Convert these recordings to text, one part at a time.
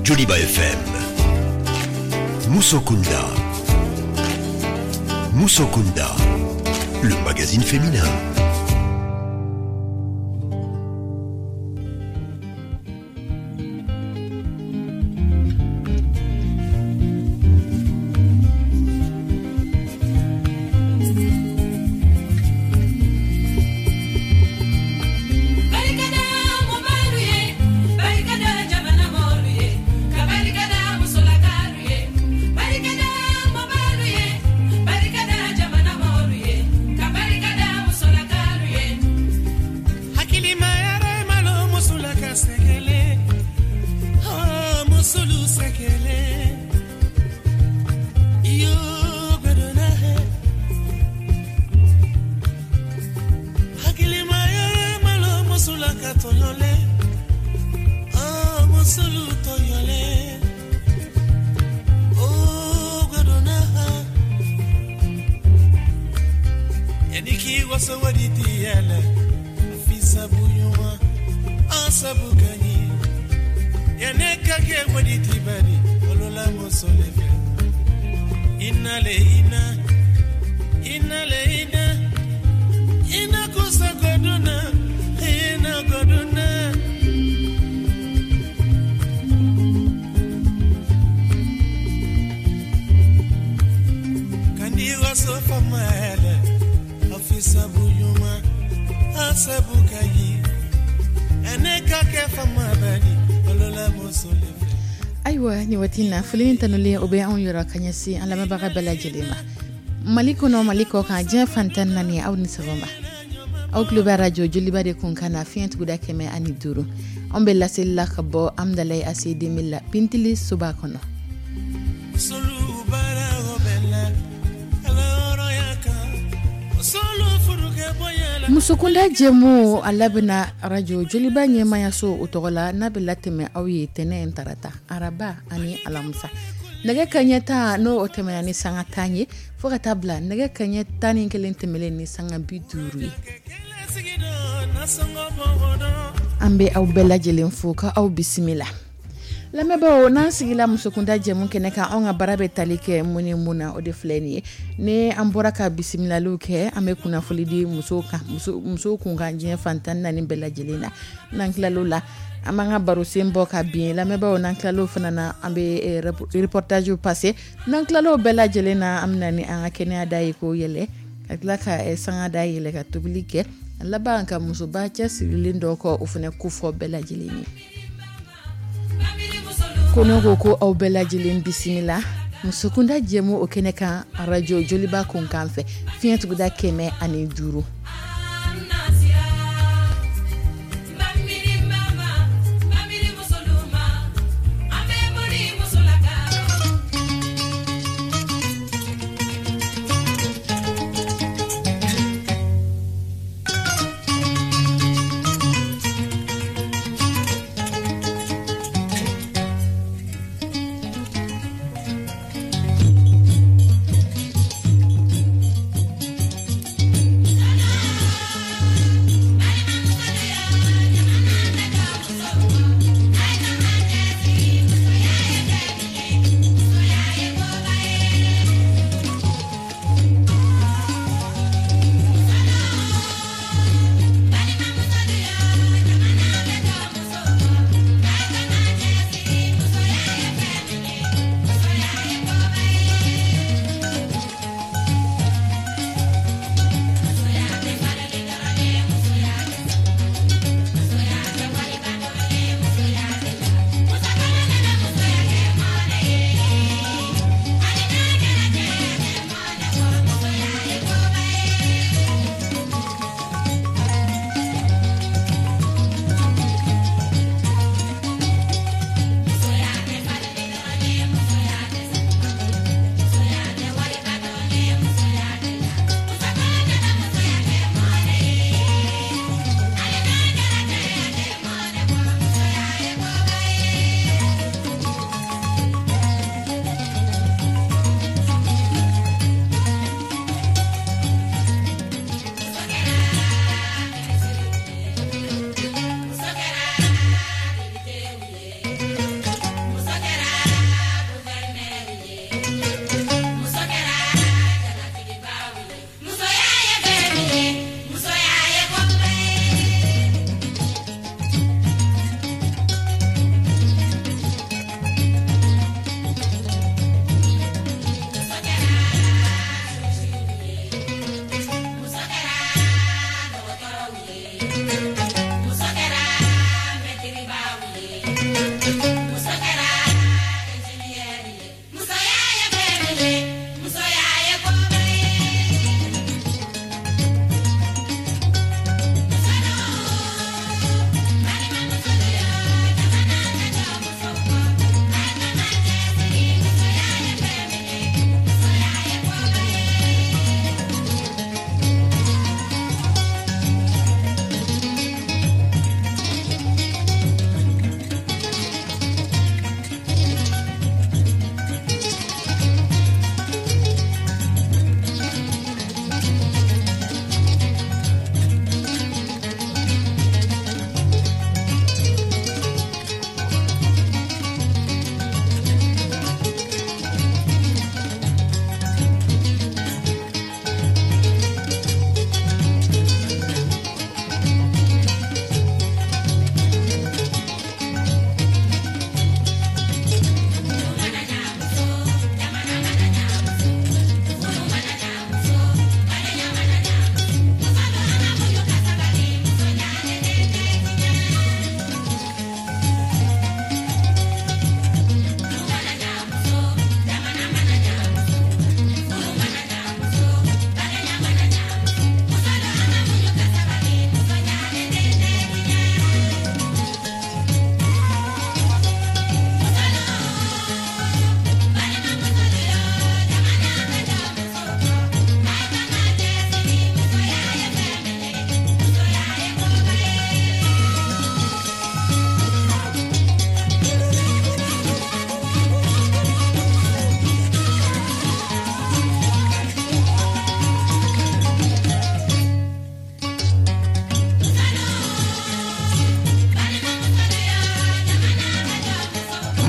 Joliba FM. Musokunda. Musokunda, le magazine féminin. Ayiwa, nin waati na, foli tanulen o bɛ anw yɔrɔ ka ɲɛsin an lamɛnbaga bɛɛ lajɛlen ma, Mali kɔnɔ, Mali kɔ kan, diɲɛ fan 14. Aw ni sɔgɔma. Aw tulo bɛ arajo Joliba de kun kan na, fiɲɛ tuguda 105. Anw bɛ laseli la ka bɔ Amdalayi ACD la, Pintili soba kɔnɔ. Musokunda jɛmu, a labɛnna arajo Joliba ɲɛmayaso o tɔgɔ la, n'a bɛ latɛmɛ aw ye tɛnɛ, tarata, araba ani alamisa, nɛgɛ kaɲɛ 10 n'o o tɛmɛna ni sanga 10 ye, fo ka taa bila nɛgɛ kaɲɛ 11 tɛmɛlen ni sanga 50 ye. An bɛ aw bɛɛ lajɛlen fo ka aw bisimila. Lamɛnbaaw, n'an sigila musokunda jɛmu kɛnɛ kan, anw ka baara bɛ tali kɛ mun ni mun na? O de filɛ nin ye. Ni an bɔra ka bisimilaliw kɛ, an bɛ kunnafoli di musow kan, musow kun kan, diɲɛ fan 14 bɛɛ lajɛlen na. N'an tilal'o la, an b'an ka barosen bɔ ka bin. Lamɛnbaaw, n'an tilal'o fana na, an bɛ reportage passer. N'an tilal'o bɛɛ lajɛlen na, an bɛ na ni an ka kɛnɛya da ye k'o yɛlɛ, ka tila ka sanga da yɛlɛ, ka tobili kɛ, a laban ka musoba cɛsirilen dɔ kɔ, o fana kofɔ bɛɛ lajɛlen ye. Ko ne ko ko aw bɛɛ lajɛlen bisimila musokunda jɛmu o kɛnɛ kan, arajo Joliba kunkan fɛ, fiɲɛ tuguda 105.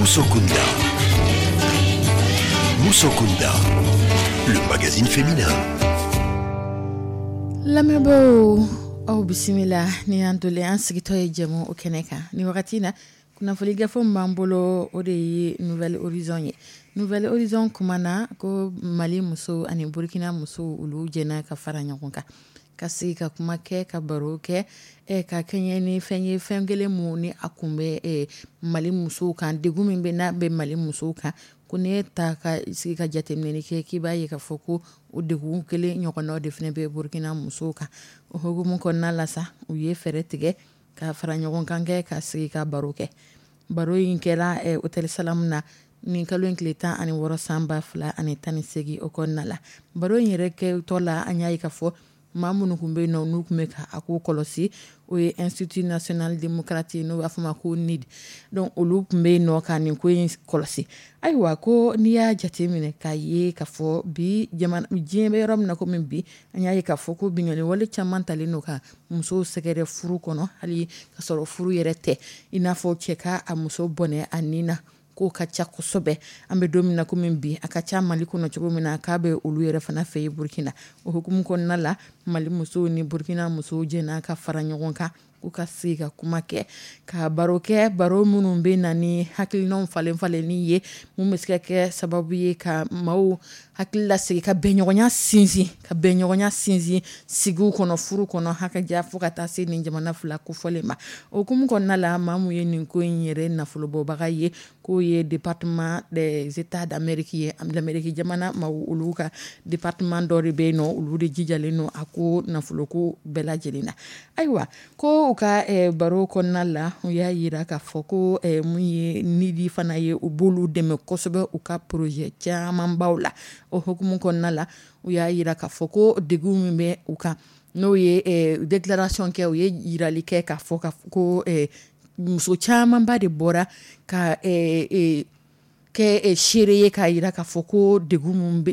Musokunda. Musokunda, le magazine féminin. Lamɛnbaaw, aw bisimila. Ni y'an dolen an sigitɔ ye jɛmu o kɛnɛ kan ni wagati na, kunnafoni gafe min b'an bolo, o de ye Nouvel Horizon ye. Nouvel Horizon kumana ko Mali musow ani Burkina musow, olu jɛna ka fara ɲɔgɔn kan ka sigi ka kuma kɛ, ka baro kɛ, ka kɛɲɛ ni fɛn ye, fɛn kelen mun ni a kun bɛ Mali musow kan, degun min bɛ n'a bɛ Mali musow kan. Ko n'i ye ta ka sigi ka jateminɛ kɛ, k'i b'a ye k'a fɔ ko o degun kelen ɲɔgɔnnaw de fana bɛ Burkina musow kan. O hukumu kɔnɔna la sa, u ye fɛɛrɛ tigɛ ka fara ɲɔgɔn kan kɛ, ka sigi ka baro kɛ. Baro in kɛra Hôtel Salam na nin kalo in tile 16 san 2018 o kɔnɔna la. Baro in yɛrɛ kɛtɔ la, an y'a ye k'a fɔ maa minnu tun bɛ yen nɔ, n'u tun bɛ ka a ko kɔlɔsi, o ye Institut national démocratique, n'u b'a fɔ ma ko NID. Donc olu tun bɛ yen nɔ ka nin ko in kɔlɔsi. Ayiwa, ko n'i y'a jateminɛ k'a ye k'a fɔ bi jamana, diɲɛ bɛ yɔrɔ min na komi bi, an y'a ye k'a fɔ ko binkanni wale caman talen don ka musow sɛgɛrɛ furu kɔnɔ, hali ka sɔrɔ furu yɛrɛ tɛ, i n'a fɔ cɛ ka a muso bɔnɛ a nin na, k'o ka ca kosɛbɛ. An bɛ don min na komi bi, a ka ca Mali kɔnɔ cogo min na, k'a bɛ olu yɛrɛ fana fɛ yen Burkina. O hukumu kɔnɔna la, Mali musow ni Burkina musow jɛna ka fara ɲɔgɔn kan k'u ka sigi ka kuma kɛ, ka baro kɛ, baro minnu bɛ na ni hakilinaw falen falenni ye, mun bɛ se ka kɛ sababu ye ka maaw hakili lasigi, ka bɛnɲɔgɔnya sinsin sigiw kɔnɔ, furu kɔnɔ, hakɛja, fo ka taa se nin jamana fila kofɔlen ma. O hukumu kɔnɔna la, maa mun ye nin ko in yɛrɛ nafolobɔbaga ye, k'o ye département des États d'Amérique ye, Amérique jamana maaw, olu ka département dɔ de bɛ yen nɔ, olu de jijalen don a ko nafoloko bɛɛ lajɛlen na. Ayiwa, ko u ka baro kɔnɔna la, u y'a yira k'a fɔ ko mun ye NID fana ye, u b'olu dɛmɛ kosɛbɛ u ka projet camanbaw la. O hukumu kɔnɔna la, u y'a yira k'a fɔ ko degun min bɛ u kan, n'o ye déclaration kɛ, u ye yirali kɛ k'a fɔ ko muso camanba de bɔra ka kɛ seere ye k'a yira k'a fɔ ko degun mun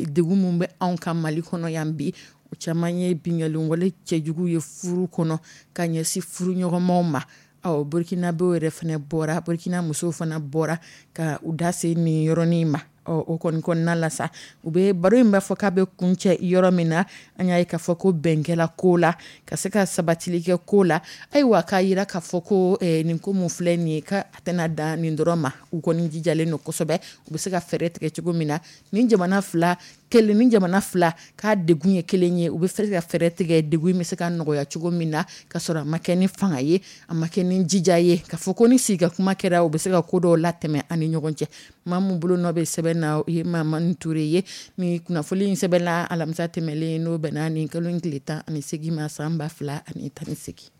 bɛ anw ka Mali kɔnɔ yan bi, o caman ye binkanni wale cɛjugu ye furu kɔnɔ ka ɲɛsin furu ɲɔgɔnmaw ma. Ɔ, Burkinabéw yɛrɛ fana bɔra, Burkina musow fana bɔra ka u da se nin yɔrɔnin ma. Ɔ, o kɔni kɔnɔna la sa, u bɛ baro in b'a fɔ k'a bɛ kuncɛ yɔrɔ min na, an y'a ye k'a fɔ ko bɛn kɛla ko la, ka se ka sabatili kɛ ko la. Ayiwa, k'a yira k'a fɔ ko nin ko mun filɛ nin ye, ka a tɛna dan nin dɔrɔn ma. U kɔni jijalen don kosɛbɛ, u bɛ se ka fɛɛrɛ tigɛ cogo min na, nin jamana fila kelen ni jamana fila k'a degun ye kelen ye, u bɛ se ka fɛɛrɛ tigɛ degun bɛ se ka nɔgɔya cogo min na, ka sɔrɔ a ma kɛ ni fanga ye, a ma kɛ ni jija ye, ka fɔ ko ni sigi ka kuma kɛra, u bɛ se ka ko dɔw latɛmɛ an ni ɲɔgɔn cɛ. Maa min bolo nɔ bɛ sɛbɛn na, o ye Mamani Ture ye. Ni kunnafoni in sɛbɛnna alamisa tɛmɛlen, n'o bɛnna nin kalo in tile 18 ma san 2018.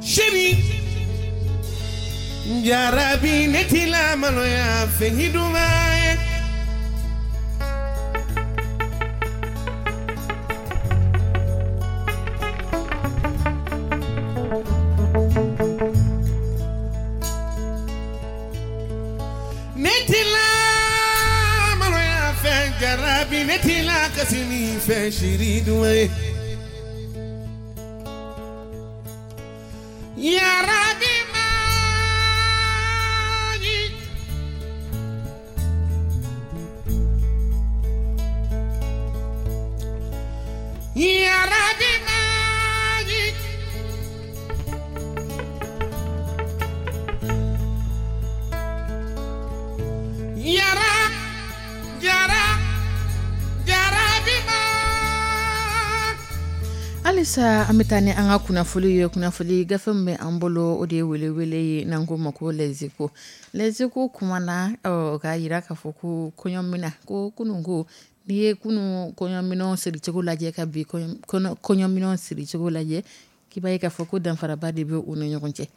Chérie, jarabi ne t'i la maloya fɛn duman ye. Ne t'i la maloya fɛn, jarabi ne t'i la kasi ni fɛn, chérie duman ye. Yarabi maji. Yarabi maji. Yara jara jarabi ma. Halisa an bɛ taa ni an ka kunnafoli ye. Kunnafoli gafe min bɛ an bolo, o de ye welewele ye, n'an ko ma ko Les Échos. Les Échos kumana k'a yira k'a fɔ ko kɔɲɔmina, ko kunun, ko n'i ye kunun kɔɲɔminɛnw siricogo lajɛ ka bi kɔɲɔminɛnw siricogo lajɛ, k'i b'a ye k'a fɔ ko danfaraba de bɛ u ni ɲɔgɔn cɛ.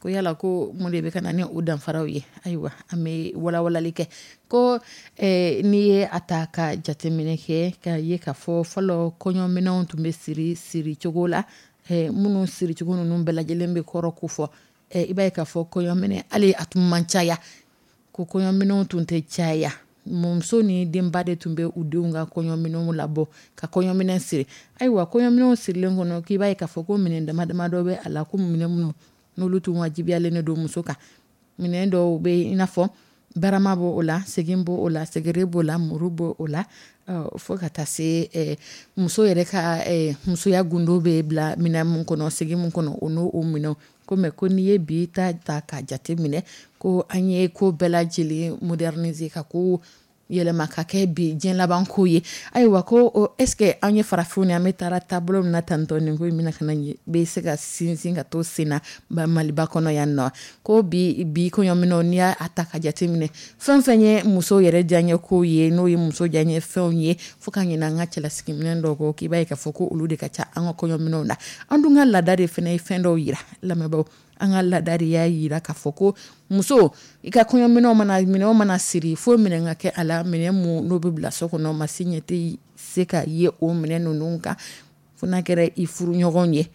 Ko yala ko mun de bɛ ka na ni o danfaraw ye? Ayiwa, an bɛ walawalali kɛ. Ko n'i ye a ta ka jateminɛ kɛ, ka ye ka fɔ fɔlɔ kɔɲɔminɛnw tun bɛ siri siri cogo la, minnu siricogo ninnu bɛɛ lajɛlen bɛ kɔrɔ ko fɔ. I b'a ye k'a fɔ kɔɲɔminɛ hali a tun man caya, ko kɔɲɔminɛnw tun tɛ caya, muso ni denba de tun bɛ u denw ka kɔɲɔminɛnw labɔ ka kɔɲɔminɛ siri. Ayiwa, kɔɲɔminɛnw sirilen kɔnɔ, k'i b'a ye k'a fɔ ko minɛn dama dama dɔ bɛ a la, ko minɛn minnu n'olu tun wajibiyalen don muso kan. Minɛn dɔw bɛ yen, i n'a fɔ barama b'o la, segi b'o la, segere b'o la, muru b'o la, fo ka taa se muso yɛrɛ ka musoya gundo bɛ bila minɛn min kɔnɔ, segi min kɔnɔ, o n'o minɛnw. Ko mais ko n'i ye bi ta ta ka jate minɛ, ko an ye ko bɛɛ lajɛlen moderniser, ka ko yɛlɛma ka kɛ bi diɲɛ laban ko ye. Ayiwa, ko est ce que an ye farafinw ye, an bɛ taara taabolo min na tantɔ, nin ko in bɛna ka na bɛ se ka sinsin ka to sen na ba Maliba kɔnɔ yan nɔ? Ko bi bi kɔɲɔminɛnw, n'i y'a ta ka jate minɛ, fɛn fɛn ye muso yɛrɛ diyaɲɛ ko ye, n'o ye muso diyaɲɛ fɛnw ye, fo ka ɲinɛ an ka cɛlasigiminɛn dɔw kɔ, k'i b'a ye k'a fɔ ko olu de ka ca an ka kɔɲɔminɛnw na. An dun ka laada de fana ye fɛn dɔw yira lamɛnbaaw. An ka laada de y'a yira k'a fɔ ko muso, i ka kɔɲɔminɛnw mana minɛnw mana siri, fo minɛn ka kɛ a la, minɛn mun n'o bɛ bila so kɔnɔ, maa si ɲɛ tɛ se ka ye o minɛn ninnu kan fo n'a kɛra i furuɲɔgɔnw ye.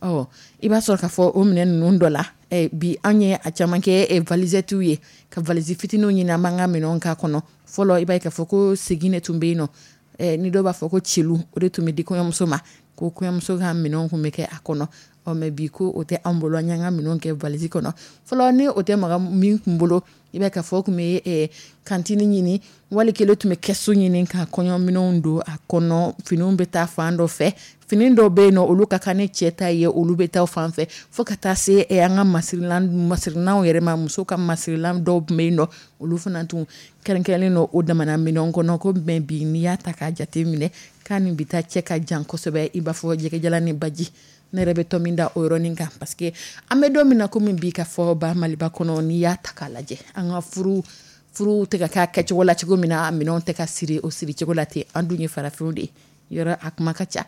Ɔ, i b'a sɔrɔ k'a fɔ o minɛn ninnu dɔ la, bi an ye a caman kɛ valisettew ye, ka valise fitininw ɲini, an b'an ka minɛnw k'a kɔnɔ. Fɔlɔ, i b'a ye k'a fɔ ko segi de tun bɛ yen nɔ, ni dɔw b'a fɔ ko celu, o de tun bɛ di kɔɲɔmuso ma, ko kɔɲɔmuso ka minɛnw tun bɛ kɛ a kɔnɔ. Ɔ, mais bi ko o tɛ an bolo, an y'an ka minɛnw kɛ valise kɔnɔ. Fɔlɔ, ni o tɛ maga min kun bolo, i b'a ye k'a fɔ o tun bɛ cantine ɲini, wali kelen tun bɛ kɛsu ɲini ka kɔɲɔminɛnw don a kɔnɔ. Finiw bɛ taa fan dɔ fɛ, fini dɔw bɛ yen nɔ, olu ka kan ni cɛ ta ye, olu bɛ taa fan fɛ, fo ka taa se an ka masirilanw yɛrɛ ma. Muso ka masirilan dɔw tun bɛ yen nɔ, olu fana tun kɛrɛnkɛrɛnnen don o damana minɛnw kɔnɔ. Ko mais bi, n'i y'a ta k'a jate minɛ, k'a ni bi ta cɛ ka jan kosɛbɛ, i b'a fɔ jɛgɛjalan ni baji. Ne yɛrɛ bɛ tɔ min da o yɔrɔnin kan, parce que an bɛ don min na komi bi, ka fɔ ba Maliba kɔnɔ, n'i y'a ta k'a lajɛ, an ka furu tɛ ka kɛ a kɛcogo la cogo min na, minɛnw tɛ ka siri o siri cogo la ten. An dun ye farafinw de ye, yɔrɔ a kuma ka ca.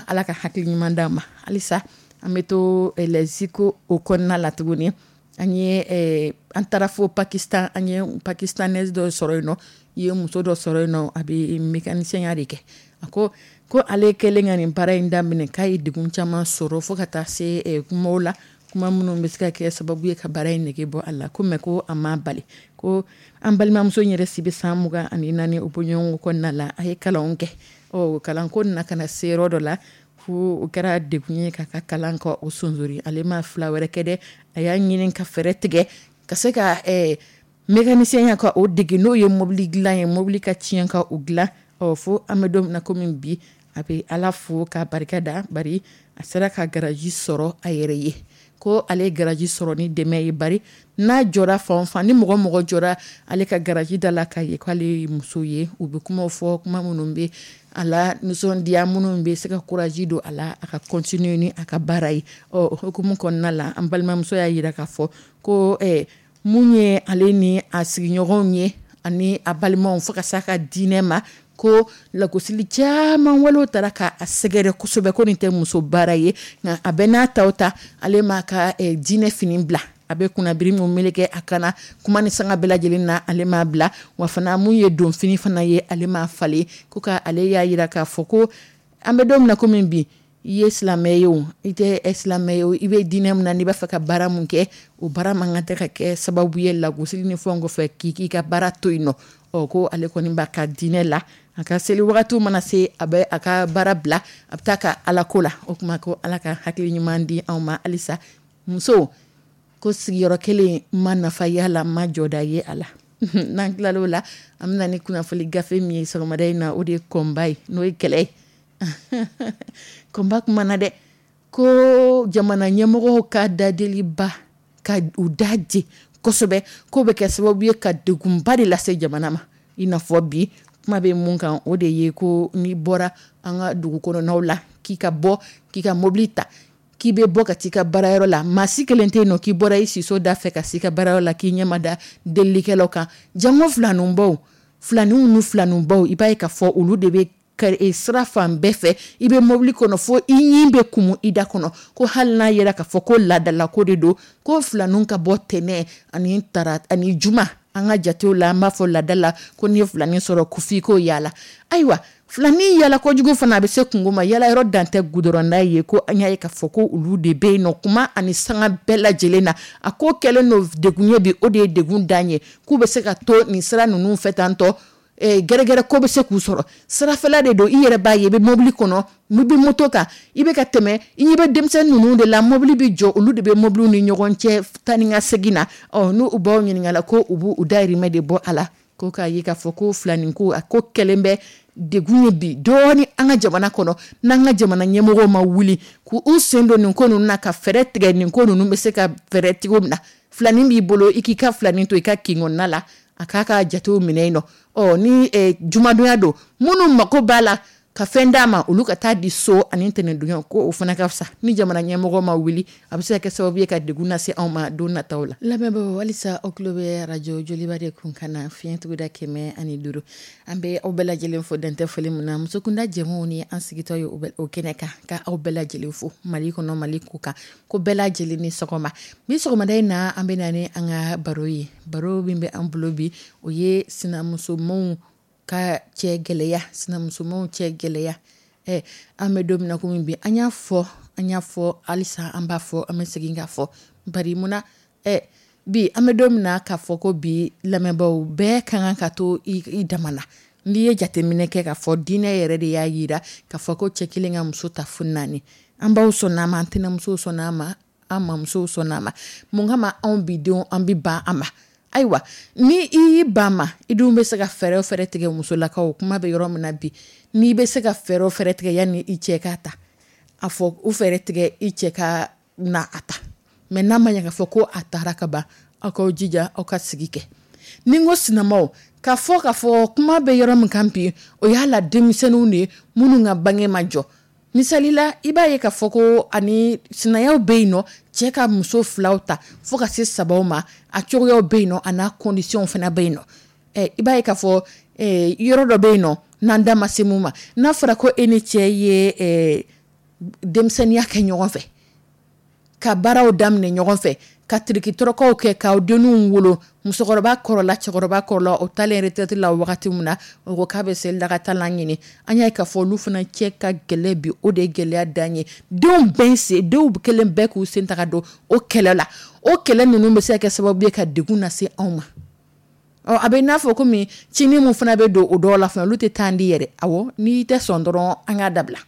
Ala ka hakili ɲuman d'an ma. Halisa an bɛ to les échos o kɔnɔna la tuguni. An ye an taara fo Pakistan, an ye Pakistanaise dɔ sɔrɔ yen nɔ, i ye muso dɔ sɔrɔ yen nɔ, a bɛ mécanicien ya de kɛ. A ko ko ale kɛlen ka nin baara in daminɛ, k'a ye degun caman sɔrɔ, fo ka taa se kumaw la, kuma minnu bɛ se ka kɛ sababu ye ka baara in nege bɔ a la. Ko mais ko a ma bali. Ko an balimamuso in yɛrɛ si bɛ san 24 o bɔɲɔgɔnko kɔnɔna la. A ye kalanw kɛ. Ɔ, kalanko nana ka na se yɔrɔ dɔ la, fo o kɛra degun ye k'a ka kalan kɔ o sonsori. Ale ma fila wɛrɛ kɛ dɛ, a y'a ɲini ka fɛɛrɛ tigɛ ka se ka mécanicien ya ka o dege, n'o ye mobili dilan ye, mobili ka tiɲɛ ka o dilan. Ɔ, fo an bɛ don min na komi bi, a bɛ Ala fo k'a barika da, bari a sera ka garage sɔrɔ a yɛrɛ ye. Ko ale ye garage sɔrɔ ni dɛmɛ ye, bari n'a jɔra fan o fan, ni mɔgɔ mɔgɔ jɔra ale ka garage da la k'a ye k'ale ye muso ye, u bɛ kumaw fɔ, kuma minnu bɛ a la nisɔndiya, minnu bɛ se ka courage don a la a ka continuer ni a ka baara ye. Ɔ, o hukumu kɔnɔna la, an balimamuso y'a jira k'a fɔ ko mun ye ale ni a sigiɲɔgɔnw ye ani a balimaw, fo ka s'a ka diinɛ ma, ko lagosili caman walew taara k'a sɛgɛrɛ kosɛbɛ, ko nin tɛ muso baara ye. Nka a bɛɛ n'a taw ta, ale m'a ka diinɛ fini bila, a bɛ kunnabiri min meleke a kana kuma ni sanga bɛɛ lajɛlen na, ale m'a bila. Wa fana, mun ye donfini fana ye, ale m'a falen. Ko ka ale y'a jira k'a fɔ ko an bɛ don min na komi bi, i ye silamɛ ye o, i tɛ silamɛ ye o, i bɛ diinɛ min na, n'i b'a fɛ ka baara mun kɛ, o baara man kan tɛ ka kɛ sababu ye lagosili ni fɛnw kɔfɛ k'i k'i ka baara to yen nɔ. Ɔ, ko ale kɔni b'a ka diinɛ la, a ka seli wagatiw mana se, a bɛ a ka baara bila, a bɛ taa ka Ala ko la. O tuma, ko Ala ka hakili ɲuman di anw ma halisa. Muso ko sigiyɔrɔ kelen ma nafa ye a la, ma jɔda ye a la. N'an tilal'o la, an bɛna ni kunnafoni gafe min ye sɔgɔmada in na, o de ye kɔnba ye, n'o ye kɛlɛ ye. Kɔnba kuma na dɛ, ko jamana ɲɛmɔgɔw ka dadeliba ka u da je kosɛbɛ, k'o bɛ kɛ sababu ye ka degunba de lase jamana ma. I n'a fɔ bi kuma bɛ mun kan, o de ye ko n'i bɔra an ka dugu kɔnɔnaw la, k'i ka bɔ k'i ka mobili ta, k'i bɛ bɔ ka t'i ka baarayɔrɔ la, maa si kelen tɛ yen nɔ k'i bɔra i siso da fɛ ka s'i ka baarayɔrɔ la k'i ɲɛ ma da delilikɛlaw kan. Jango filaninbaw, filaninw ni filaninbaw, i b'a ye k'a fɔ olu de bɛ sira fan bɛɛ fɛ. I bɛ mobili kɔnɔ fo i ɲin bɛ kumu i da kɔnɔ, ko hali n'a yera k'a fɔ ko laadalako de don, ko filaninw ka bɔ tɛnɛn ani tara ani juma, an ka jatew la, an b'a fɔ laada la ko n'i ye filanin sɔrɔ ko f'i k'o yaala. Ayiwa, filanin yaala kojugu fana a bɛ se kungo ma, yaala yɔrɔ dan tɛ gudɔrɔnda ye. Ko an y'a ye k'a fɔ ko olu de bɛ yen nɔ kuma ani sanga bɛɛ lajɛlen na. A ko kɛlen don degun ye bi, o de ye degun dan ye, k'u bɛ se ka to nin sira ninnu fɛ tantɔ, gɛrɛgɛrɛ ko bɛ se k'u sɔrɔ. Sirafɛla de don, i yɛrɛ b'a ye, i bɛ mobili kɔnɔ, i bɛ moto kan, i bɛ ka tɛmɛ, i ɲɛ bɛ denmisɛnnin ninnu de la, mobili bɛ jɔ, olu de bɛ mobiliw ni ɲɔgɔn cɛ taa ni ka segin na. Ɔ, n'u b'aw ɲininka la ko u b'u dahirimɛ de bɔ a la, ko k'a ye k'a fɔ ko filanin ko a ko kɛlen bɛ degun ye bi dɔɔni an ka jamana kɔnɔ. N'an ka jamana ɲɛmɔgɔw ma wuli k'u sen don nin ko ninnu na, ka fɛɛrɛ tigɛ nin ko ninnu bɛ se ka fɛɛrɛ cogo min na. Filanin b'i bolo, i k'i ka filanin to i ka kin kɔnɔna la, a k'a ka jatew minɛ yen nɔ. Ɔ, ni jumadonya don, minnu mako b'a la ka fɛn d'a ma, olu ka taa di so ani tɛnɛndonya, ko o fana ka fisa. Ni jamana ɲɛmɔgɔ ma wuli, a bɛ se ka kɛ sababu ye ka degun lase anw ma don nataw la. Lamɛnbaaw, halisa aw tulo bɛ arajo Joliba de kun kan na, fiɲɛ tuguda 105. An bɛ aw bɛɛ lajɛlen fo dantɛ foli min na. Musokunda jɛmu ni an sigitɔ ye o kɛnɛ kan, ka aw bɛɛ lajɛlen fo Mali kɔnɔ, Mali ko kan, ko bɛɛ lajɛlen ni sɔgɔma. Bi sɔgɔmada in na, an bɛ na ni an ka baro ye. Baro min bɛ an bolo bi, o ye sinamusomaw ka cɛ gɛlɛya, sinamusomaw cɛ gɛlɛya. An bɛ don min na komi bi, an y'a fɔ, an y'a fɔ halisa, an b'a fɔ, an bɛ segin k'a fɔ. Bari munna bi an bɛ don min na k'a fɔ ko bi lamɛnbaaw bɛɛ ka kan ka to i dama na. N'i ye jateminɛ kɛ k'a fɔ diinɛ yɛrɛ de y'a yira k'a fɔ ko cɛ kelen ka muso ta fo 4. An baw sɔnna a ma, an tɛnɛmusow sɔnna a ma, an mamusow sɔnna a ma. Mun kama anw bi denw an bɛ ban a ma? Ayiwa, ni i y'i ban ma, i dun bɛ se ka fɛɛrɛ o fɛɛrɛ tigɛ. Musolakaw, kuma bɛ yɔrɔ min na bi, n'i bɛ se ka fɛɛrɛ o fɛɛrɛ tigɛ yanni i cɛ k'a ta, a fɔ o fɛɛrɛ tigɛ i cɛ ka na a ta. Mɛ n'a ma ɲɛ k'a fɔ ko a taara ka ban, aw k'aw jija aw ka sigi kɛ. Ni n ko sinamaw, k'a fɔ kuma bɛ yɔrɔ min kan bi, o y'a la denmisɛnninw de ye minnu ka bange ma jɔ. Misali la, i b'a ye k'a fɔ ko ani sinayaw bɛ yen nɔ, cɛ ka muso filaw ta fo ka se sabaw ma, a cogoyaw bɛ yen nɔ, a n'a conditions fana bɛ yen nɔ. I b'a ye k'a fɔ yɔrɔ dɔ bɛ yen nɔ, n'an da ma se mun ma, n'a fɔra ko e ni cɛ ye denmisɛnninya kɛ ɲɔgɔn fɛ, ka baaraw daminɛ ɲɔgɔn fɛ, ka tirikitɔrɔkɔw kɛ, k'aw denninw wolo, musokɔrɔba kɔrɔla, cɛkɔrɔba kɔrɔla, o taalen retraite la wagati min na, o ko k'a bɛ selilakatalan ɲini. An y'a ye k'a fɔ olu fana cɛ ka gɛlɛn bi, o de ye gɛlɛya dan ye. Denw bɛɛ sen, denw kelen bɛɛ k'u sen ta ka don o kɛlɛ la. O kɛlɛ ninnu bɛ se ka kɛ sababu ye ka degun lase anw ma. Ɔ, a bɛ n'a fɔ komi cinin min fana bɛ don o dɔw la fana, olu tɛ taa di yɛrɛ. Awɔ, n'i tɛ sɔn dɔrɔn, an k'a dabila.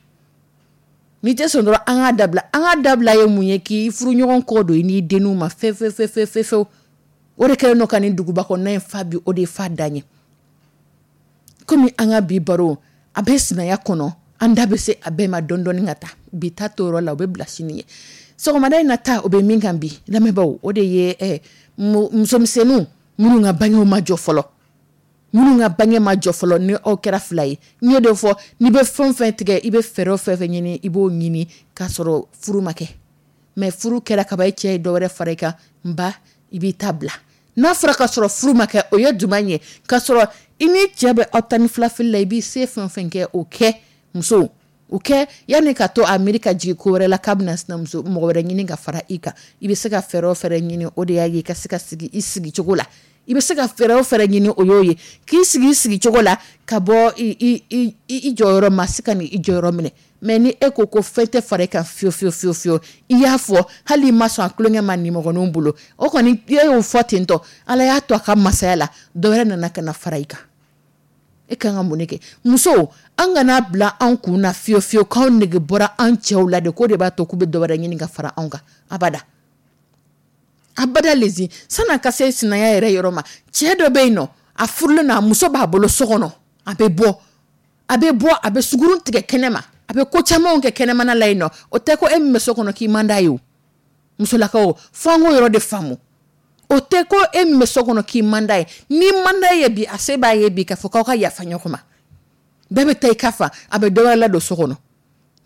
N'i tɛ sɔn dɔrɔn, an k'a dabila. An k'a dabila ye mun ye? K'i furuɲɔgɔn kɔ don i n'i denninw ma fe fe fe fe fe fewu. O de kɛlen don ka nin duguba kɔnɔna in fa bi, o de ye fa dan ye. Komi an ka bi baro a bɛ sinaya kɔnɔ, an da bɛ se a bɛɛ ma dɔɔni dɔɔni ka taa. Bi ta to yɔrɔ la, o bɛ bila sini ye. Sɔgɔmada in na ta, o bɛ min kan bi lamɛnbaaw, o de ye musomisɛnninw minnu ka bangew ma jɔ fɔlɔ. Minnu ka bange ma jɔ fɔlɔ, ni aw kɛra fila ye. N y'o de fɔ, n'i bɛ fɛn o fɛn tigɛ, i bɛ fɛɛrɛ o fɛn fɛn ɲini, i b'o ɲini k'a sɔrɔ furu ma kɛ. Mais furu kɛra kaban, e cɛ ye dɔ wɛrɛ fara i kan, n ba, i b'i ta bila. N'a fɔra k'a sɔrɔ furu ma kɛ, o ye jumɛn ye? K'a sɔrɔ i ni cɛ bɛ aw tan ni fila fili la, i b'i se fɛn o fɛn kɛ, o kɛ muso, o kɛ yanni ka to a miiri ka jigin ko wɛrɛ la k'a bɛna sinamuso mɔgɔ wɛrɛ ɲini ka fara i kan. I bɛ se ka fɛɛrɛ o fɛɛrɛ ɲini, o de y'a ye i ka se ka sigi i sigi cogo la. I bɛ se ka fɛɛrɛ o fɛɛrɛ ɲini, o y'o ye k'i sigi i sigi cogo la, ka bɔ i jɔyɔrɔ ma se ka nin i jɔyɔrɔ minɛ. Mais ni e ko ko fɛn tɛ fara i kan fiyewu fiyewu fiyewu fiyewu, i y'a fɔ hali i ma sɔn a tulonkɛ ma nimɔgɔninw bolo, o kɔni e y'o fɔ ten tɔ, Ala y'a to a ka masaya la, dɔ wɛrɛ nana ka na fara i kan. E kan ka mun de kɛ? Musow, an kana bila an kun na fiyewu fiyewu k'anw nege bɔra an cɛw la de, k'o de b'a to k'u bɛ dɔ wɛrɛ ɲini ka fara anw kan. Abada. Abada lezi, san'a ka se sinaya yɛrɛ yɔrɔ ma, cɛ dɔ bɛ yen nɔ, a furulen don, a muso b'a bolo so kɔnɔ, a bɛ bɔ. A bɛ bɔ, a bɛ sugurun tigɛ kɛnɛ ma, a bɛ ko camanw kɛ kɛnɛmana la yen nɔ. O tɛ ko e min bɛ so kɔnɔ k'i man d'a ye o. Musolakaw, fo an k'o yɔrɔ de faamu. O tɛ ko e min bɛ so kɔnɔ k'i man d'a ye. N'i man d'a ye bi, a se b'a ye bi k'a fɔ k'aw ka yafa ɲɔgɔn ma. Bɛɛ bɛ taa i ka fa, a bɛ dɔ wɛrɛ ladon so kɔnɔ.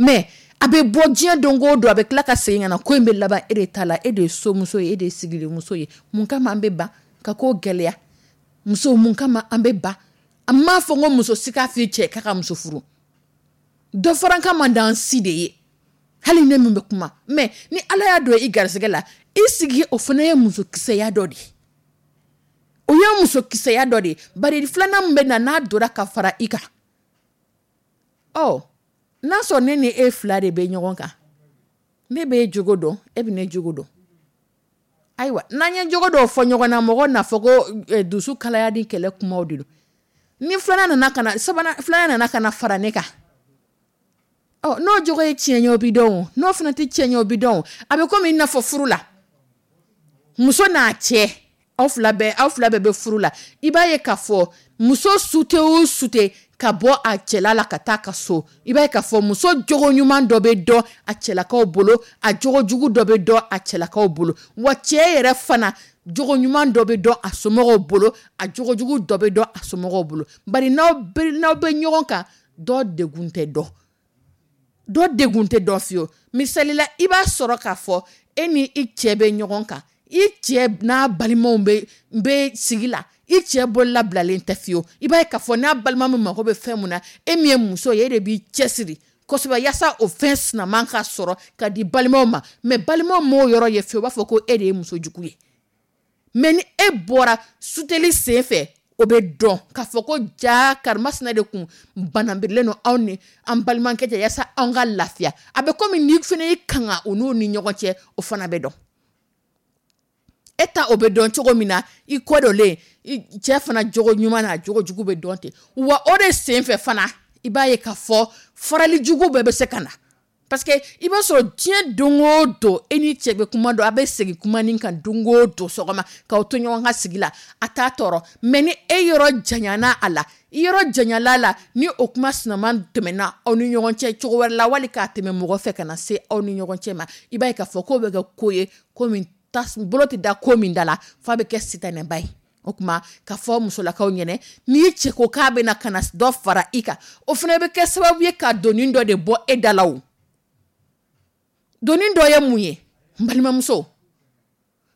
Mais a bɛ bɔ diɲɛ don o don, a bɛ tila ka segin ka na, ko in bɛ laban e de ta la, e de ye somuso ye, e de ye sigilenmuso ye. Mun kama an bɛ ban ka ko gɛlɛya? Muso, mun kama an bɛ ban? An m'a fɔ ko muso si k'a f'i cɛ k'a ka muso furu. Dɔ fara n kan man d'an si de ye, hali ne min bɛ kuma. Mais ni Ala y'a don i garisɛgɛ la, i sigi, o fana ye musokisɛya dɔ de ye, o ye musokisɛya dɔ de ye. Bari filanan min bɛ na, n'a donna ka fara i kan, ɔ n'a sɔrɔ ne ni e fila de bɛ ɲɔgɔn kan, ne bɛ e jogo dɔn, e bɛ ne jogo dɔn. Ayiwa, n'an ye jogo dɔw fɔ ɲɔgɔn na, mɔgɔ n'a fɔ ko dusu kalaya ni kɛlɛ kumaw de don. Ni filanan nana ka na, sabanan filanan nana ka na fara ne kan, ɔ n'o jogo ye tiɲɛ ye, o bi dɔn o, n'o fana tɛ tiɲɛ ye, o bi dɔn o. A bɛ komi i n'a fɔ furu la, muso n'a cɛ, aw fila bɛɛ bɛ furu la, i b'a ye k'a fɔ muso sute o sute ka bɔ a cɛla la ka taa ka so, i b'a ye k'a fɔ muso jogo ɲuman dɔ bɛ dɔn a cɛlakaw bolo, a jogo jugu dɔ bɛ dɔn a cɛlakaw bolo. Wa cɛ yɛrɛ fana jogo ɲuman dɔ bɛ dɔn a somɔgɔw bolo, a jogo jugu dɔ bɛ dɔn a somɔgɔw bolo. Bari n'aw bɛ ɲɔgɔn kan, dɔ degun tɛ dɔn, dɔ degun tɛ dɔn fiyewu. Misali la, i b'a sɔrɔ k'a fɔ e ni i cɛ bɛ ɲɔgɔn kan, i cɛ n'a balimaw bɛ sigi la, i cɛ bololabilalen tɛ fiyewu. I b'a ye k'a fɔ n'a balima min mako bɛ fɛn mun na, e min ye muso ye, e de b'i cɛsiri kosɛbɛ yaasa o fɛn sinaman ka sɔrɔ ka di balimaw ma. Mais balimaw m'o yɔrɔ ye fiyewu, u b'a fɔ ko e de ye muso jugu ye. Mais ni e bɔra suteli sen fɛ, o bɛ dɔn k'a fɔ ko ja karimasina de kun banabirilen don anw ni an balimakɛ cɛ yaasa anw ka lafiya. A bɛ komi n'i fana y'i kanga o n'u ni ɲɔgɔn cɛ, o fana bɛ dɔn. E ta o bɛ dɔn cogo min na, i kɔ dɔlen cɛ fana jogo ɲuman n'a jogo jugu bɛ dɔn ten. Wa o de sen fɛ fana, i b'a ye k'a fɔ farali jugu bɛɛ bɛ se ka na. Parce que i b'a sɔrɔ diɲɛ don o don, e ni cɛ bɛ kuma dɔn, a bɛ segin kuma nin kan don o don sɔgɔma k'aw to ɲɔgɔn ka sigi la, a t'a tɔɔrɔ. Mais ni e yɔrɔ janyana a la, i yɔrɔ janyala la, ni o kuma sinaman tɛmɛna aw ni ɲɔgɔn cɛ cogo wɛrɛ la, wali k'a tɛmɛ mɔgɔ fɛ ka na se aw ni ɲɔgɔn cɛ ma, i b'a ye k'a fɔ k'o bɛ kɛ ko ye, ko min bolo tɛ da ko min da la, f'a bɛ kɛ sitanɛba ye. O tuma k'a fɔ musolakaw ɲɛnɛ, n'i cɛ ko k'a bɛna ka na dɔ fara i kan, o fana bɛ kɛ sababu ye ka doni dɔ de bɔ e da la. O doni dɔ ye mun ye, n balimamuso?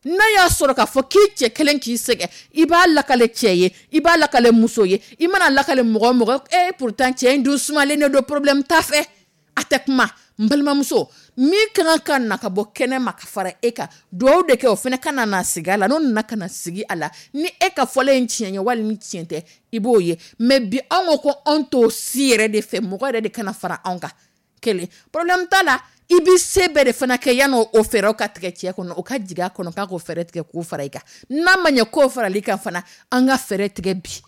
N'a y'a sɔrɔ k'a fɔ k'i cɛ kelen k'i sɛgɛn, i b'a lakale cɛ ye, i b'a lakale muso ye, i mana lakale mɔgɔ o mɔgɔ, e pourtant cɛ in dun sumalen de don, problème t'a fɛ, a tɛ kuma. N balimamuso, min ka kan ka na ka bɔ kɛnɛ ma ka fara e kan, duwawu de kɛ o fana ka na sigi a la. N'o nana ka na sigi a la, ni e ka fɔlen ye tiɲɛ ye wali ni tiɲɛ tɛ, i b'o ye. Mais bi anw ko anw t'o si yɛrɛ de fɛ, mɔgɔ yɛrɛ de kana fara anw kan. Kelen, problème t'a la, i b'i se bɛɛ de fana kɛ yan'o o fɛɛrɛw ka tigɛ cɛ kɔnɔ, o ka jigin a kɔnɔ k'a k'o fɛɛrɛ tigɛ k'o fara i kan. N'a ma ɲɛ k'o farali kan fana, an ka fɛɛrɛ tigɛ bi,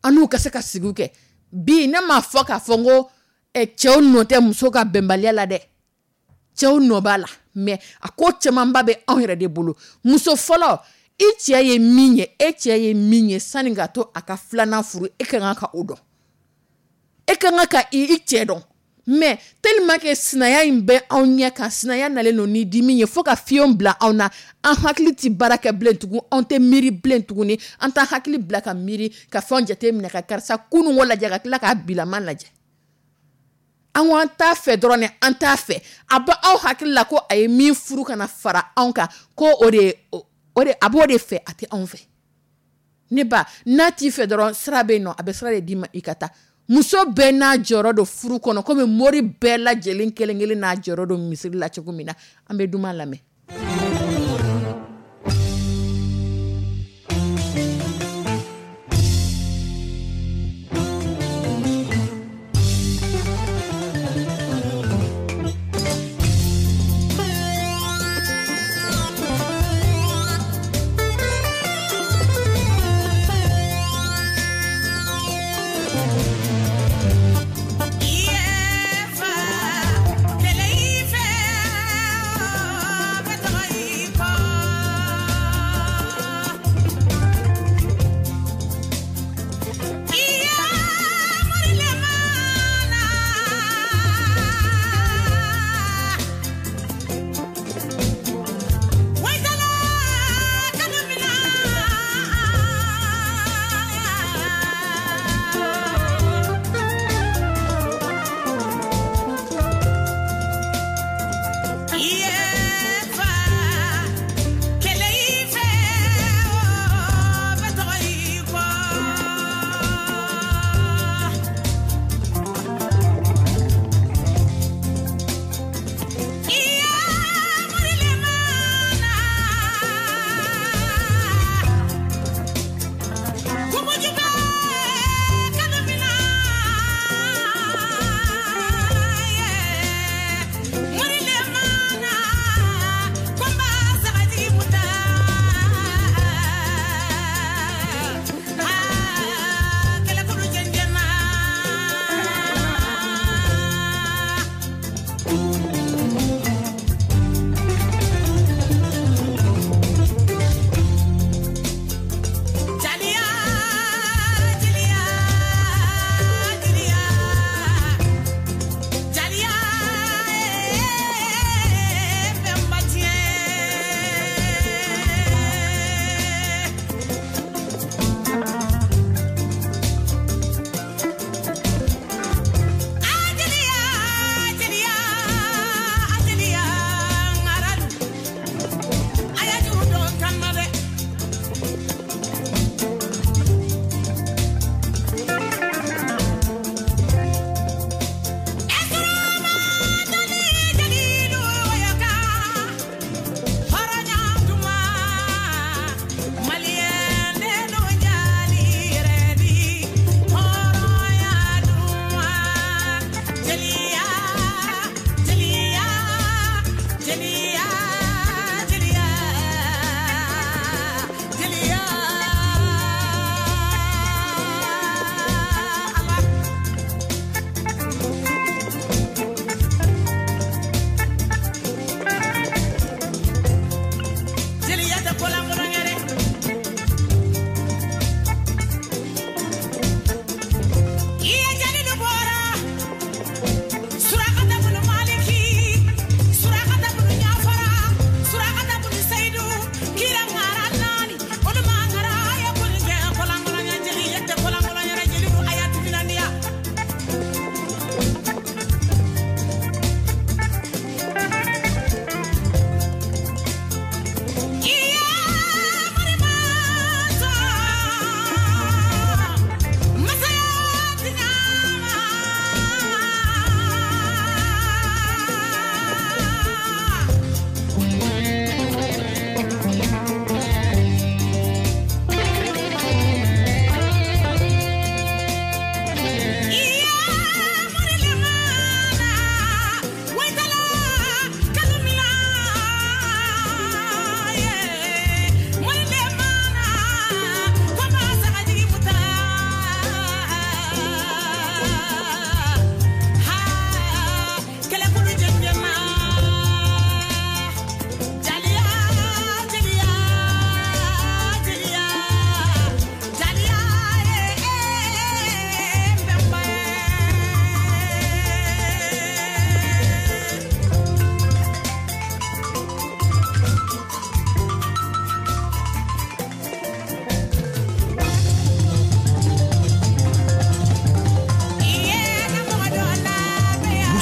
an n'u ka se ka sigiw kɛ bi. Ne m'a fɔ k'a fɔ n ko cɛw nɔ tɛ muso ka bɛnbaliya la dɛ, cɛw nɔ b'a la, mais a ko camanba bɛ anw yɛrɛ de bolo. Muso fɔlɔ, i cɛ ye min ye, e cɛ ye min ye, sani ka to a ka filanan furu, e ka kan ka o dɔn, e ka kan ka i cɛ dɔn. Mais tellement que sinaya in bɛ anw ɲɛ kan, sinaya nalen don ni dimi ye fo ka fiɲɛ bila anw na, an hakili tɛ baara kɛ bilen tugun, anw tɛ miiri bilen tuguni, an t'an hakili bila ka miiri ka fɛnw jate minɛ, ka karisa kununko lajɛ ka tila k'a bilama lajɛ. An ko an t'a fɛ dɔrɔn dɛ, an t'a fɛ. A bɛ aw hakili la ko a ye min furu ka na fara anw kan, ko o de a b'o de fɛ, a tɛ anw fɛ. Ne ba, n'a t'i fɛ dɔrɔn, sira bɛ yen nɔ, a bɛ sira de d'i ma i ka taa. Muso bɛɛ n'a jɔyɔrɔ don furu kɔnɔ, komi mori bɛɛ lajɛlen kelen kelen n'a jɔyɔrɔ don misiri la cogo min na. An bɛ duman lamɛn. Yeah,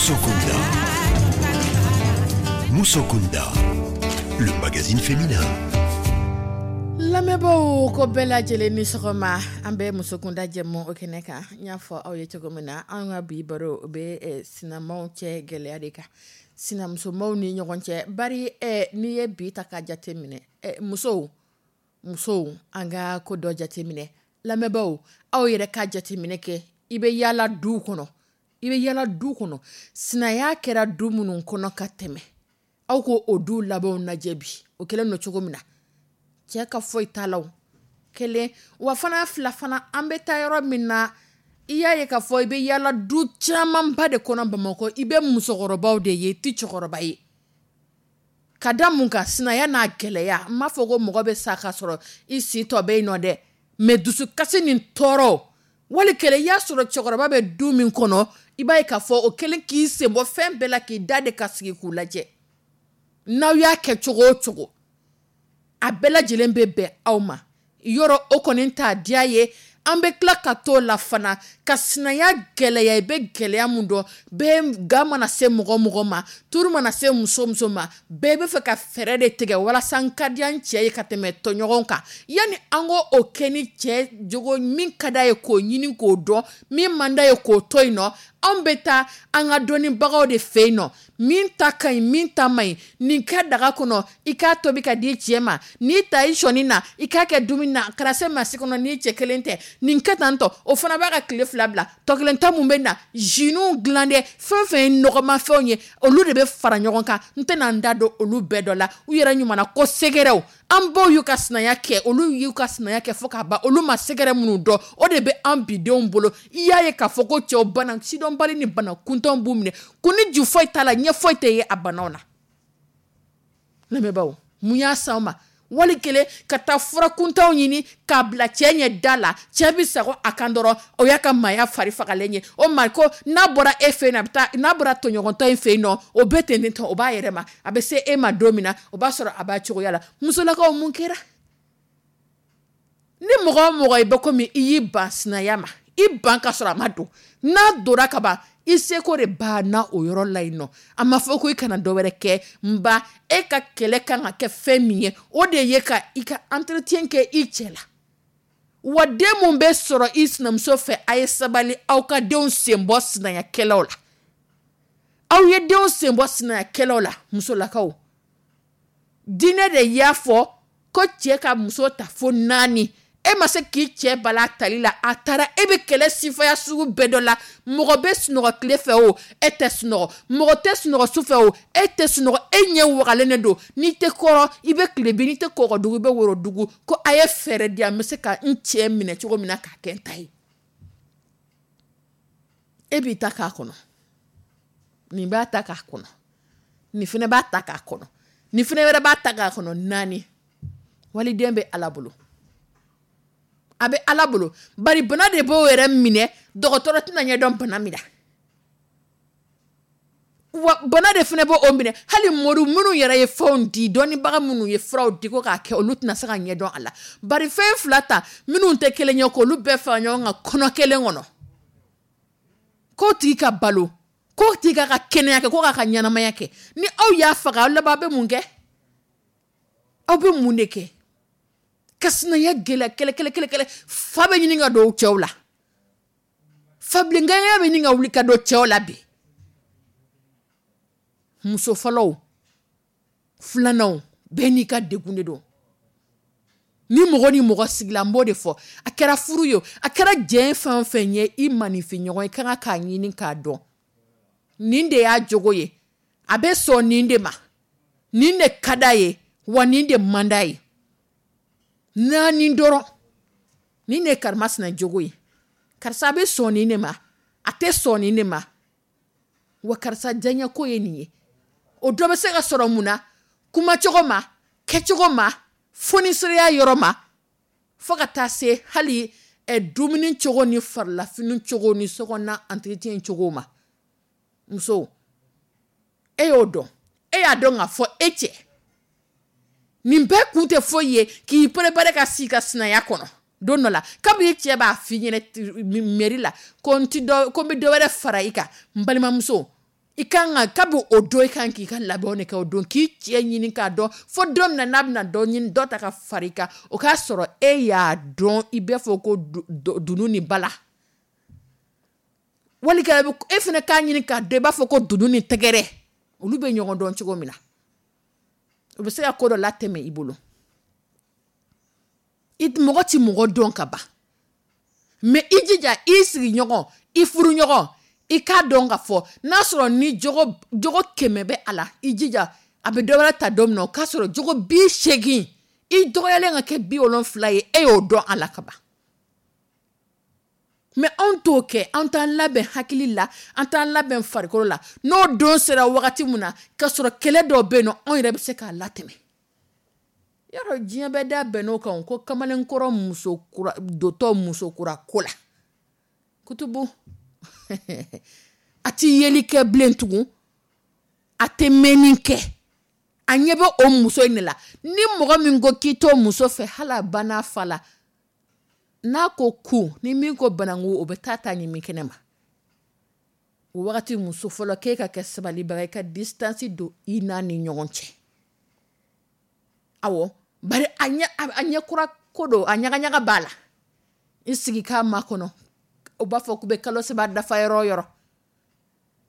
Musokunda. Musokunda, le magazine féminin. Lamɛnbaaw, ko bɛɛ lajɛlen ni sɔgɔma. An bɛ Musokunda jɛmu o kɛnɛ kan. N y'a fɔ aw ye cogo min na, an ka bi baro, o bɛ sinamaw cɛ gɛlɛya de kan, sinamusomaw ni ɲɔgɔn cɛ. Bari n'i ye bi ta ka jate minɛ, musow, musow, an ka ko dɔ jate minɛ. Lamɛnbaaw, aw yɛrɛ ka jate minɛ kɛ. I bɛ yaala du kɔnɔ, i bɛ yaala du kɔnɔ, sinaya kɛra du minnu kɔnɔ ka tɛmɛ, aw ko o du labanw lajɛ bi, o kɛlen don cogo min na, cɛ ka foyi t'a la. O kelen wa fana, fila fana, an bɛ taa yɔrɔ min na, i y'a ye k'a fɔ i bɛ yaala du camanba de kɔnɔ Bamakɔ, i bɛ musokɔrɔbaw de ye, i tɛ cɛkɔrɔba ye. Ka da mun kan? Sinaya n'a gɛlɛya. N m'a fɔ ko mɔgɔ bɛ sa ka sɔrɔ i si tɔ bɛ yen nɔ dɛ, mais dusukasi ni tɔɔrɔ wali kɛlɛ, i y'a sɔrɔ cɛkɔrɔba bɛ du min kɔnɔ, i b'a ye k'a fɔ o kɛlen k'i sen bɔ fɛn bɛɛ la, k'i da de ka sigi k'u lajɛ. N'aw y'a kɛ cogo o cogo, a bɛɛ lajɛlen bɛ bɛn aw ma yɔrɔ, o kɔni t'a diya ye. An bɛ tila ka t'o la fana ka sinaya gɛlɛya. I bɛ gɛlɛya mun dɔn? Bɛɛ ga mana se mɔgɔ mɔgɔ ma, turu mana se muso muso ma, bɛɛ bɛ fɛ ka fɛɛrɛ de tigɛ walasa n ka diya n cɛ ye ka tɛmɛ tɔɲɔgɔnw kan. Yanni an k'o o kɛ ni cɛ jogo min ka d'a ye k'o ɲini k'o dɔn, min man d'a ye k'o to yen nɔ, anw bɛ taa an ka dɔnnibagaw de fɛ yen nɔ, min ta ka ɲi, min ta man ɲi. Nin kɛ daga kɔnɔ, i k'a tobi ka di cɛ ma. N'i ta i sɔnni na, i k'a kɛ dumuni na, kana se masi kɔnɔ n'i cɛ kelen tɛ. Nin kɛ tan tɔ, o fana b'a ka tile 2 bila. Tɔ kelen ta mun bɛ na, jus dilan dɛ, fɛn fɛn ye nɔgɔmafɛnw ye, olu de bɛ fara ɲɔgɔn kan. N tɛna n da don olu bɛɛ dɔ la. U yɛrɛ ɲuman ko sɛgɛrɛw, an baw y'u ka sinaya kɛ, olu y'u ka sinaya kɛ fo k'a ban. Olu ma sɛgɛrɛ minnu dɔn, o de bɛ an bidenw bolo. I y'a ye k'a fɔ ko cɛw, bana sidɔnbali ni bana kuntanw b'u minɛ, kun ni ju foyi t'a la, ɲɛ foyi tɛ ye a banaw na. Lamɛnbaaw, mun y'a s'anw ma? Wali kelen ka taa fura kuntanw ɲini k'a bila cɛ ɲɛ da la, cɛ bɛ sago a kan dɔrɔn, o y'a ka maaya fari fagalen ye. O ma ko n'a bɔra e fɛ yen, a bɛ taa, n'a bɔra tɔɲɔgɔntɔ in fɛ yen nɔ, o bɛ ten tɔ, o b'a yɛrɛ ma. A bɛ se e ma don min na, o b'a sɔrɔ a b'a cogoya la. Musolakaw, mun kɛra? Ni mɔgɔ o mɔgɔ i bɛ komi i y'i ban sinaya ma, i ban ka sɔrɔ a ma don, n'a donna ka ban, i seko de banna o yɔrɔ la yen nɔ. A ma fɔ ko i kana dɔ wɛrɛ kɛ n ba. E ka kɛlɛ kan ka kɛ fɛn min ye, o de ye ka i ka entretien kɛ i cɛ la. Wa den mun bɛ sɔrɔ i sinamuso fɛ, a ye sabali, aw ka denw sen bɔ sinayakɛlaw la. Aw ye denw sen bɔ sinayakɛlaw la. Musolakaw, diinɛ de y'a fɔ ko cɛ ka muso ta fo naani. E ma se k'i cɛ bala tali la, a taara, e bɛ kɛlɛ sifaya sugu bɛɛ dɔ la. Mɔgɔ bɛ sunɔgɔ tile fɛ o, e tɛ sunɔgɔ. Mɔgɔ tɛ sunɔgɔ su fɛ o, e tɛ sunɔgɔ. E ɲɛ wagalen de don. N'i tɛ kɔrɔ, i bɛ tile bin, n'i tɛ kɔgɔdugu, i bɛ worodugu. Ko a ye fɛɛrɛ di yan, n bɛ se ka n cɛ minɛ cogo min na k'a kɛ n ta ye. E b'i ta k'a kɔnɔ, nin b'a ta k'a kɔnɔ, nin fana b'a ta k'a kɔnɔ, nin fana wɛrɛ b'a ta k'a kɔnɔ. Naani, waliden bɛ Ala bolo, a bɛ Ala bolo. Bari bana de b'o yɛrɛ minɛ, dɔgɔtɔrɔ tɛna ɲɛdɔn bana min na. Wa bana de fana b'o minɛ, hali mori minnu yɛrɛ ye fɛnw di, dɔnnibaga minnu ye furaw di ko k'a kɛ, olu tɛna se ka ɲɛdɔn a la. Bari fɛn fila ta minnu tɛ kelen ye, k'olu bɛɛ fara ɲɔgɔn kan kɔnɔ kelen kɔnɔ, k'o tigi ka balo, k'o tigi k'a ka kɛnɛya kɛ, ko k'a ka ɲɛnamaya kɛ, ni aw y'a faga, aw laban aw bɛ mun kɛ? Aw bɛ mun de kɛ ka sinaya gɛlɛya? Kɛlɛ, kɛlɛ, kɛlɛ, kɛlɛ. Fa bɛ ɲini ka don cɛw la, fabilenkanya bɛ ɲini ka wuli ka don cɛw la bi. Muso fɔlɔw, filananw, bɛɛ n'i ka degun de don. Ni mɔgɔ ni mɔgɔ sigila, n b'o de fɔ, a kɛra furu ye, a kɛra jɛn fɛn o fɛn ye, i maninfin ɲɔgɔn, i ka kan k'a ɲini k'a dɔn, nin de y'a jogo ye, a bɛ sɔn nin de ma, nin de ka d'a ye, wa nin de man d'a ye. Naani dɔrɔn, nin de ye karimasina jogo ye, karisa bɛ sɔn nin de ma, a tɛ sɔn nin de ma, wa karisa diyaɲɛko ye nin ye. O dɔ bɛ se ka sɔrɔ mun na? Kumacogo ma, kɛcogo ma, fonisiriya yɔrɔ ma, fo ka taa se hali dumuni cogo ni farilafini cogo ni sokɔnɔna entretien cogo ma. Muso, e y'o dɔn, e y'a dɔn k'a fɔ e cɛ nin bɛɛ kun tɛ foyi ye k'i préparer ka sigi ka sinaya kɔnɔ. Don dɔ la, kabini cɛ b'a f'i ɲɛna mairie la ko n ti dɔ, ko n bɛ dɔ wɛrɛ fara i kan, n balimamuso. I kan ka, kabi o don, i kan k'i ka labɛnw de kɛ o don, k'i cɛ ɲini k'a dɔn, fo don min na n'a bɛna dɔ ɲini, dɔ ta ka fara i kan, o k'a sɔrɔ e y'a dɔn. I b'a fɔ ko dunun ni bala, wali e fana k'a ɲini k'a dɔn, i b'a fɔ ko dunun ni tɛgɛrɛ, olu bɛ ɲɔgɔn dɔn cogo min na, u bɛ se ka ko dɔ latɛmɛ i bolo. I mɔgɔ ti mɔgɔ dɔn ka ban, mais i jija i sigiɲɔgɔn, i furuɲɔgɔn, i k'a dɔn ka fɔ n'a sɔrɔ ni jogo 100 bɛ a la, i jija a bɛ dɔ wɛrɛ ta don min na, o k'a sɔrɔ jogo 80, i dɔgɔyalen ka kɛ 70 ye, e y'o dɔn a la ka ban. Mais anw t'o kɛ, an t'an labɛn hakili la, an t'an labɛn farikolo la. N'o don sera wagati min na, k'a sɔrɔ kɛlɛ dɔw bɛ yen nɔ, anw yɛrɛ bɛ se k'a latɛmɛ. Yarɔ, diɲɛ bɛɛ da bɛnn'o kan ko kamalenkɔrɔ muso kura dotɔ muso kura ko la kutubu, a ti yeli kɛ bilen tugun, a tɛ mɛnni kɛ, a ɲɛ bɛ o muso in de la. Ni mɔgɔ min ko k'i t'o muso fɛ, hali a ba n'a fa la, n'a ko ku ni min ko bananku, o bɛ taa ta ɲimi kɛnɛ ma. O wagati, muso fɔlɔ, k'e ka kɛ sabalibaga, i ka distance don i n'a ni ɲɔgɔn cɛ. Awɔ, bari a ɲɛ kura ko don, a ɲagaɲaga b'a la. I sigi k'a makɔnɔ, o b'a fɔ k'u bɛ kalo 3 dafa yɔrɔ o yɔrɔ,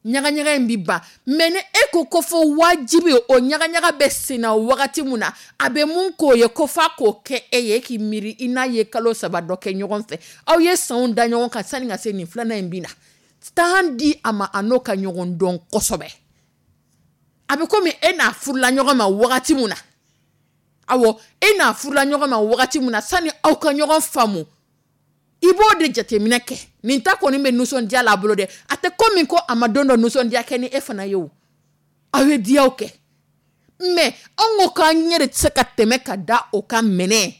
ɲagaɲaga in bi ban. Mais ni e ko ko fo wajibi, o ɲagaɲaga bɛ senna wagati min na, a bɛ mun k'o ye ko f'a k'o kɛ e ye, e k'i miiri i n'a ye kalo 3 dɔ kɛ ɲɔgɔn fɛ, aw ye sanw da ɲɔgɔn kan sani ka se nin filanan in bi na, temps di a ma, a n'o ka ɲɔgɔn dɔn kosɛbɛ. A bɛ komi e n'a furula ɲɔgɔn ma wagati min na, awɔ, e n'a furula ɲɔgɔn ma wagati min na, sani aw ka ɲɔgɔn faamu, i b'o de jateminɛ kɛ. Nin ta kɔni bɛ nisɔndiya la a bolo dɛ, a tɛ komi ko a ma don dɔ nisɔndiya kɛ ni e fana ye o, aw ye diyaw kɛ. Mais anw ko k'an ɲɛ de tɛ se ka tɛmɛ ka da o kan mɛnɛ.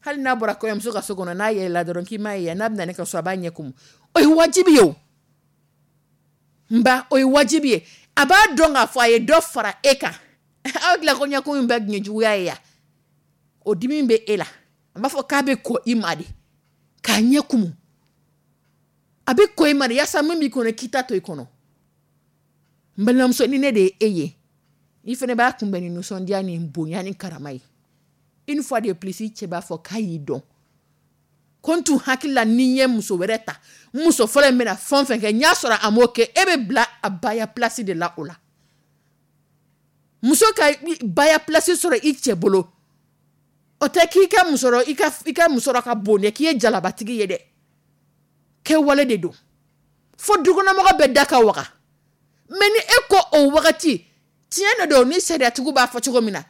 Hali n'a bɔra kɔɲɔmuso ka so kɔnɔ, n'a yɛlɛla dɔrɔn k'i m'a ye, n'a bɛ na ne ka so, a b'a ɲɛ kumu. O ye wajibi ye o, n ba, o ye wajibi ye. A b'a dɔn k'a fɔ a ye dɔ fara e kan. Aw tila ko ɲɛkun in bɛɛ tun ye juguya ye ya, o dimi bɛ e la. A b'a fɔ k'a bɛ kɔ i ma de k'a ɲɛ kumu, a bɛ kɔ i ma de yaasa min b'i kɔnɔ, k'i ta to i kɔnɔ. N balimamuso, ni ne de ye e ye, i fana b'a kunbɛn ni nisɔndiya ni bonya ni karama ye. Une fois de plus, i cɛ b'a fɔ k'a y'i dɔn, ko n tun hakili la ni n ye muso wɛrɛ ta, n muso fɔlɔ in bɛna fɛn o fɛn kɛ, n y'a sɔrɔ a m'o kɛ. E bɛ bila a baya place de la. O la, muso ka baya place sɔrɔ i cɛ bolo, o tɛ k'i ka musɔrɔ, i ka musɔrɔ ka bon dɛ, k'i ye jalabatigi ye dɛ, kɛwale de don, fo dukɔnɔmɔgɔ bɛɛ da ka waga. Mais ni e ko o wagati, tiɲɛ de don, ni sariyatigiw b'a fɔ cogo min na,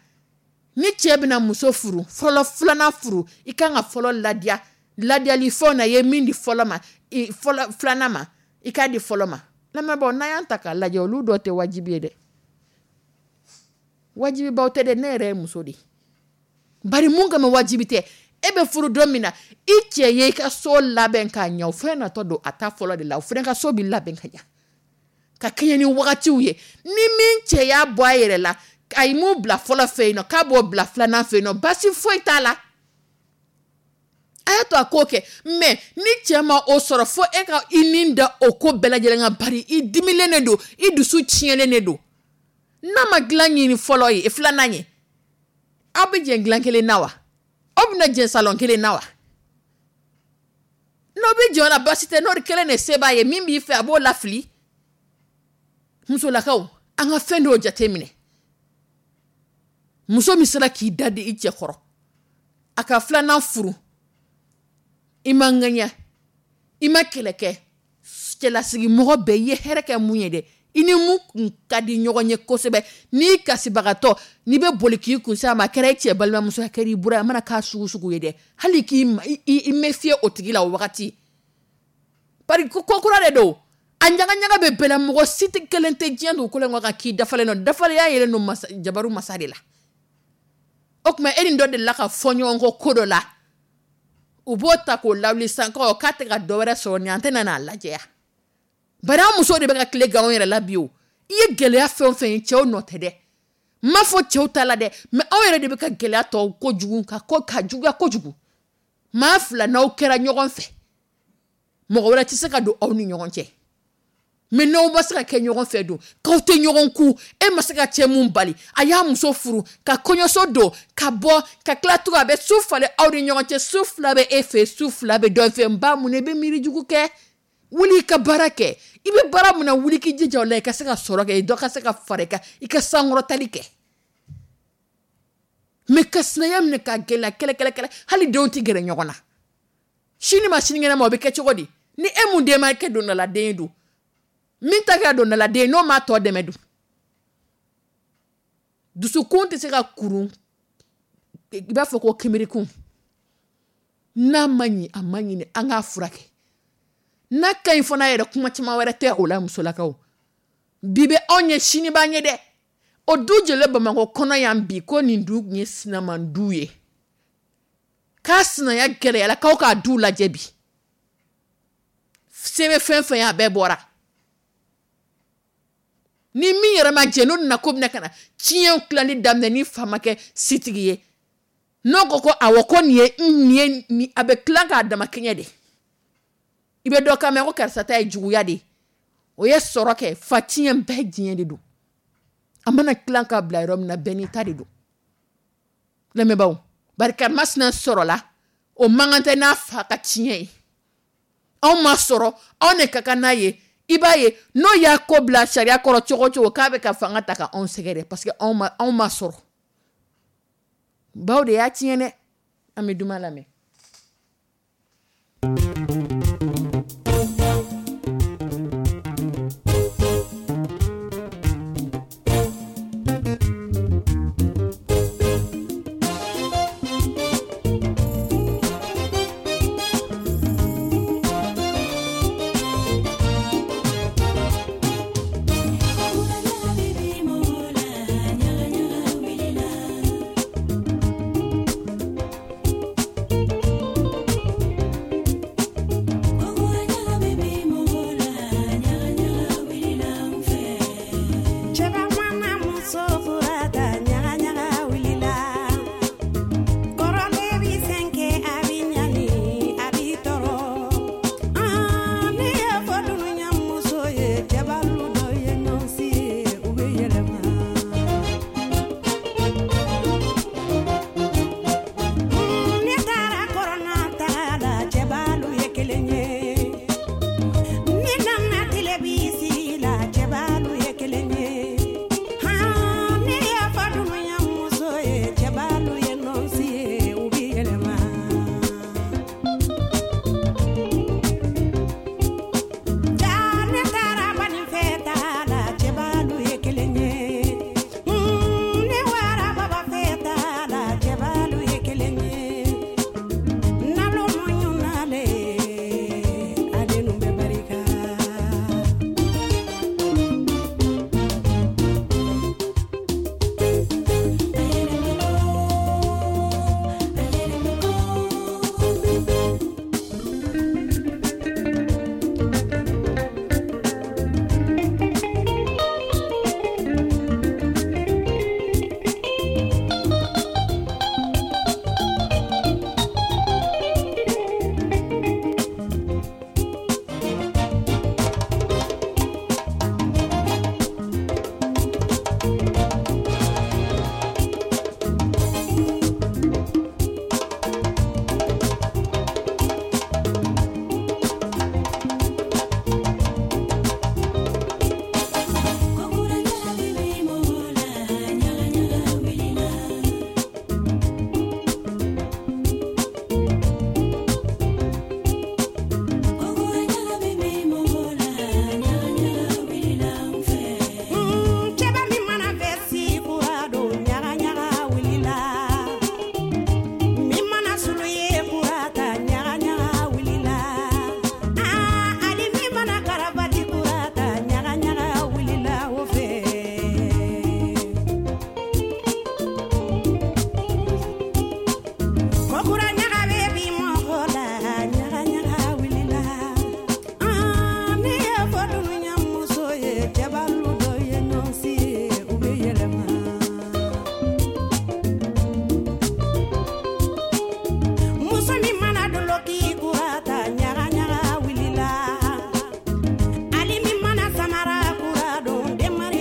ni cɛ bɛna muso furu fɔlɔ, filanan furu, i kan ka fɔlɔ ladiya, ladiyali fɛnw na, i ye min di fɔlɔ ma, i fɔlɔ filanan ma, i k'a di fɔlɔ ma. Lamɛnbaaw, n'an y'an ta k'a lajɛ, olu dɔ tɛ wajibi ye dɛ, wajibibaw tɛ dɛ. Ne yɛrɛ ye muso de ye, bari mun kama wajibi tɛ? E bɛ furu don min na, i cɛ ye i ka so labɛn k'a ɲɛ, o fɛn natɔ don a ta fɔlɔ de la, o fana ka so b'i labɛn ka ɲɛ ka kɛɲɛ ni wagatiw ye. Ni min cɛ y'a bɔ a yɛrɛ la, a ye mun bila fɔlɔ fɛ yen nɔ, k'a b'o bila filanan fɛ yen nɔ, baasi foyi t'a la, a y'a to a k'o kɛ. Mais ni cɛ ma o sɔrɔ, fo e ka i nin da o ko bɛɛ lajɛlen kan, bari i dimilen de don, i dusu tiɲɛlen de don. N'a ma dilan ɲini fɔlɔ ye, filanan ye, aw bɛ jɛ dilan kelen na wa? Aw bɛna jɛ salon kelen na wa? N'aw bɛ jɛ o la, baasi tɛ, n'o de kelen de se b'a ye, min b'i fɛ, a b'o lafili. Musolakaw, an ka fɛn dɔw jateminɛ. Muso min sera k'i da di i cɛ kɔrɔ, a ka filanan furu, i ma ŋaɲa, i ma kɛlɛ kɛ, cɛlasigi mɔgɔ bɛɛ i ye hɛrɛ kɛ mun ye dɛ, i ni mun kun ka di ɲɔgɔn ye kosɛbɛ, n'i kasibagatɔ, n'i bɛ boli k'i kun s'a ma, a kɛra i cɛ balimamuso, a kɛra i bura ye, a mana k'a sugu sugu ye dɛ, hali k'i i méfier o tigi la o wagati, bari ko kura de don, a ɲagaɲaga bɛ bɛɛ la. Mɔgɔ si tɛ kelen tɛ diɲɛ dugukolo in kɔ kan k'i dafalen don. Dafalenya yɛrɛ don masa, jabaru masa de la. O tuma, e ni dɔ delila ka fɔ ɲɔgɔn kɔ ko dɔ la, u b'o ta k'o lawuli sisan ko k'a tɛ ka dɔ wɛrɛ sɔrɔ nin, an tɛ na n'a lajɛ ya. Bari an musow de bɛ ka tile gan anw yɛrɛ la bi o. I ye gɛlɛya fɛn o fɛn ye, cɛw nɔ tɛ dɛ, n m'a fɔ cɛw ta la dɛ, mais anw yɛrɛ de bɛ ka gɛlɛya tɔw kojugu, ka ko ka juguya kojugu. Maa fila n'aw kɛra ɲɔgɔn fɛ, mɔgɔ wɛrɛ tɛ se ka don aw ni ɲɔgɔn cɛ. Mais n'aw ma se ka kɛ ɲɔgɔn fɛ don, k'aw tɛ ɲɔgɔn ku, e ma se ka cɛ mun bali, a y'a muso furu ka kɔɲɔso don ka bɔ ka tila tugun, a bɛ su falen aw ni ɲɔgɔn cɛ, su 2 bɛ e fɛ, su 2 bɛ dɔ fɛ. N ba, mun i bɛ miiri jugu kɛ? Wuli i ka baara kɛ. I bɛ baara mun na, wuli k'i jija o la, i ka se ka sɔrɔ kɛ, dɔ ka se ka fara i kan, i ka sankɔrɔtali kɛ. Mais ka sinaya minɛ k'a gɛlɛya kɛlɛ kɛlɛ kɛlɛ, hali denw tɛ gɛrɛ ɲɔgɔn na. Sini ma sinikɛnɛ ma, o bɛ kɛ cogo di? Ni e mun den ma kɛ dondaladen ye dun, min ta kɛra dondaladen ye, n'o m'a tɔ dɛmɛ dun, dusukun tɛ se ka kurun i b'a fɔ ko kinbirikun. N'a ma ɲi, a ma ɲini, an k'a furakɛ. N'a ka ɲi fana yɛrɛ, kuma caman wɛrɛ tɛ o la. Musolakaw, bi bɛ anw ɲɛ, sini b'an ɲɛ dɛ. O du jɛlen Bamakɔ kɔnɔ yan bi, ko nin du ye sinaman du ye, k'a sinaya gɛlɛyara, k'aw k'a du lajɛ bi, se bɛ fɛn fɛn ye, a bɛɛ bɔra. Ni min yɛrɛ ma jɛ, n'o nana ko bɛna ka na tiɲɛ tilali daminɛ, ni fa ma kɛ sitigi ye, n'o ko ko awɔ, ko nin ye nin ye nin, a bɛ tilan k'a dama kɛɲɛ de. I bɛ dɔ kan mɛn ko karisa ta ye juguya de ye, o ye sɔrɔ kɛ, fa tiɲɛ bɛɛ diɲɛ de don. A mana tilan k'a bila yɔrɔ min na, bɛɛ n'i ta de don. Lamɛnbaaw, bari karimasina sɔrɔla, o man kan tɛ n'a fa ka tiɲɛ ye. Anw ma sɔrɔ, anw de ka kan n'a ye. I b'a ye, n'o y'a ko bila sariya kɔrɔ cogo o cogo, k'a bɛ ka fanga ta ka anw sɛgɛrɛ, parce que anw ma sɔrɔ, baw de y'a tiɲɛ dɛ. An bɛ duman lamɛn.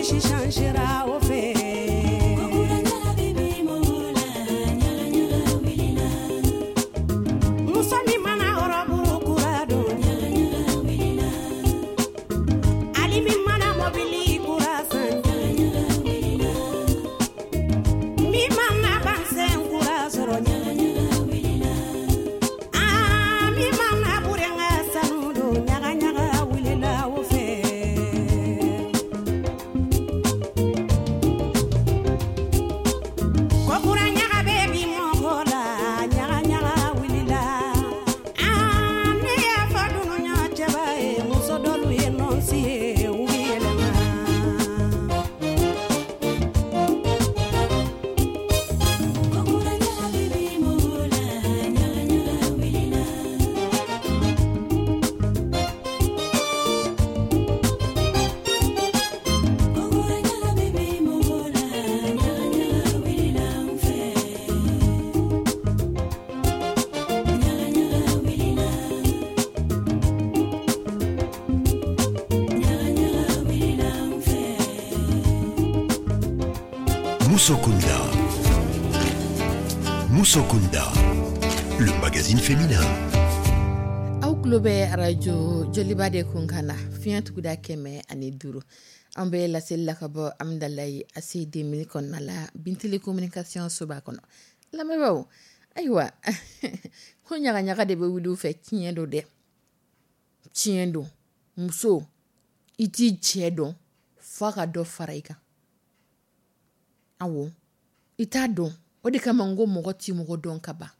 Si changera o fɛ. Muso min mana robe kura don, ali min mana mobili kura san, min mana bazin kura sɔrɔ, aa min mana burenna sanu don, ɲaga ɲaga wulila o fɛ. Ko kura ɲaga bɛ bi mɔgɔ la, ɲaga ɲaga wulila. Aa ne y'a fɔ dunuya cɛba ye, muso dɔlu ye nɔnsi ye, u bɛ yɛlɛma. Musokunda. Musokunda, le magazine féminin. Aw tulo bɛ arajo Joliba de kun kan na, fiɲɛ tuguda 105. An bɛ laseli la ka bɔ Amidalayi ACI 2000 kɔnɔna la, Bintili communication soba kɔnɔ. Lamɛnbaaw, ayiwa, ko ɲagaɲaga de bɛ wuli u fɛ, tiɲɛ don dɛ, tiɲɛ don. Muso, i t'i cɛ dɔn f'a ka dɔ fara i kan. Awɔ, i t'a dɔn. O de kama n ko mɔgɔ t'i mɔgɔ dɔn ka ban.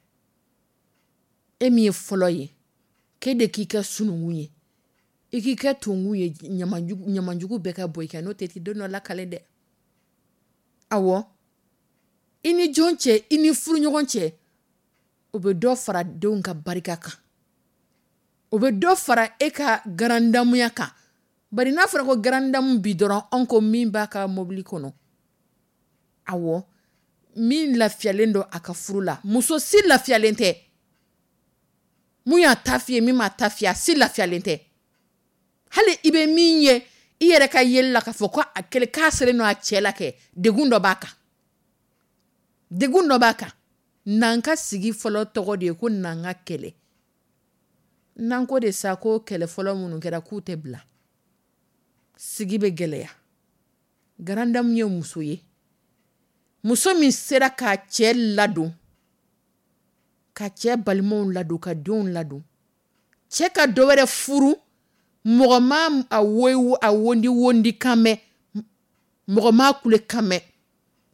E min ye fɔlɔ ye, k'e de k'i kɛ sununkun ye, i k'i kɛ tonkun ye, ɲamanjugu bɛɛ ka bɔ i kan, n'o tɛ i tɛ don dɔ lakale dɛ. Awɔ, i ni jɔn cɛ, i ni furuɲɔgɔn cɛ, o bɛ dɔ fara denw ka barika kan, o bɛ dɔ fara e ka garandamuya kan. Bari n'a fɔra ko garandamu bi dɔrɔn, anw ko min b'a ka mobili kɔnɔ, awɔ, min lafiyalen don a ka furu la, muso si lafiyalen tɛ. Mun y'a ta f'i ye, min m'a ta f'i ye, a si lafiyalen tɛ. Hali i bɛ min ye i yɛrɛ ka yeli la k'a fɔ ko a kɛlen k'a selen don a cɛ la kɛ, degun dɔ b'a kan, degun dɔ b'a kan. N'an ka sigi fɔlɔ tɔgɔ de ye ko n'an ka kɛlɛ. N'an ko de sa ko kɛlɛ fɔlɔ minnu kɛra k'u tɛ bila, sigi bɛ gɛlɛya. Garandamu ye muso ye, muso min sera k'a cɛ ladon, ka cɛ balimaw ladon, ka denw ladon. Cɛ ka dɔ wɛrɛ furu, mɔgɔ ma a woyi, a wondi wondi kan mɛn, mɔgɔ ma kule kan mɛn.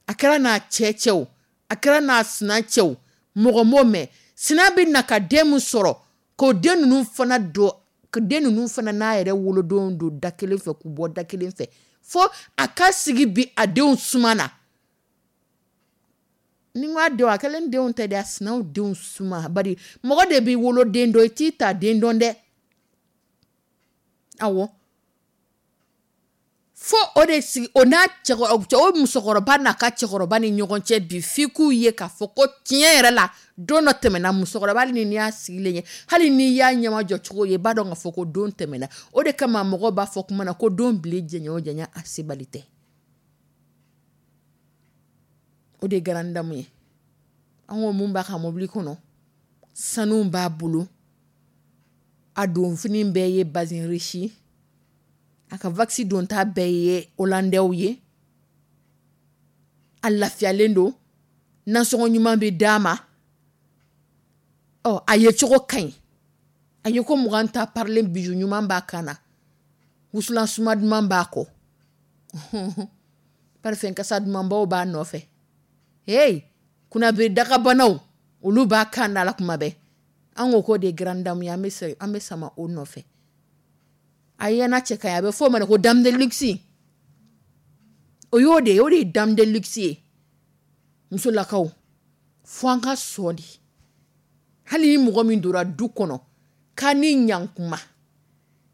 A kɛra n'a cɛ cɛw, a kɛra n'a sina cɛw, mɔgɔ m'o mɛn. Sina bɛ na ka den min sɔrɔ, k'o den ninnu fana don, ka den ninnu fana n'a yɛrɛ wolodenw don da kelen fɛ, k'u bɔ da kelen fɛ, fo a ka sigi bi a denw suma na. Ni n ko a denw, a kɛlen denw tɛ dɛ, a sinaw denw suma. Bari mɔgɔ de b'i woloden dɔn, i t'i ta den dɔn dɛ. Awɔ, fo o de sigi o n'a cɛkɔrɔba, o musokɔrɔba n'a ka cɛkɔrɔba ni ɲɔgɔn cɛ bi, f'i k'u ye k'a fɔ ko tiɲɛ yɛrɛ la don dɔ tɛmɛna. Musokɔrɔba, hali ni y'a sigilen ye, hali n'i y'a ɲɛmajɔ cogo ye, i b'a dɔn k'a fɔ ko don tɛmɛna. O de kama mɔgɔw b'a fɔ kuma na ko don bilen jɛɲɛ o jɛɲɛ, a sebali tɛ. O de ye garandamu ye. An ko mun b'a ka mobili kɔnɔ, sanu b'a bolo, a donfini bɛɛ ye bazin riche, a ka waxi donta bɛɛ ye hollandais ye, a lafiyalen don, nasɔngɔ ɲuman bɛ d'a ma, ɔ a ye cogo ka ɲi, a ye ko 20 ta parilen, bijou ɲuman b'a kan na, wusulan suma duman b'a kɔ, parfum kasa dumanbaw b'a nɔfɛ, hey, kunnabiri dagabanaw olu b'a kan da la kuma bɛɛ. An ko k'o de ye grande dame ye, an bɛ sama o nɔfɛ. A ɲɛna cɛ ka ɲi, a bɛ fɔ o ma de ko dame de luxe. O y'o de ye, o de ye dame de luxe ye. Musolakaw, fo an ka sɔn de. Hali ni mɔgɔ min donna du kɔnɔ k'a ni ɲankuma,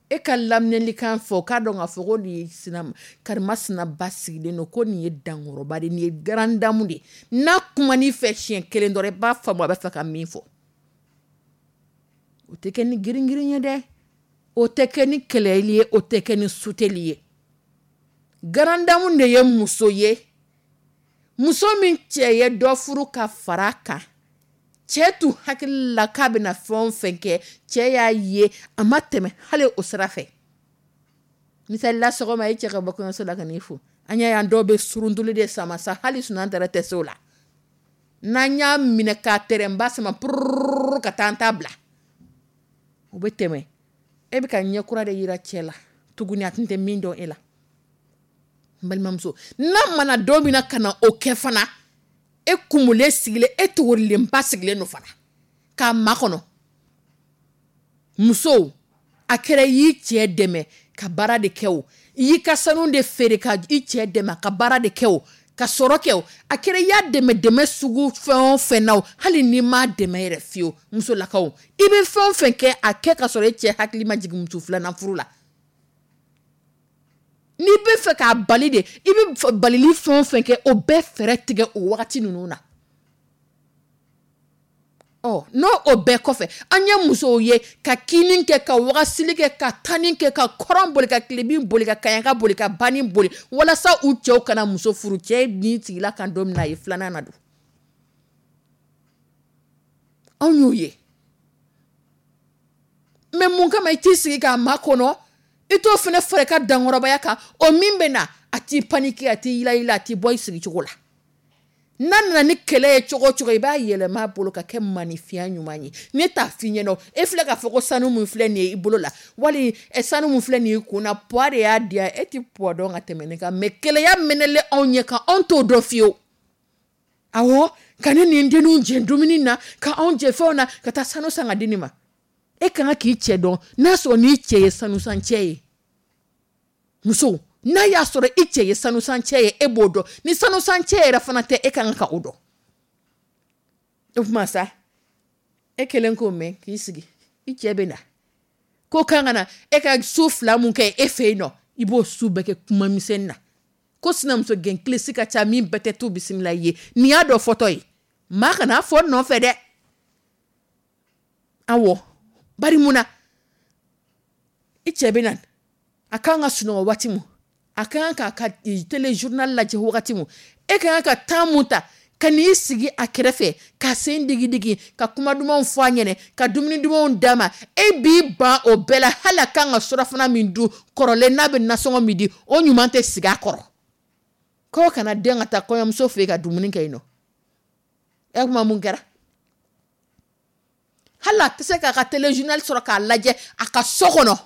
e ka laminɛlikan fɔ, k'a dɔn k'a fɔ ko nin ye sina, karima sinaba sigilen don, ko nin ye dankɔrɔba de ye, nin ye grande dame de ye. N'a kuman'i fɛ siɲɛ kelen dɔrɔn, i b'a faamu a bɛ fɛ ka min fɔ. O tɛ kɛ ni girin-girin ye dɛ, o tɛ kɛ ni kɛlɛli ye, o tɛ kɛ ni suteli ye. Grande dame de ye muso ye, muso min cɛ ye dɔ furu ka fara kan. Cɛ tun hakili la k'a bɛna fɛn o fɛn kɛ, cɛ y'a ye a ma tɛmɛ hali o sira fɛ. Misali la, sɔgɔma e cɛ ka bɔ kɔɲɔso la ka n'i fo, an y'a ye dɔw bɛ suruntuli de sama sa, hali sunan tɛrɛ tɛ se o la. N'an y'a minɛ k'a tɛrɛnba sama purururu ka taa an ta bila, o bɛ tɛmɛ. E bɛ ka ɲɛ kura de yira cɛ la tuguni, a tun tɛ min dɔn e la. N balimamuso, n'a mana don min na ka na o kɛ fana, e kumulen sigilen, e togorilenba sigilen don fana k'a makɔnɔ. Musow, a kɛra i y'i cɛ dɛmɛ ka baara de kɛ o, i y'i ka sanu de feere ka i cɛ dɛmɛ ka baara de kɛ o, ka sɔrɔ kɛ o, a kɛra i y'a dɛmɛ dɛmɛ sugu fɛn o fɛn na o, hali n'i m'a dɛmɛ yɛrɛ fiyewu, musolakaw, i bɛ fɛn o fɛn kɛ, a kɛ ka sɔrɔ e cɛ hakili ma jigin muso filanan furu la. N'i bɛ fɛ k'a bali de, i bɛ balili fɛn o fɛn kɛ, o bɛɛ fɛɛrɛ tigɛ o wagati ninnu na. Ɔ, n'o o bɛɛ kɔfɛ, an ye musow ye ka kini kɛ, ka wagasili kɛ, ka tanni kɛ, ka kɔrɔn boli, ka tilebin boli, ka kaɲaka boli, ka banni boli, walasa u cɛw kana muso furu. Cɛ ni sigila kan don min na, a ye filanan na don. Anw y'o ye. Mais mun kama i t'i sigi k'a makɔnɔ? I t'o fana fara i ka dankɔrɔbaya kan. O min bɛ na, a t'i paniquer, a t'i yilayila, a t'i bɔ i sigicogo la. N'a nana ni kɛlɛ ye cogo o cogo, i b'a yɛlɛma a bolo ka kɛ maninfinya ɲuman ye. Ne t'a f'i ɲɛna, e filɛ k'a fɔ ko sanu min filɛ nin ye i bolo la, wali sanu min filɛ nin ye i kun na, poids de y'a di yan. E tɛ poids dɔn ka tɛmɛ ne kan, mais keleya mɛnɛlen anw ɲɛ kan, anw t'o dɔn fiyewu. Awɔ, ka ne ni n denninw jɛ dumuni na, ka anw jɛ fɛnw na, ka taa sanu san ka di nin ma. E ka kan k'i cɛ dɔn, n'a sɔrɔ n'i cɛ ye sanusan cɛ ye. Muso, n'a y'a sɔrɔ i cɛ ye sanusan cɛ ye, e b'o dɔn. Ni sanusan cɛ yɛrɛ fana tɛ, e ka kan ka o dɔn. O tuma sa, e kɛlen k'o mɛn k'i sigi, i cɛ bɛ na ko kan ka na e ka su fila mun kɛ e fɛ yen nɔ, i b'o su bɛɛ kɛ kuma misɛnnin na. Ko sinamuso gɛn kilisi ka ca min bɛɛ tɛ tu bisimila i ye. Nin y'a dɔ fɔtɔ ye, maa kana fɔ nɔfɛ dɛ. Awɔ, bari mun na i cɛ bɛ na, a kan ka sunɔgɔ waati mun, a kan k'a ka téléjournal lajɛ wagati mun, e ka kan ka temps mun ta ka n'i sigi a kɛrɛfɛ, ka sen digi digi, ka kuma dumanw fɔ a ɲɛnɛ, ka dumuni dumanw d'a ma, e b'i ban o bɛɛ la. Hali a kan ka surafana min dun kɔrɔlen, n'a bɛ nasɔngɔ min di, o ɲuman tɛ sigi a kɔrɔ. K'o kana den ka taa kɔɲɔmuso fɛ yen ka dumuni kɛ yen nɔ. E kuma mun kɛra? Hali a tɛ se k'a ka téléjournal sɔrɔ k'a lajɛ a ka so kɔnɔ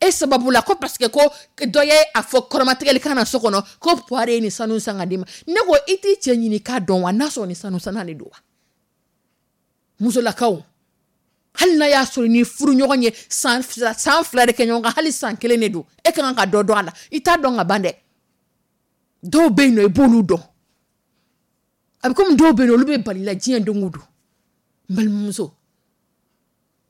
e sababu la, ko parce que ko dɔ ye a fɔ kɔrɔmatigɛli kan na so kɔnɔ ko poire ye nin sanu san ka d'i ma. Ne ko i t'i cɛ ɲini k'a dɔn wa, n'a sɔrɔ ni sanu sanna de don wa? Musolakaw, hali n'a y'a sɔrɔ ni furu ɲɔgɔn ye san 2, san 2 de kɛ ɲɔgɔn kan, hali san 1 de don, e ka kan ka dɔ dɔn a la. I t'a dɔn ka ban dɛ. Dɔw bɛ yen nɔ, i b'olu dɔn. A bɛ komi dɔw bɛ yen nɔ, olu bɛ bali la diɲɛ don o don. N balimamuso,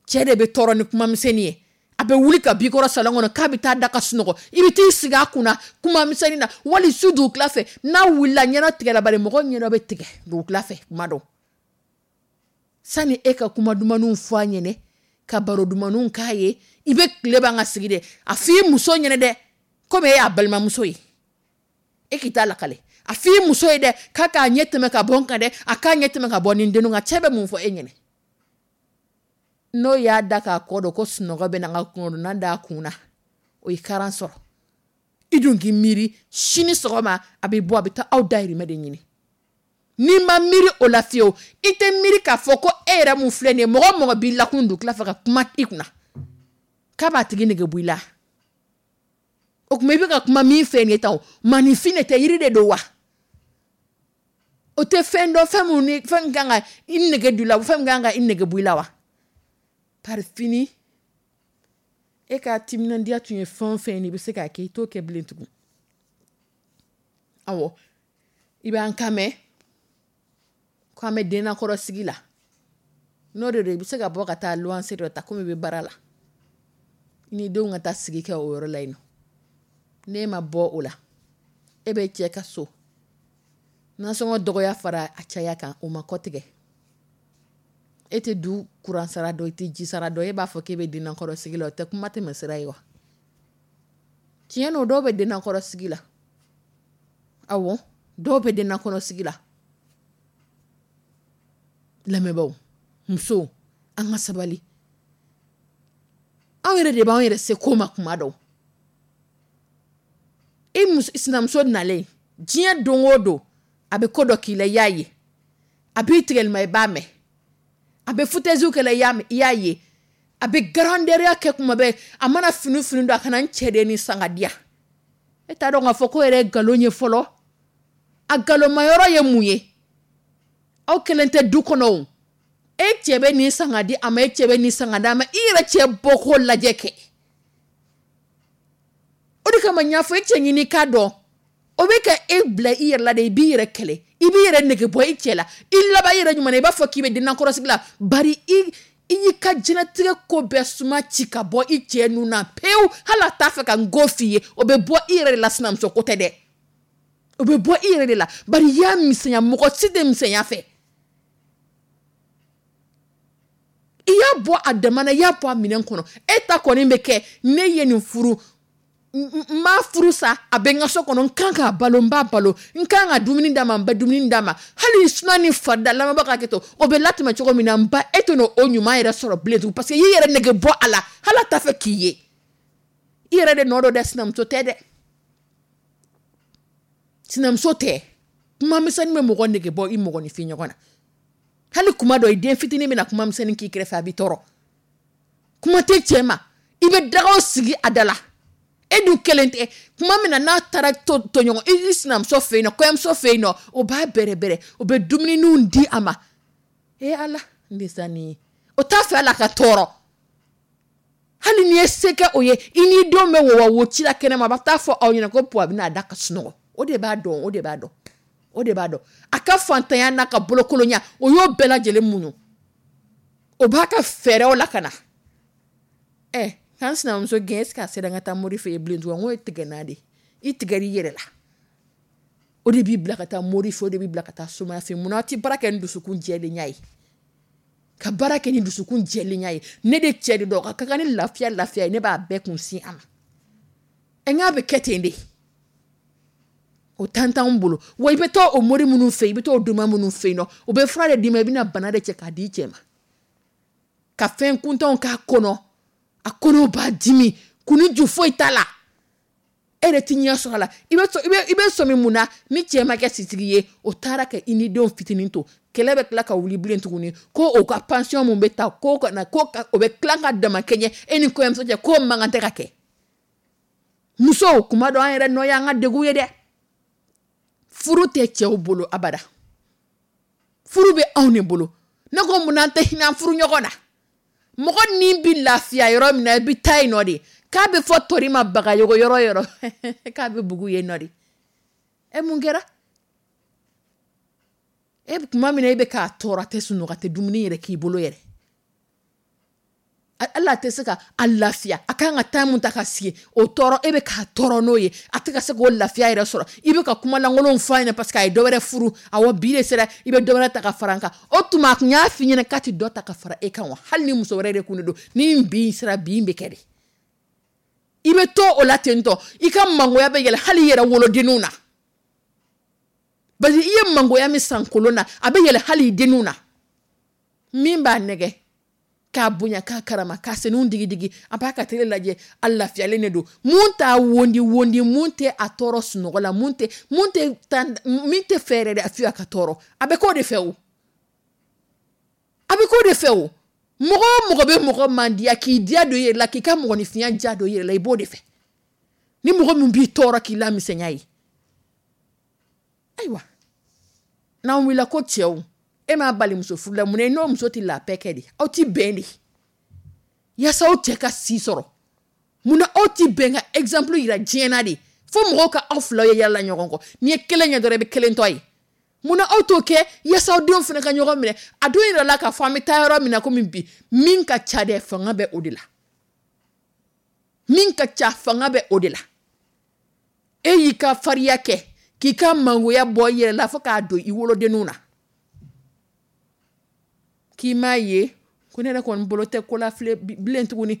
cɛ de bɛ tɔɔrɔ ni kuma misɛnnin ye. A bɛ wuli ka b'i kɔrɔ salon kɔnɔ k'a bɛ taa da ka sunɔgɔ, i bɛ t'i sigi a kunna kuma misɛnnin na. Wali su dugutila fɛ, n'a wulila, ɲɛnɔ tigɛra, bari mɔgɔ ɲɛnɔ bɛ tigɛ dugutila fɛ kuma dɔ. Sani e ka kuma dumanniw fɔ a ɲɛnɛ, ka baro dumanniw k'a ye, i bɛ tile ban ka sigi dɛ. A f'i muso ɲɛnɛ dɛ, komi e y'a balimamuso ye, e k'i ta lakale. A f'i muso ye dɛ, k'a k'a ɲɛ tɛmɛ ka bɔ n kan dɛ, a k'a ɲɛ tɛmɛ ka bɔ nin denninw kan. Cɛ bɛ mun fɔ e ɲɛnɛ? N'o y'a da k'a kɔ don ko sunɔgɔ bɛ na, n ka kungodonna d'a kun na, o ye karan sɔrɔ. I dun k'i miiri sini sɔgɔma a bɛ bɔ, a bɛ taa aw dahirimɛ de ɲini. N'i ma miiri o la fiyewu, i tɛ miiri k'a fɔ ko e yɛrɛ mun filɛ nin ye, mɔgɔ o mɔgɔ b'i lakun dugutila fɛ ka kuma i kunna k'a b'a tigi nege bɔ i la. O tuma i bɛ ka kuma min fɛ nin ye tan o, maaninfin de tɛ, yiri de don wa? O tɛ fɛn dɔn, fɛn mun ni fɛn kan ka i nege don i la, fɛn min kan ka i nege bɔ i la wa? Par fini, e ka timinandiya tun ye fɛn o fɛn ye, i bɛ se k'a kɛ, i t'o kɛ bilen tugun. Awɔ, i b'an kan mɛn ko an bɛ dennakɔrɔ sigi la. N'o de don, i bɛ se ka bɔ ka taa luwanse dɔ ta komi i bɛ baara la, i ni denw ka taa sigi kɛ o yɔrɔ la yen nɔ. N'e ma bɔ o la, e bɛ cɛ ka so nasɔngɔ dɔgɔya fara a caya kan, o ma kɔtigɛ. E tɛ du kuran sara dɔn, i tɛ ji sara dɔn, e b'a fɔ k'e bɛ dennakɔrɔ sigi la, o tɛ kuma tɛmɛ sira ye wa? Tiɲɛ don, dɔw bɛ dennakɔrɔ sigi la. Awɔ, dɔw bɛ dennakɔrɔ sigi la. Lamɛnbaaw, musow, an ka sabali. Anw yɛrɛ de b'an yɛrɛ se ko ma kuma dɔw. I sinamuso nalen diɲɛ don o don, a bɛ ko dɔ k'i la, i y'a ye. A b'i tigɛlima, i b'a mɛn. A bɛ foutaise kɛ la, i y'a ye. A bɛ grandeur kɛ kuma bɛɛ. A mana fini fini don, a kana n cɛ de ni san ka di yan. E t'a dɔn k'a fɔ ko yɛrɛ ye nkalon ye fɔlɔ. A nkalonmayɔrɔ ye mun ye? Aw kelen tɛ du kɔnɔ o. E cɛ bɛ nin san ka di a ma, e cɛ bɛ nin san ka di a ma. I yɛrɛ cɛ bɔko lajɛ kɛ. O de kama n y'a fɔ, e cɛ ɲini k'a dɔn. O bɛ ka e bila i yɛrɛ la de, i b'i yɛrɛ kɛlɛ, i b'i yɛrɛ nege bɔ i cɛ la. I laban i yɛrɛ ɲuman na, i b'a fɔ k'i bɛ dennakɔrɔsigi la. Bari i y'i ka diɲɛlatigɛ ko bɛɛ suma ci ka bɔ i cɛ nun na pewu. Hali a t'a fɛ ka n go f'i ye, o bɛ bɔ i yɛrɛ de la. Sinamuso ko tɛ dɛ, o bɛ bɔ i yɛrɛ de la. Bari i y'a misɛnya, mɔgɔ si tɛ misɛnya fɛ. I y'a bɔ a dama na, i y'a bɔ a minɛn kɔnɔ. E ta kɔni bɛ kɛ, ne ye nin furu, n m'a furu sa, a bɛ n ka so kɔnɔ, n kan k'a balo, n b'a balo, n kan ka dumuni d'a ma, n bɛ dumuni d'a ma. Hali suna ni farida, lamɛnbagaw ka hakɛ to, o bɛ latɛmɛ cogo min na, n ba, e tɛ n'o ɲuman yɛrɛ sɔrɔ bilen tugun, parce que i y'i yɛrɛ nege bɔ a la, hali a t'a fɛ k'i ye. I yɛrɛ de nɔ don dɛ, sinamuso tɛ dɛ, sinamuso tɛ. Kuma misɛnnin bɛ mɔgɔ nege bɔ i mɔgɔninfin ɲɔgɔn na. Hali kuma dɔ, i den fitinin bɛna kuma misɛnnin k'i kɛrɛfɛ, a b'i tɔɔrɔ. Kuma tɛ cɛ ma, i bɛ dagaw sigi a da la. E dun kelen tɛ. Kuma min na n'a taara tɔɲɔgɔn i sinamuso fɛ yen nɔ, kɔɲɔmuso fɛ yen nɔ, o b'a bɛrɛbɛrɛ, o bɛ dumunininw di a ma. E Ala, n de sa nin ye. O t'a fɛ ala ka tɔɔrɔ. Hali n'i ye se kɛ o ye, i n'i denw bɛ wɔwɔ wo ci la kɛnɛma, a bɛ taa fɔ aw ɲɛna ko puwa bɛna a da ka sunɔgɔ. O de b'a dɔn, o de b'a dɔn, o de b'a dɔn. A ka fantanya n'a ka bolokolonya, o y'o bɛɛ lajɛlen muɲu. O b'a ka fɛɛrɛw la ka na. K'an sinamuso gɛn, est ce que a sera n ka taa mori fɛ yen bilen tugun? N k'o ye tigɛ n'a de ye. I tigɛr'i yɛrɛ la. O de b'i bila ka taa mori fɛ, o de b'i bila ka taa somaya fɛ. Munna aw tɛ baara kɛ ni dusukun jɛlenya ye? Ka baara kɛ ni dusukun jɛlenya ye. Ne de cɛ de dɔn, ka kan ni lafiya lafiya ye, ne b'a bɛɛ kun sin a ma. Ɛ, n k'a bɛ kɛ ten de. O tan t'anw bolo. Wa i bɛ taa o mori minnu fɛ yen, i bɛ taa o doma minnu fɛ yen nɔ, o bɛ fura de d'i ma, i bɛna bana de cɛ k'a di i cɛ ma. Ka fɛn kuntanw k'a kɔnɔ, a kɔnɔ b'a dimi, kun ni ju foyi t'a la. E yɛrɛ ti ɲɛ sɔrɔ a la. I bɛ sɔmi mun na ni cɛ ma kɛ sitigi ye, o taara ka i ni denw fitinin to. Kɛlɛ bɛ tila ka wuli bilen tuguni, ko o ka pension mun bɛ ta, ko ka na, ko ka, o bɛ tila ka dama kɛɲɛ e ni kɔɲɔmuso cɛ, k'o man kan tɛ ka kɛ. Musow, kuma dɔ an yɛrɛ nɔ y'an ka degun ye dɛ. Furu tɛ cɛw bolo abada. Furu bɛ anw de bolo. Ne ko mun na an tɛ hinɛ an furu ɲɔgɔn na? Mɔgɔ ni bɛ lafiya yɔrɔ min na, i bɛ taa yen nɔ de. K'a bɛ fɔ tori ma bagayogo yɔrɔ yɔrɔ. K'a bɛ bugu yen nɔ de. E mun kɛra? E tuma min na e bɛ k'a tɔɔrɔ, a tɛ sunɔgɔ, a tɛ dumuni yɛrɛ k'i bolo yɛrɛ. Ala tɛ se ka a lafiya. A kan ka temps mun ta ka sigi, o tɔɔrɔ, e bɛ k'a tɔɔrɔ n'o ye. A tɛ ka se k'o lafiya yɛrɛ sɔrɔ. I bɛ ka kuma lankolonw fɔ a ɲɛna parce que a ye dɔ wɛrɛ furu. Awɔ, bi de sera, i bɛ dɔ wɛrɛ ta ka fara n kan. O tuma a tun y'a f'i ɲɛna k'a tɛ dɔ ta ka fara e kan wa? Hali ni muso wɛrɛ de kun de don, ni bi sera, bi bɛ kɛ de. I bɛ to o la ten tɔ, i ka mangoya bɛ yɛlɛ hali i yɛrɛ wolodenninw na. Parce que i ye mangoya min san kolon na, a bɛ yɛlɛ hali i denninw na. Min b'a nɛgɛ, k'a bonya, k'a karama, k'a senw digi digi, a b'a ka télé lajɛ, a lafiyalen de don. Mun t'a wondi wondi, mun tɛ a tɔɔrɔ sunɔgɔ la, mun tɛ, mun tɛ tan, min tɛ fɛ yɛrɛ de a fiye a ka tɔɔrɔ, a bɛ k'o de fɛ o. A bɛ k'o de fɛ o. Mɔgɔ o mɔgɔ bɛ mɔgɔ mandiya, k'i diya don i yɛrɛ la, k'i ka mɔgɔninfinya diya don i yɛrɛ la, i b'o de fɛ. Ni mɔgɔ min b'i tɔɔrɔ k'i lamisɛnya ye. Ayiwa, n'an wulila ko cɛw, e m'a bali muso furu la, mun na i n'o muso tɛ la paix kɛ de? Aw ti bɛn de. Yaasa aw cɛ ka si sɔrɔ. Mun na aw ti bɛn ka exemple yira diɲɛ na de? Fo mɔgɔw ka aw filaw ye yala ɲɔgɔn kɔ. N'i ye kelen ye dɔrɔn, i bɛ kelen tɔ ye. Mun na aw t'o kɛ yaasa aw denw fana ka ɲɔgɔn minɛ? A dun yɛrɛ la k'a fɔ an bɛ taa yɔrɔ min na komi bi, min ka ca dɛ, fanga bɛ o de la. Min ka ca, fanga bɛ o de la. E y'i ka fariya kɛ, k'i ka mangoya bɔ i yɛrɛ la fo k'a don i wolodenninw na. K'i m'a ye ko ne yɛrɛ kɔni bolo tɛ ko la bilen tuguni.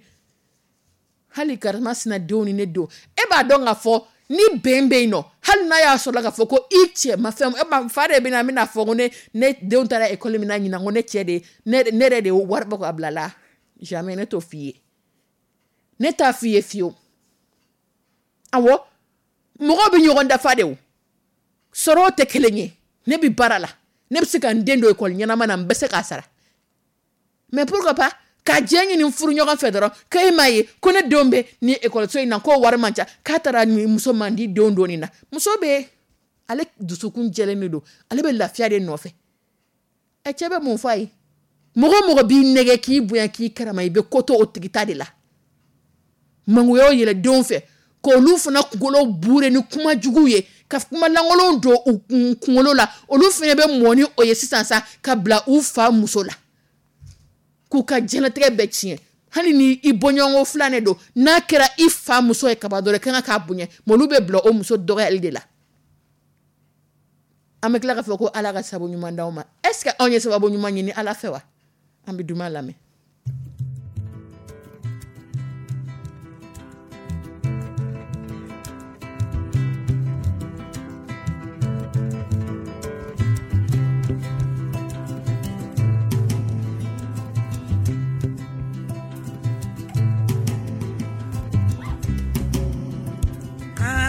Hali karima sina denw ni ne denw, e b'a dɔn k'a fɔ ni bɛn bɛ yen nɔ, hali n'a y'a sɔrɔ k'a fɔ ko i cɛ ma fɛn, e ma fa de bɛna, n bɛna fɔ ko ne denw taara ekɔli min na ɲinan, ko ne cɛ de, ne yɛrɛ de ye wari bɔ k'a bila la. Jamais, ne t'o f'i ye, ne t'a f'i ye fiyewu. Awɔ, mɔgɔw bɛ ɲɔgɔn dafa de, o sɔrɔw tɛ kelen ye. Ne bɛ baara la, ne bɛ se ka n den don ekɔli ɲɛnama na, n bɛ se k'a sara, mais pourquoi pas ka jɛ ɲini furu ɲɔgɔn fɛ dɔrɔn, k'e m'a ye ko ne denw bɛ ni ekɔliso in na, k'o wari man ca, k'a taara ni muso man di denw donni na. Muso bɛ, ale dusukun jɛlen de don, ale bɛ lafiya de nɔfɛ. Ɛ, cɛ bɛ mun fɔ a ye? Mɔgɔ o mɔgɔ b'i nɛgɛ, k'i bonya, k'i karama, i bɛ ko to o tigi ta de la. Mangoyaw yɛlɛ denw fɛ, k'olu fana kunkolo bure ni kuma jugu ye, ka kuma lankolonw don u kunkolo la, olu fana bɛ mɔ ni o ye sisan sa, ka bila u fa muso la, k'u ka diɲɛlatigɛ bɛɛ tiɲɛ. Hali ni i bɔɲɔgɔnko filanan don, n'a kɛra i fa muso ye kaba dɔrɔn, i kan k'a bonya, mais olu bɛ bila o muso dɔgɔyali de la. An bɛ tila k'a fɔ ko Ala ka sababu ɲuman d'aw ma. Est ce que anw ye sababu ɲuman ɲini Ala fɛ wa? An bɛ duman lamɛn.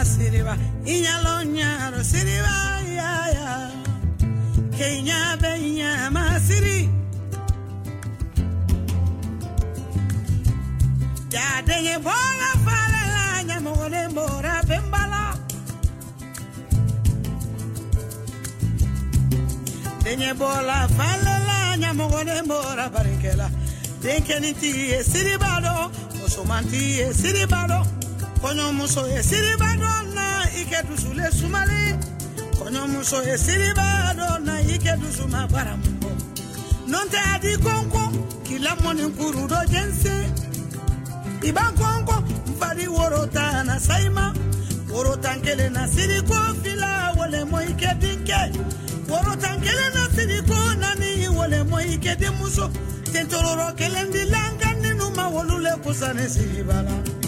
Siriba, inyalo nyaro siriba ya ya, Kenya benya masiri. Ya denye bola fala nyamore mora bembala. Denye bola fala nyamore mora barikela. Denkeni ti siribado, musomanti siribado. Kɔɲɔmuso ye siriba dɔ na i kɛ dusu le sumali. Kɔɲɔmuso ye siriba dɔ na i kɛ dusu ma bara mun bɔ. N'o tɛ a di kɔnkɔn k'i lamɔni kuru dɔ jɛnsɛn. I b'a kɔnkɔn n fari woro tan na sayima. Woro tan kelen na siri ko fila wale mɔ i kɛ denkɛ. Woro tan kelen na siri ko naani wale mɔ i kɛ denmuso. Tentororo kelen di lanka nínú ma wolu le kusa ni siriba la.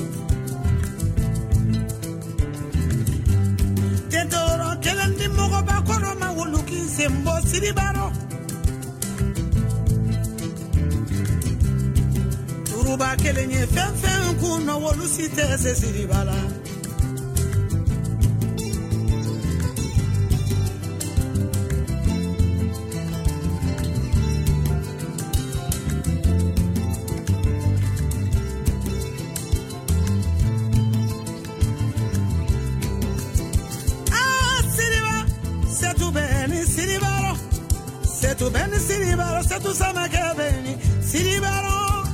Tentoro kelen di mɔgɔba kɔrɔ ma wolu k'i sen bɔ siriba rɔ. Turuba kelen ye fɛn fɛn kun nɔ, wolu si tɛ se siriba la. Siribaro, setu sama kebeni, siribaro.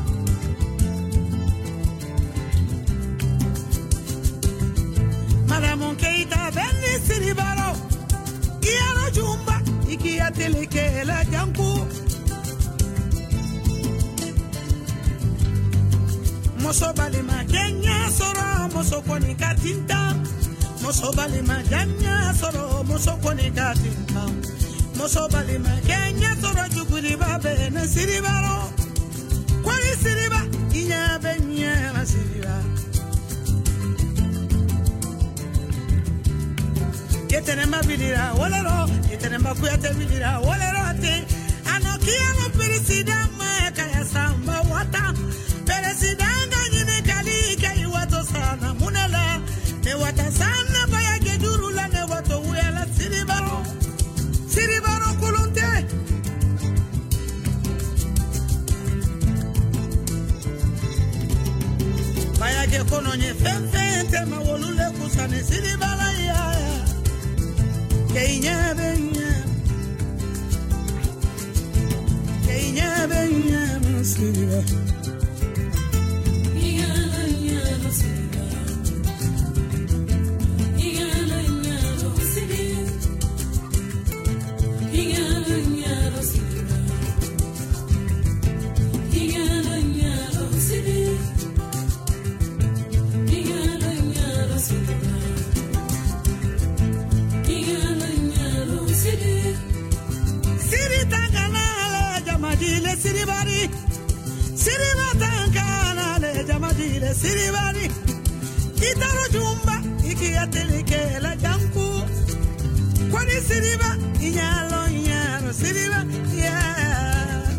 Madamu Keita beni siribaro. Iyalo jumba, ikiya teleke la janku. Muso balima kenya soro, muso koni katinta. Muso balima janya soro, muso koni katinta. Muso balima kenya sɔrɔ juguriba bɛ ne siribaro. Kɔri siriba, i ɲɛ bɛ ɲɛ na siriba. Yetɛnɛma bilira wɔlɔrɔ, yetɛnɛma kuyate bilira wɔlɔrɔ ten. A nɔ kiyama peresidan ma kaya sanba wata. Peresidan ka ɲininkali kɛ i wato sanna mun de la? Ne wata sanna baya kɛ juru la, ne wato wuyala siribaro. Siribaro kulunte. Bayake kono nye fɛn fɛn tɛ ma wolu le kusa ni siribala ya. Ke i ɲɛ bɛ ɲɛ. Ke i ɲɛ bɛ ɲɛ ma siriba. Siri tangana la jamajile siribari. Siribaro Ile siribari Itaro jumba Ikiatelike la janku Kwani siriba Inyalo inyalo siriba Yeah.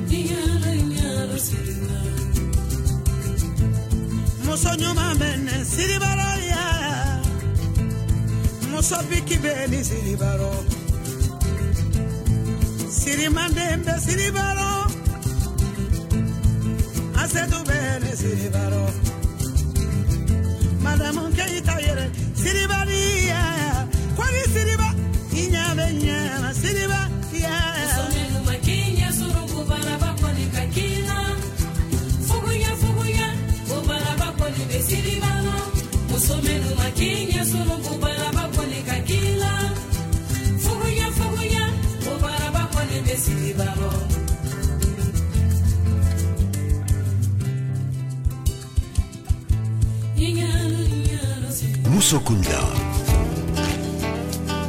Inyalo inyalo siriba. Muso ɲuman bɛ ne siribaro ya. Muso biki bɛ ni siribaro. Sirimanden bɛ siribaro. Asetu bɛ ne siribaro. Madamu Keyita yɛrɛ siribari ya. Kwani siriba i ɲɛ bɛ ɲɛ siriba ya. Muso minnu ma k'i ɲɛ sɔrɔ ko baraba kɔni ka k'i la. Fuguya fuguya ko baraba kɔni bɛ siriba la. Muso minnu ma k'i ɲɛ sɔrɔ ko baraba kɔni ka k'i la. Fuguya fuguya ko baraba kɔni bɛ siriba la. Inyalo inyalo siriba. Musokunda.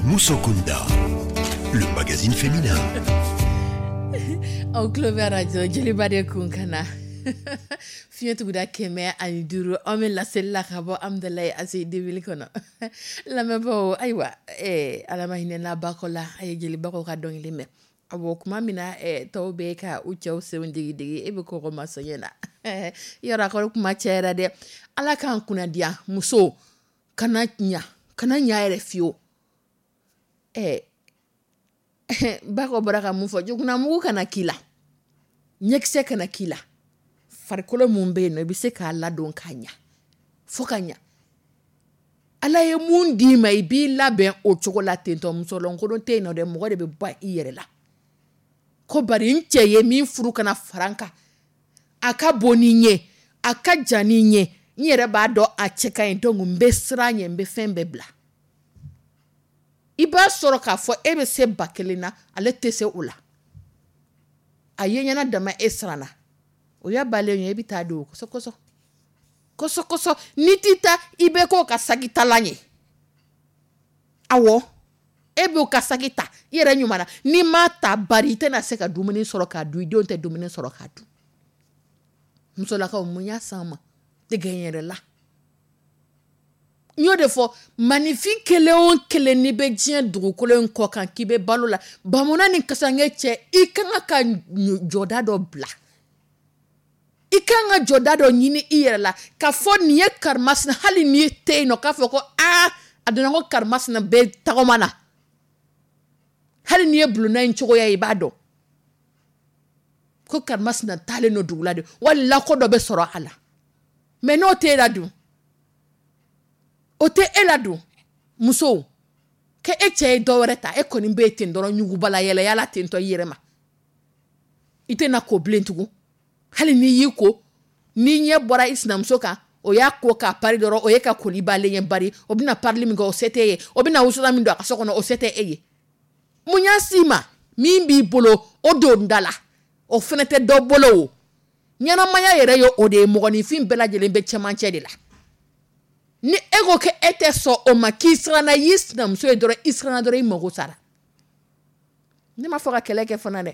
Musokunda, le magazine féminin. Aw tulo bɛ arajo Joliba de kun kan na fiɲɛ tuguda 105, an bɛ laseli la ka bɔ Amudalayi ACI kɔnɔ. Lamɛnbaaw, ayiwa, Ala ma hinɛ n'a bakɔ la, a ye jelibagaw ka dɔnkili mɛn. Awɔ, kuma min na tɔw bɛ ka u cɛw senw digi digi, e bɛ kɔgɔ ma sɔn na yɔrɔ a kɔni kuma cayara dɛ. Ala k'an kunnadiya. Muso kana ɲa, kana ɲa yɛrɛ fiyewu. Bakɔ bɔra ka mun fɔ, jugunamugu kana k'i la, ɲɛkisɛ kana k'i la, farikolo mun bɛ yen nɔ i bɛ se k'a ladon k'a ɲa fo ka ɲa. Ala ye mun d'i ma i b'i labɛn o cogo la ten tɔ. Musolonkolon tɛ yen nɔ dɛ, mɔgɔ de bɛ bɔ i yɛrɛ la. Ko bari n cɛ ye min furu kana fara n kan, a ka bon ni n ye, a ka jan ni n ye, n yɛrɛ b'a dɔn a cɛ ka ɲi, donc n bɛ siran ɲɛ, n bɛ fɛn bɛɛ bila. I b'a sɔrɔ k'a fɔ e bɛ se 1000 na, ale tɛ se o la. A ye ɲɛna dama e siranna, o y'a balen ye, e bɛ taa don kɔsɔ kɔsɔ kɔsɔ kɔsɔ. N'i t'i ta, i bɛ k'o ka saki talan ye. Awɔ, e b'o ka saki ta i yɛrɛ ɲuman na. N'i m'a ta bari, i tɛna se ka dumuni sɔrɔ k'a dun, i denw tɛ dumuni sɔrɔ k'a dun. Musolakaw, mun y'a s'an ma? Dɛgɛ n yɛrɛ la. N y'o de fɔ, maninfin kelen o kelen n'i bɛ diɲɛ dugukolo in kɔ kan k'i bɛ balo la, bamuna ni kasange cɛ, i kan ka jɔda dɔ bila. I kan ka jɔda dɔ ɲini i yɛrɛ la k'a fɔ nin ye karimasina, hali n'i tɛ yen nɔ, k'a fɔ ko aa a donna ko karimasina bɛ tagama na. Hali n'i ye bulonna in cogoya ye, i b'a dɔn ko karimasina taalen don dugu la de, wali lako dɔ bɛ sɔrɔ a la. Mais n'o t'e la dun, o tɛ e la dun, musow, k'e cɛ ye dɔ wɛrɛ ta, e kɔni bɛ ten dɔrɔn, ɲugubala yɛlɛyala ten tɔ i yɛrɛ ma. I tɛna ko bilen tugun. Hali n'i y'i ko, n'i ɲɛ bɔra i sinamuso kan, o y'a ko k'a pari dɔrɔn, o ye ka koli balen ye bari, o bɛna parili min kɛ, o se t'e ye, o bɛna wusulan min don a ka so kɔnɔ, o se tɛ e ye. Mun y'a s'i ma? Min b'i bolo, o don da la, o fana tɛ dɔ bolo o. Ɲɛnamaya yɛrɛ ye o de ye, mɔgɔninfin bɛɛ lajɛlen bɛ cɛmancɛ de la. Ni e ko k'e tɛ sɔn o ma, k'i siranna, i y'i sinamuso ye dɔrɔn, i siranna dɔrɔn, i mago sara. Ne m'a fɔ ka kɛlɛ kɛ fana dɛ.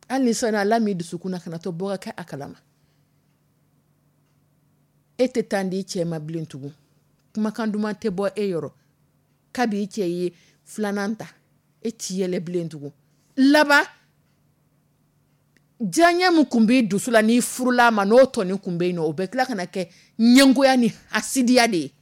Hali ni siranna, Ala m'i dusukun na, kana to bɔ ka kɛ a kalama. E tɛ taa di cɛ ma bilen tugun. Kumakan duman tɛ bɔ e yɔrɔ. Kabi i cɛ ye filanan ta, e t'i yɛlɛ bilen tugun. Laban, diyaɲɛ min kun b'i dusu la n'i furula a ma, n'o tɔni kun bɛ yen nɔ, o bɛ tila ka na kɛ ɲɛngoya ni hasidiya de ye.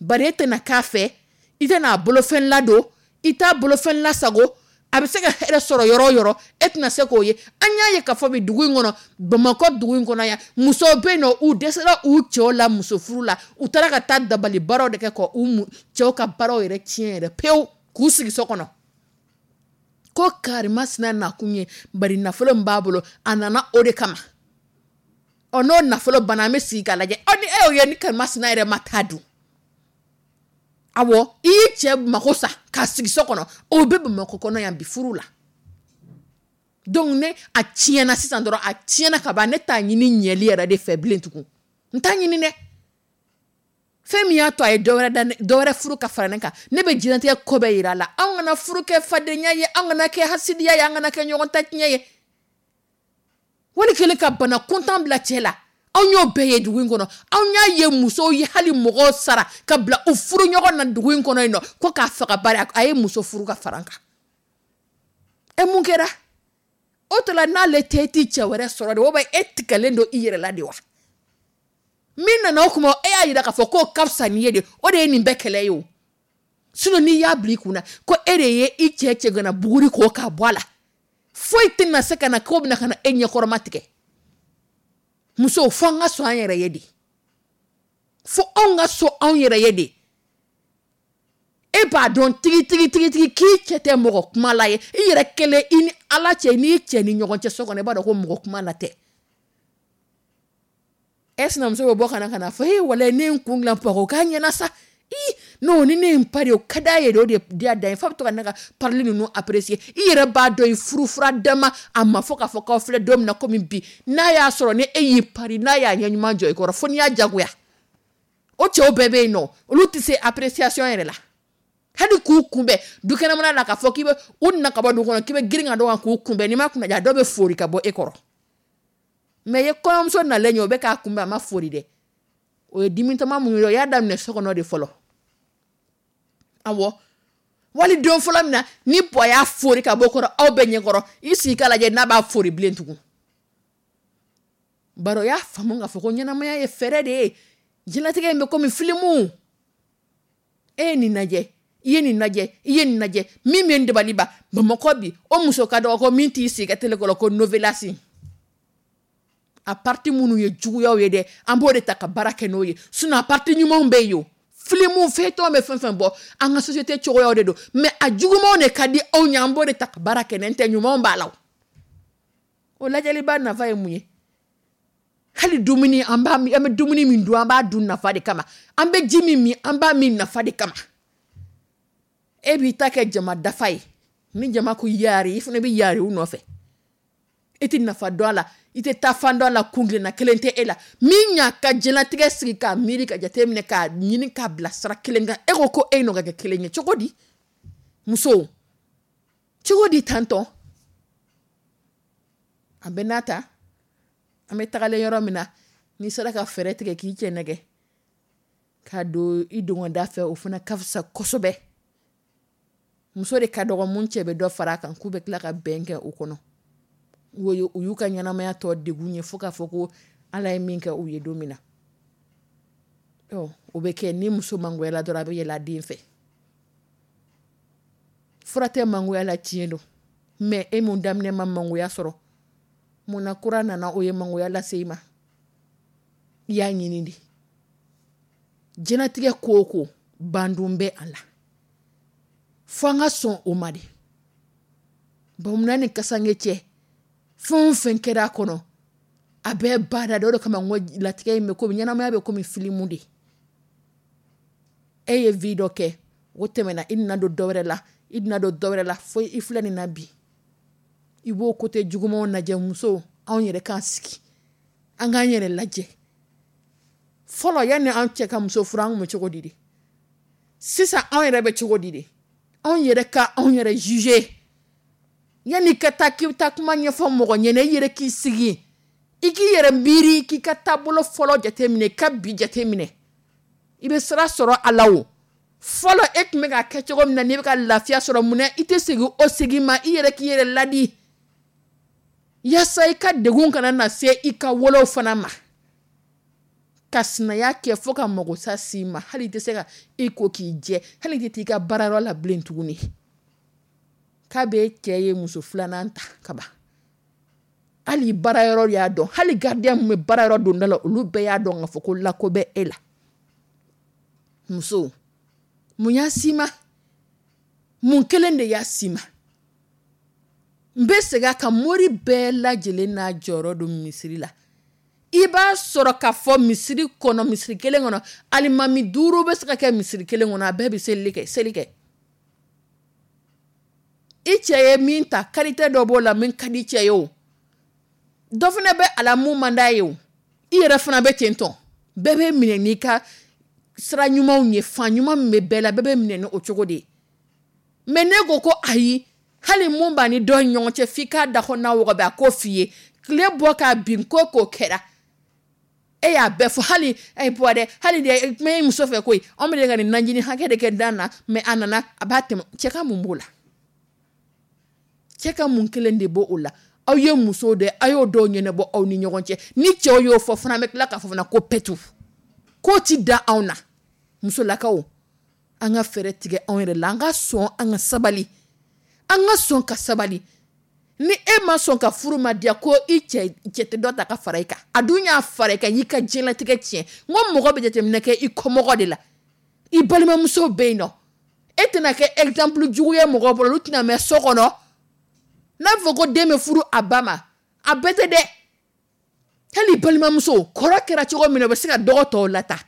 Bari e tɛna k'a fɛ, i tɛna a bolofɛn ladon, i t'a bolofɛn lasago, a bɛ se ka hɛrɛ sɔrɔ yɔrɔ o yɔrɔ, e tɛna se k'o ye. An y'a ye k'a fɔ bi dugu in kɔnɔ, Bamakɔ dugu in kɔnɔ yan, musow bɛ yen nɔ, u dɛsɛra u cɛw la muso furu la, u taara ka taa dabali baaraw de kɛ ka u cɛw ka baaraw yɛrɛ tiɲɛ yɛrɛ pewu, k'u sigi so kɔnɔ. Ko karimasina nakun ye, bari nafolo min b'a bolo, a nana o de kama. Ɔ, n'o nafolo banna, an bɛ sigi k'a lajɛ. Ɔ, ni e y'o ye, ni karimasina yɛrɛ ma taa dun. Awɔ, i y'i cɛ mako sa k'a sigi so kɔnɔ, o bɛ Bamakɔ kɔnɔ yan bi furu la. Donc ne a tiɲɛna sisan dɔrɔn, a tiɲɛna ka ban, ne t'a ɲini ɲɛli yɛrɛ de fɛ bilen tugun. N t'a ɲini dɛ. Fɛn min y'a to a ye dɔ wɛrɛ furu ka fara ne kan, ne bɛ diɲɛlatigɛ ko bɛɛ yira a la. Anw kana furu kɛ fadenya ye, anw kana kɛ hasidiya ye, an kana kɛ ɲɔgɔn ta tiɲɛ ye. Wali kelen ka bana kuntan bila cɛ la. Anw y'o bɛɛ ye dugu in kɔnɔ. Anw y'a ye musow ye hali mɔgɔw sara ka bila u furu ɲɔgɔn na dugu in kɔnɔ yen nɔ, ko k'a faga, bari a ye muso furu ka fara n kan. E, mun kɛra o tɔ la? N'ale tɛ, e t'i cɛ wɛrɛ sɔrɔ de? O bɛ e tigɛlen don i yɛrɛ la de wa? Min nana o kuma, e y'a yira k'a fɔ k'o ka fisa n'i ye de. O de ye nin bɛɛ kɛlɛ ye o. Sinon, n'i y'a bila i kunna ko e de ye i cɛ cɛgana buguri k'o k'a bɔ a la, foyi tɛna se ka na k'o bɛna ka na e ɲɛkɔrɔma tigɛ. Musow, fo an ka sɔn an yɛrɛ ye de, fo anw ka sɔn anw yɛrɛ ye de. E b'a dɔn tigi tigi tigi tigi k'i cɛ tɛ mɔgɔ kuma la ye. I yɛrɛ kelen, i ni Ala cɛ, n'i cɛ ni ɲɔgɔn cɛ so kɔnɔ, i b'a dɔn ko mɔgɔ kuma la tɛ. E sinamuso bɛ bɔ ka na fɔ e walayi, ne ye n kun dilan pɔgɔ k'a ɲɛna sa. I non, ni ne ye n pari, o ka d'a ye de. O de diya dan ye f'a bɛ to ka ne ka parili ninnu apprécier. I yɛrɛ b'a dɔn, i furufura dama a ma fɔ k'a fɔ k'aw filɛ don min na komi bi, n'a y'a sɔrɔ ni e y'i pari, n'a y'a ɲɛ ɲuman jɔ i kɔrɔ, fo n'i y'a jagoya. O cɛw bɛɛ bɛ yen nɔ, olu tɛ se appréciation yɛrɛ la. Hali k'u kunbɛn dukɛnɛmana la, k'a fɔ k'i bɛ u nana ka bɔ dugu kɔnɔ, k'i bɛ girin ka dɔn kan k'u kunbɛn, n'i ma kunnaja, dɔw bɛ fori ka bɔ e kɔrɔ. Mais ye kɔɲɔmuso nalen ye, o bɛ k'a kunbɛn, a ma fori dɛ. O ye dimitɔma mun ye? O y'a daminɛ so kɔnɔ de fɔlɔ. Awɔ, wali don fɔlɔ min na ni Pɔ y'a fori ka bɔ kɔrɔ aw bɛɛ ɲɛkɔrɔ, i sigi k'a lajɛ n'a b'a fori bilen tugun. Bari o y'a faamu k'a fɔ ko ɲɛnamaya ye fɛɛrɛ de ye. Diɲɛlatigɛ in bɛ komi filimu. E ye nin lajɛ, i ye nin lajɛ, i ye nin lajɛ. Min bɛ n dabali ban Bamakɔ bi, o muso ka dɔgɔ ko min t'i sigi ka télé kɔrɔ ko novelas. A partie minnu ye juguyaw ye dɛ, an b'o de ta ka baara kɛ n'o ye. Sinon, a partie ɲumanw bɛ yen. O filimu feuilleton bɛ fɛn fɛn bɔ, an ka société cogoyaw de don. Mais a jugumanw de ka di anw ye, an b'o de ta ka baara kɛ. N'an tɛ, ɲumanw b'a la. O o lajɛliba nafa ye mun ye? Hali dumuni, an b'a, an bɛ dumuni min dun, an b'a dun nafa de kama. An bɛ ji min min, an b'a min nafa de kama. E b'i ta kɛ jama dafa ye. Ni jama ko yaari, i fana bɛ yaari u nɔfɛ. E tɛ nafa dɔn a la, i tɛ taa fan dɔn a la. Kunkilenna kelen tɛ e la min y'a ka diɲɛlatigɛ sigi k'a miiri, ka jateminɛ, k'a ɲini k'a bila sira kelen kan. E ko ko e n'o ka kɛ kelen ye cogo di? Musow, cogo di tantɔn? A bɛ n'a ta, an bɛ tagalen yɔrɔ min na, n'i sera ka fɛɛrɛ tigɛ k'i cɛ nɛgɛ k'a don i dongɔda fɛ, o fana ka fisa kosɛbɛ. Muso de ka dɔgɔ mun cɛ bɛ dɔ fara a kan k'u bɛ tila ka bɛn kɛ o kɔnɔ. O ye u y'u ka ɲɛnamaya tɔ degun ye, fo k'a fɔ ko Ala ye min kɛ u ye don min na. Ɔ, o bɛ kɛ ni muso mangoyala dɔrɔn, a bɛ yɛlɛ a den fɛ. Fura tɛ mangoya la, tiɲɛ don. Mais e mun daminɛ ma mangoya sɔrɔ, munna kura nana, o ye mangoya lase i ma? I y'a ɲini de. Diɲɛlatigɛ ko o ko, bandon bɛ a la, fo an ka sɔn o ma de. Bamunna ni kasange cɛ, fɛn o fɛn kɛra a kɔnɔ, a bɛɛ bada de. O de kama n ko latigɛ in bɛ komi ɲɛnamaya bɛ komi filimu de. E ye vie dɔ kɛ, o tɛmɛna, i nana don dɔ wɛrɛ la, i nana don dɔ wɛrɛ la, fo i filɛ nin na bi. I b'o côté jugumanw lajɛ. Musow, anw yɛrɛ k'an sigi, an k'an yɛrɛ lajɛ fɔlɔ. Yanni an cɛ ka muso furu, an kun bɛ cogo di de? Sisan anw yɛrɛ bɛ cogo di de? Anw yɛrɛ ka anw yɛrɛ juger. Yanni ka taa k'i bɛ taa kuma ɲɛfɔ mɔgɔ ɲɛna, i yɛrɛ k'i sigi, i k'i yɛrɛ miiri, k'i ka taabolo fɔlɔ jateminɛ, i ka bi jateminɛ, i bɛ sira sɔrɔ a la. O fɔlɔ, e tun bɛ ka kɛ cogo min na, n'i bɛ ka lafiya sɔrɔ, mun na i tɛ segin o segin ma? I yɛrɛ k'i yɛrɛ ladi yaasa i ka degun kana na se i ka wolow fana ma. Ka sinaya kɛ fo ka magosa s'i ma, hali i tɛ se ka i ko k'i jɛ, hali i tɛ t'i ka baarayɔrɔ la bilen tuguni, k'a bɛ cɛ ye muso filanan ta ka ban. Hali baarayɔrɔ y'a dɔn, hali gardien min bɛ baarayɔrɔ donda la, olu bɛɛ y'a dɔn k'a fɔ ko lako bɛ e la. Muso, mun y'a s'i ma? Mun kelen de y'a s'i ma? N bɛ segin a kan, mori bɛɛ lajɛlen n'a jɔyɔrɔ don misiri la. I b'a sɔrɔ k'a fɔ misiri kɔnɔ, misiri kelen kɔnɔ, alimami 5 bɛ se ka kɛ misiri kelen kɔnɔ, a bɛɛ bɛ seli kɛ, seli kɛ. I cɛ ye min ta, qualité dɔ b'o la min ka di cɛ ye, o dɔ fana bɛ a la mun man d'a ye. O i yɛrɛ fana bɛ ten tɔn. Bɛɛ bɛ minɛ n'i ka sira ɲumanw ye. Fan ɲuman min bɛ bɛɛ la, bɛɛ bɛ minɛ ni o cogo de ye. Mais ne ko ko ayi, hali mun b'a ni dɔ ni ɲɔgɔn cɛ, f'i k'a da kɔnɔna wɔgɔbɛ, a k'o f'i ye. Tile bɔ k'a bin, ko k'o kɛra. E y'a bɛɛ fɔ hali bɔ dɛ, hali de kuma ye muso fɛ koyi, anw bɛ ka nin najini hakɛ de kɛ dan na, mais a nana a b'a tɛmɛ. Cɛ ka mun b'o la? Cɛ ka mun kelen de b'o o la? Aw ye muso de, aw y'o dɔw ɲɛnabɔ aw ni ɲɔgɔn cɛ. Ni cɛw y'o fɔ fana, bɛ tila k'a fɔ fana ko pɛtu k'o ti da anw na. Musolakaw, an ka fɛɛrɛ tigɛ anw yɛrɛ la, an ka sɔn, an ka sabali, an ka sɔn ka sabali. Ni e ma sɔn ka furu ma diya ko i cɛ tɛ dɔ ta ka fara i kan, a dun y'a fara i kan, y'i ka diɲɛlatigɛ tiɲɛ. N ko mɔgɔ bɛ jateminɛ kɛ i kɔmɔgɔ de la, i balimamuso bɛ yen nɔ, e tɛna kɛ exemple jugu ye mɔgɔ bolo, olu tɛna mɛn so kɔnɔ. N'a fɔ ko den bɛ furu a ba ma, a bɛɛ tɛ dɛ. Hali balimamuso kɔrɔ kɛra cogo min na, o bɛ se ka dɔgɔ tɔw lata.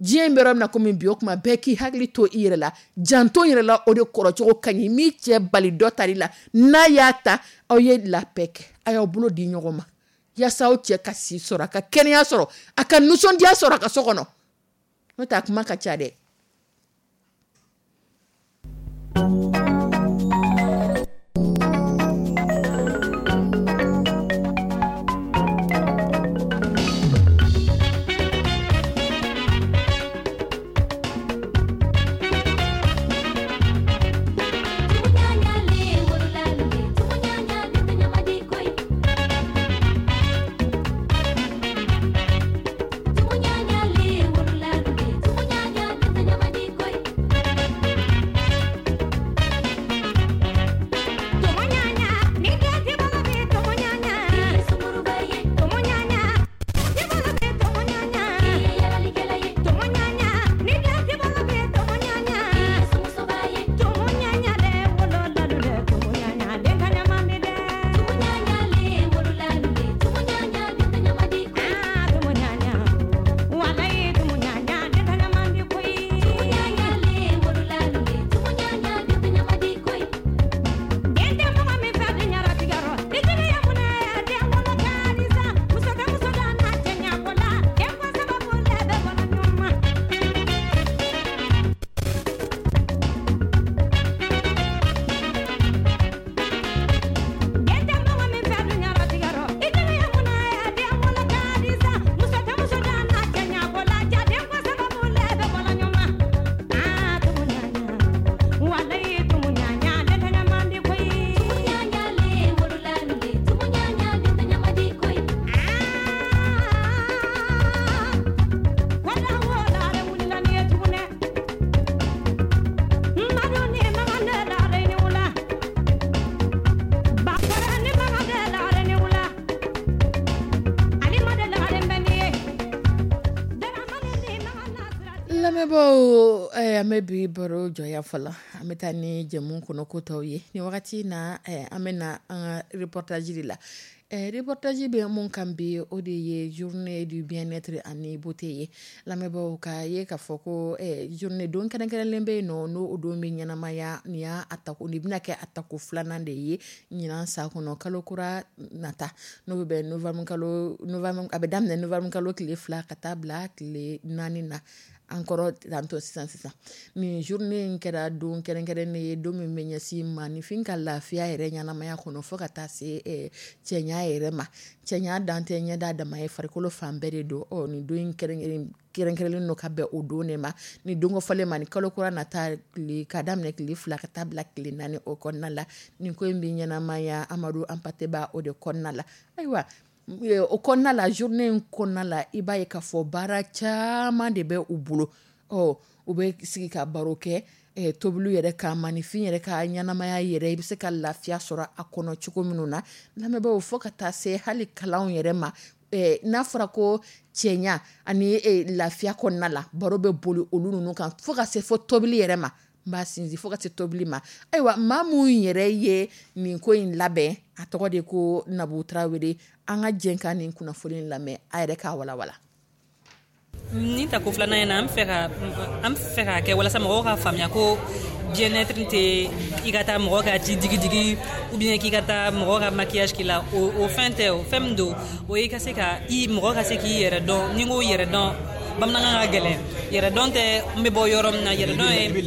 Diɲɛ bɛ yɔrɔ min na komi bi, o tuma bɛɛ k'i hakili to i yɛrɛ la, janto yɛrɛ la, o de kɔrɔcogo ka ɲi. M'i cɛ bali dɔ tali la, n'a y'a ta, aw ye la paix kɛ, a y'aw bolo di ɲɔgɔn ma, yaasa aw cɛ ka si sɔrɔ, a ka kɛnɛya sɔrɔ, a ka nisɔndiya sɔrɔ a ka so kɔnɔ. N'o tɛ a kuma ka ca dɛ. Lamɛnbaaw, an bɛ bi baro jɔya fɔlɔ, an bɛ taa ni jɛmu kɔnɔ ko tɔw ye. Nin wagati na, an bɛ na an ka reportage de la. Reportage bɛ mun kan bi, o de ye journée du bien-être ani beauté ye. Lamɛnbaaw, ka ye k'a fɔ ko journée don kɛrɛnkɛrɛnlen bɛ yen nɔ, n'o o don bɛ ɲɛnamaya. Nin y'a a tako, nin bɛna kɛ a tako filanan de ye ɲinan san kɔnɔ, kalo kura nata, n'o bɛ bɛn novembre kalo, novembre, a bɛ daminɛ novembre kalo tile 2 ka taa bila tile 4 na. An kɔrɔ tantɔ sisan sisan, nin journée in kɛra don kɛrɛnkɛrɛnnen ye, don min bɛ ɲɛsin maaninfin ka lafiya yɛrɛ ɲɛnamaya kɔnɔ, fo ka taa se cɛɲa yɛrɛ ma. Cɛɲa dan tɛ ɲɛda dama ye, farikolo fan bɛɛ de don. Ɔ nin don in kɛrɛnkɛrɛnlen don ka bɛn o don de ma, ni don kofɔlen ma, ni kalo kura nata tile ka daminɛ tile 2 ka taa bila tile 4 o kɔnɔna la. Nin ko in bɛ ɲɛnamaya Amadu Hampâté Bâ o de kɔnɔna la. Ayiwa, o kɔnɔna la, journée in kɔnɔna la, i b'a ye k'a fɔ baara caman de bɛ u bolo. Ɔ u bɛ sigi ka baro kɛ tobiliw yɛrɛ kan, maaninfin yɛrɛ ka ɲɛnamaya yɛrɛ, i bɛ se ka lafiya sɔrɔ a kɔnɔ cogo minnu na. Lamɛnbaaw, fo ka taa se hali kalanw yɛrɛ ma. N'a fɔra ko cɛɲa ani lafiya kɔnɔna la, baro bɛ boli olu ninnu kan, fo ka se fo tobili yɛrɛ ma. N b'a sinsin fo ka se tobili ma. Ayiwa, maa mun yɛrɛ ye nin ko in labɛn, a tɔgɔ de ko Nabu Tarawele. An ka jɛ ka nin kunnafoni in lamɛn, a yɛrɛ k'a walawala. Ni tako filanan in na, an fɛ k'a kɛ walasa mɔgɔw ka faamuya ko bien-être tɛ i ka taa mɔgɔ ka ji digi-digi ou bien k'i ka taa mɔgɔ ka maquillage k'i la. O fɛn tɛ. O fɛn min don, o ye ka se ka i mɔgɔ ka se k'i yɛrɛ dɔn. Ni n ko yɛrɛ dɔn, Bamanankan ka gɛlɛn. Yɛrɛdɔn tɛ n bɛ bɔ yɔrɔ min na, yɛrɛdɔn ye i bɛ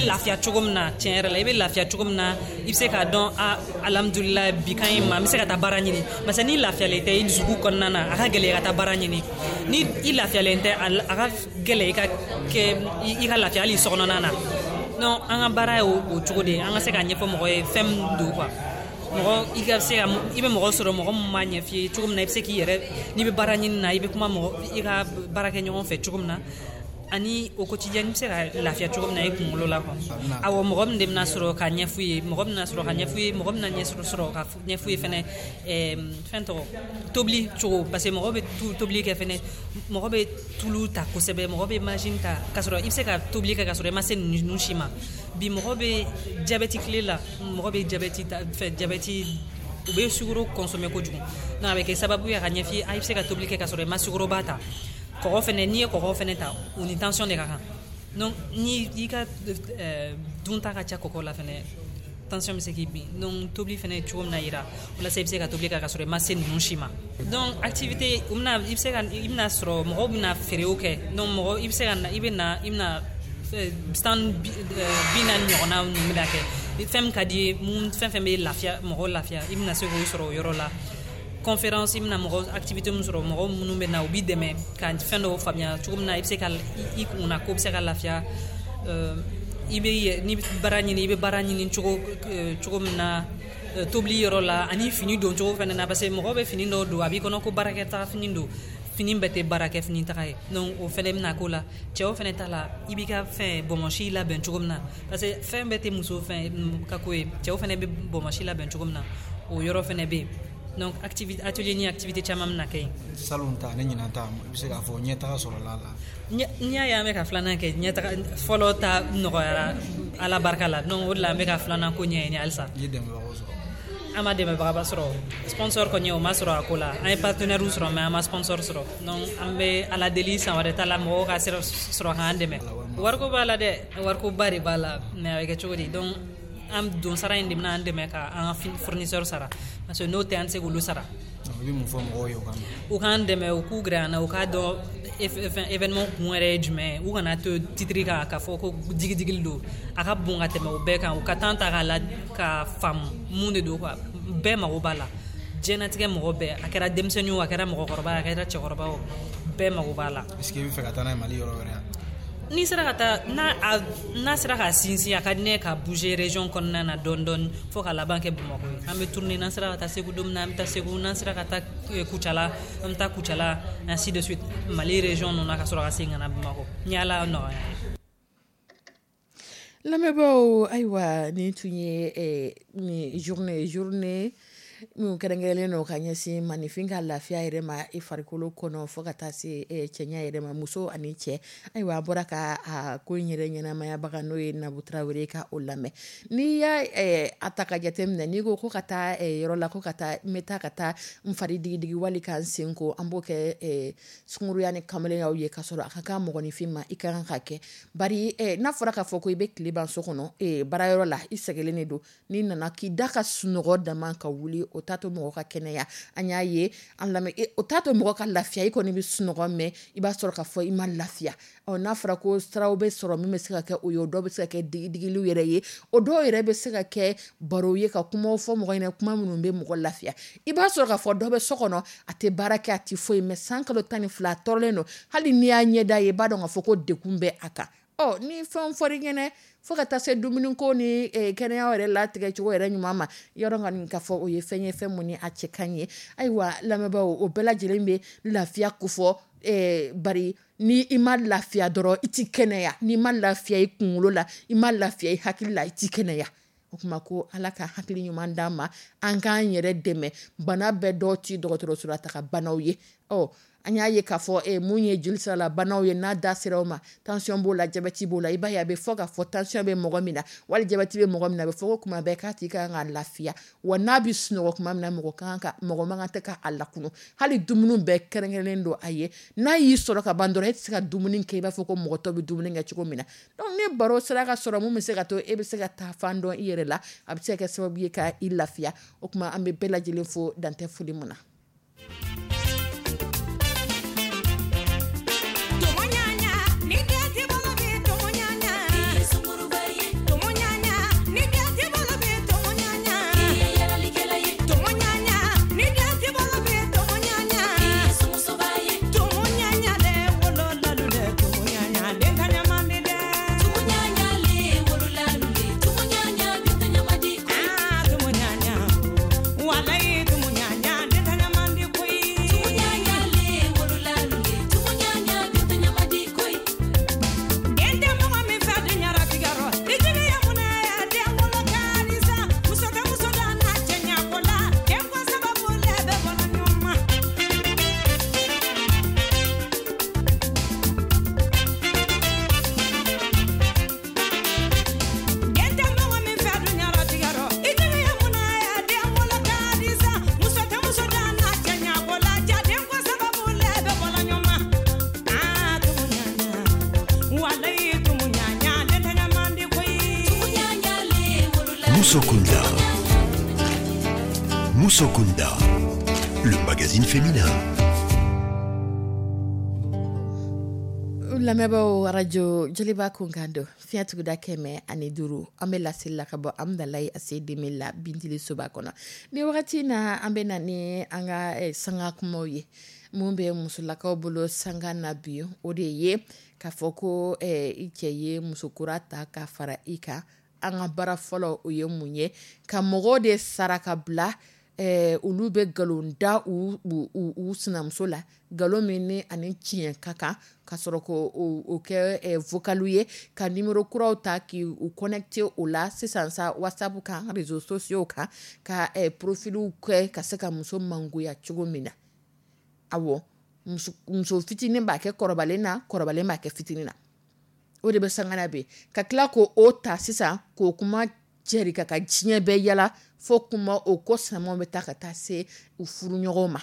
lafiya cogo min na. Tiɲɛ yɛrɛ la, i bɛ lafiya cogo min na, i bɛ se k'a dɔn, a alhamdulilayi, bi ka ɲi ma, n bɛ se ka taa baara ɲini. Parce que n'i lafiyalen tɛ i dusukun kɔnɔna na, a ka gɛlɛn i ka taa baara ɲini. Ni i lafiyalen tɛ, a ka gɛlɛn i ka kɛ i ka lafiya hali sokɔnɔna na. Donc an ka baara ye o cogo de ye, an ka se k'a ɲɛfɔ mɔgɔ ye fɛn min don quoi. Mɔgɔ i ka se ka, i bɛ mɔgɔ sɔrɔ, mɔgɔ min b'a ɲɛf'i ye cogo min na i bɛ se k'i yɛrɛ, n'i bɛ baara ɲini na, i bɛ kuma mɔgɔ i ka baara kɛ ɲɔgɔn fɛ cogo min na, ani au quotidien i bɛ se ka lafiya cogo min na i kunkolo la quoi. Awɔ, mɔgɔ min de bɛna sɔrɔ ka ɲɛf'u ye, mɔgɔ bɛna sɔrɔ ka ɲɛf'u ye, mɔgɔ bɛna ɲɛ sɔrɔ ka ɲɛf'u ye fɛnɛ, fɛn tɔgɔ tobili cogo. Parce que mɔgɔ bɛ tobili kɛ fɛnɛ, mɔgɔ bɛ tulu ta kosɛbɛ, mɔgɔ bɛ machine ta, k'a sɔrɔ i bɛ se ka tobili kɛ k'a sɔrɔ i ma se ninnu si ma. Bi mɔgɔ bɛ jabɛti tile la, mɔgɔ bɛ jabɛti ta fɛ, jabɛti u bɛ sukaro consommer kojugu. Donc a bɛ kɛ sababu ye ka ɲɛf'i ye, i bɛ se ka tobili kɛ k'a sɔrɔ i ma sukoroba ta. Kɔgɔ fɛnɛ, n'i ye kɔgɔ fɛnɛ ta, u ni tension de ka kan. Donc ni i ka dunta ka ca kɔgɔ la fɛnɛ, tension bɛ se k'i bin. Donc tobili fɛnɛ cogo min na yira, walasa i bɛ se ka tobili kɛ k'a sɔrɔ i ma se ninnu si ma. Donc activité, u bɛna, i bɛ se ka, i bɛna sɔrɔ mɔgɔw bɛna feerew kɛ. Donc mɔgɔ i bɛ se ka na, i bɛ na, i bɛna stand 40 ɲɔgɔnna ninnu bɛna kɛ. Fɛn min ka di ye, mun fɛn fɛn bɛ lafiya mɔgɔw lafiya, i bɛna se k'o sɔrɔ o yɔrɔ la. Conférence, i bɛna mɔgɔ activité min sɔrɔ, mɔgɔ minnu bɛ na, u b'i dɛmɛ ka fɛn dɔw faamuya cogo min na i bɛ se ka i kunna ko bɛ se ka lafiya. I bɛ n'i bɛ baara ɲini, i bɛ baara ɲini cogo min na, tobili yɔrɔ la, ani fini don cogo fɛnɛ na. Parce que mɔgɔ bɛ fini dɔw don, a b'i kɔnɔ ko baarakɛtaga fini don, fini bɛɛ tɛ baarakɛ fini taga ye. Donc o fɛnɛ bɛna k'o la. Cɛw fɛnɛ ta la, i b'i ka fɛn bɔnmɔsi labɛn cogo min na, parce que fɛn bɛɛ tɛ muso fɛn ka ko ye, cɛw fɛnɛ bɛ bɔnmɔsi labɛn cogo min na, o yɔrɔ fɛnɛ bɛ yen. Donc activité, atelier ni activité caman bɛna kɛ yen. Salon ta ne ɲinan ta, i bɛ se k'a fɔ ɲɛtaga sɔrɔla a la? N'i y'a ye an bɛ ka filanan kɛ, ɲɛtaga fɔlɔ ta nɔgɔyara Ala barika la. Donc o de la an bɛ ka filanan ko ɲɛɲini halisa. I ye dɛmɛbagaw sɔrɔ? An ma dɛmɛbagaba sɔrɔ, sponsor kɔni o ma sɔrɔ a ko la. An ye partenaire sɔrɔ, mais an ma sponsor sɔrɔ. Donc an bɛ Ala deli san wɛrɛ ta la, mɔgɔw ka sɔrɔ k'an dɛmɛ. Wariko b'a la dɛ, wariko ba de b'a la, mais a bɛ kɛ cogo di? Donc an don sara in de bɛna an dɛmɛ ka an ka fournisseur sara, parce que n'o tɛ an tɛ se k'olu sara. I bɛ mun fɔ mɔgɔw ye o kama? U k'an dɛmɛ, u k'u gɛrɛ an na, u k'a dɔn événement kun yɛrɛ ye jumɛn ye. U kana to titre kan k'a fɔ ko digidigili don, a ka bon ka tɛmɛ o bɛɛ kan. U ka temps ta k'a la ka faamu mun de don quoi. Bɛɛ mago b'a la, diɲɛnatigɛ mɔgɔ bɛɛ, a kɛra denmisɛnnin o, a kɛra mɔgɔkɔrɔba, a kɛra cɛkɔrɔba o, bɛɛ mago b'a la. Est-ce que i bɛ fɛ ka taa n'a ye Mali yɔrɔ wɛrɛ? N'i sera ka taa n'a sera ka sinsin, a ka di ne ye ka bouger région kɔnɔna na dɔɔni dɔɔni fo ka laban kɛ Bamakɔ ye. An bɛ tourner, n'an sera ka taa Segu don min na, an bɛ taa Segu, n'an sera ka taa Kucala, an bɛ taa Kucala, ainsi de suite, Mali région ninnu na, ka sɔrɔ ka segin ka na Bamakɔ ni Ala nɔgɔya ye. Lamɛnbaaw, ayiwa, nin tun ye nin journée minnu kɛrɛnkɛrɛnlen don ka ɲɛsin maninfin ka lafiya yɛrɛ ma i farikolo kɔnɔ, fo ka taa se cɛɲa yɛrɛ ma, muso ani cɛ. Ayiwa, a bɔra ka a ko in yɛrɛ ɲɛnamayabaga, n'o ye Nabu Tarawele, ka o lamɛn. N'i y'a a ta ka jateminɛ, n'i ko ka taa yɔrɔ la, ko ka taa n bɛ taa ka taa n fari digidigi wali ka n sen ko, an b'o kɛ sunkuruya ni kamalenyaw ye, k'a sɔrɔ a ka kan mɔgɔninfin ma, i ka kan ka kɛ. Bari n'a fɔra k'a fɔ ko i bɛ tile ban so kɔnɔ, baarayɔrɔ la, i sɛgɛlen de don, n'i nana k'i da ka sunɔgɔ dama ka wuli, o t'a to mɔgɔ ka kɛnɛya. An y'a ye an lamɛn, o t'a to mɔgɔ ka lafiya. I kɔni bɛ sunɔgɔ, mɛn i b'a sɔrɔ k'a fɔ i ma lafiya. Ɔ n'a fɔra ko siraw bɛ sɔrɔ min bɛ se ka kɛ o ye, o dɔw bɛ se ka kɛ digidigiliw yɛrɛ ye, o dɔw yɛrɛ bɛ se ka kɛ baro ye, ka kumaw fɔ mɔgɔ ɲɛna, kuma minnu bɛ mɔgɔ lafiya. I b'a sɔrɔ k'a fɔ dɔ bɛ so kɔnɔ, a tɛ baara kɛ, a tɛ foyi, mɛ san kalo 12 a tɔɔrɔlen don. Hali n'i y'a ɲɛda ye, i b'a dɔn k'a fɔ ko degun bɛ a kan. Ɔ ni fɛn fɔr'i ɲɛna, fo ka taa se dumuniko ni kɛnɛya yɛrɛ latigɛ cogo yɛrɛ ɲuman ma, yɔrɔ kɔni k'a fɔ o ye fɛn ye, fɛn mun ni a cɛ ka ɲi ye. Ayiwa lamɛnbaaw, o bɛɛ lajɛlen bɛ lafiya kofɔ. Bari ni i ma lafiya dɔrɔn, i ti kɛnɛya. N'i ma lafiya i kunkolo la, i ma lafiya i hakili la, i ti kɛnɛya. O kuma ko Ala ka hakili ɲuman d'an ma, an k'an yɛrɛ dɛmɛ. Bana bɛɛ dɔw ti dɔgɔtɔrɔso la taga banaw ye. Ɔ an y'a ye k'a fɔ mun ye joli sira la banaw ye, n'a da sera o ma, tension b'o la, jabɛti b'o la. I b'a ye a bɛ fɔ k'a fɔ tension bɛ mɔgɔ min na, wali jabɛti bɛ mɔgɔ min na, a bɛ fɔ ko kuma bɛɛ k'a tigi kan ka lafiya. Wa n'a bɛ sunɔgɔ kuma min na, mɔgɔ man kan tɛ ka a lakunu. Hali dumuni bɛɛ kɛrɛnkɛrɛnnen don a ye. N'a y'i sɔrɔ ka ban dɔrɔn, e tɛ se ka dumuni kɛ i b'a fɔ ko mɔgɔ tɔ bɛ dumuni kɛ cogo min na. Donc ni baro sera ka sɔrɔ mun bɛ se ka to e bɛ se ka taa fan dɔn i yɛrɛ la, a bɛ se ka kɛ sababu ye ka i lafiya. O tuma an bɛ bɛɛ lajɛlen fo dantɛ foli mun na. Musokunda. Musokunda, le magazine féminin. Lamɛnbaaw, arajo Joliba kunkan don, fiɲɛ tuguda 105. An bɛ laseli la ka bɔ Amudalayi ACI la Bintili soba kɔnɔ. Ni wagati na, an bɛ na ni an ka sanga kumaw ye. Mun bɛ musolakaw bolo sanga na bi, o de ye k'a fɔ ko i cɛ ye musokura ta ka fara i kan. An ka baara fɔlɔ, o ye mun ye? Ka mɔgɔw de sara ka bila, olu bɛ nkalon da u sinamuso la, nkalon min ni ani tiɲɛ ka kan, ka sɔrɔ ko o kɛ vocal ye, ka numéro kuraw ta k'u connecté o la sisan sa WhatsApp kan, réseaux sociaux kan, ka profilw kɛ ka se ka muso mangoya cogo min na. Awɔ, muso fitinin b'a kɛ kɔrɔbalen na, kɔrɔbalen b'a kɛ fitinin na. O de bɛ sanga na bi, ka tila k'o o ta sisan k'o kuma cɛri ka ka diɲɛ bɛɛ yala, fo kuma o ko samaw bɛ taa ka taa se u furuɲɔgɔnw ma.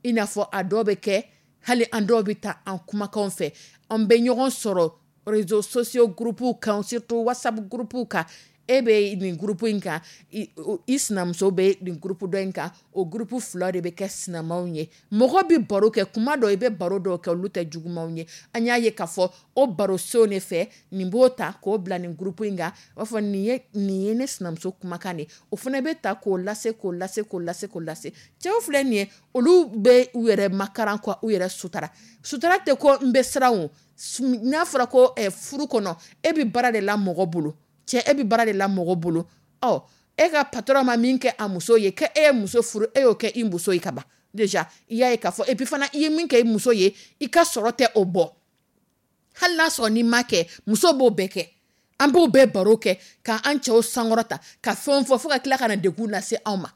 I n'a fɔ a dɔw bɛ kɛ, hali an dɔw bɛ taa an kumakanw fɛ, an bɛ ɲɔgɔn sɔrɔ réseaux sociaux groupe kan, surtout WhatsApp groupe kan. E bɛ nin groupe in kan, i sinamuso bɛ nin groupe dɔ in kan, o groupe fila de bɛ kɛ sinamaw ye. Mɔgɔ bɛ baro kɛ kuma dɔ, i bɛ baro dɔw kɛ, olu tɛ jugumanw ye. An y'a ye k'a fɔ o baroso de fɛ, nin b'o ta k'o bila nin groupe in kan, o b'a fɔ nin ye ne sinamuso kumakan de ye. O fana bɛ ta k'o lase, k'o lase, k'o lase, k'o lase. Cɛw filɛ nin ye, olu bɛ u yɛrɛ makaran ka u yɛrɛ sutara. Sutara tɛ ko n bɛ siran o. N'a fɔra ko furu kɔnɔ, e bɛ baara de la mɔgɔ bolo. Cɛ, e bɛ baara de la mɔgɔ bolo. Ɔ, e ka patron ma min kɛ a muso ye, kɛ e ye muso furu, e y'o kɛ i muso ye ka ban. Déjà i y'a ye k'a fɔ, et puis fana i ye min kɛ i muso ye, i ka sɔrɔ tɛ o bɔ. Hali n'a sɔrɔ n'i ma kɛ, muso b'o bɛɛ kɛ. An b'o bɛɛ baro kɛ k'an cɛw sankɔrɔta, ka fɛnw fɔ, fo ka tila ka na degun lase anw ma.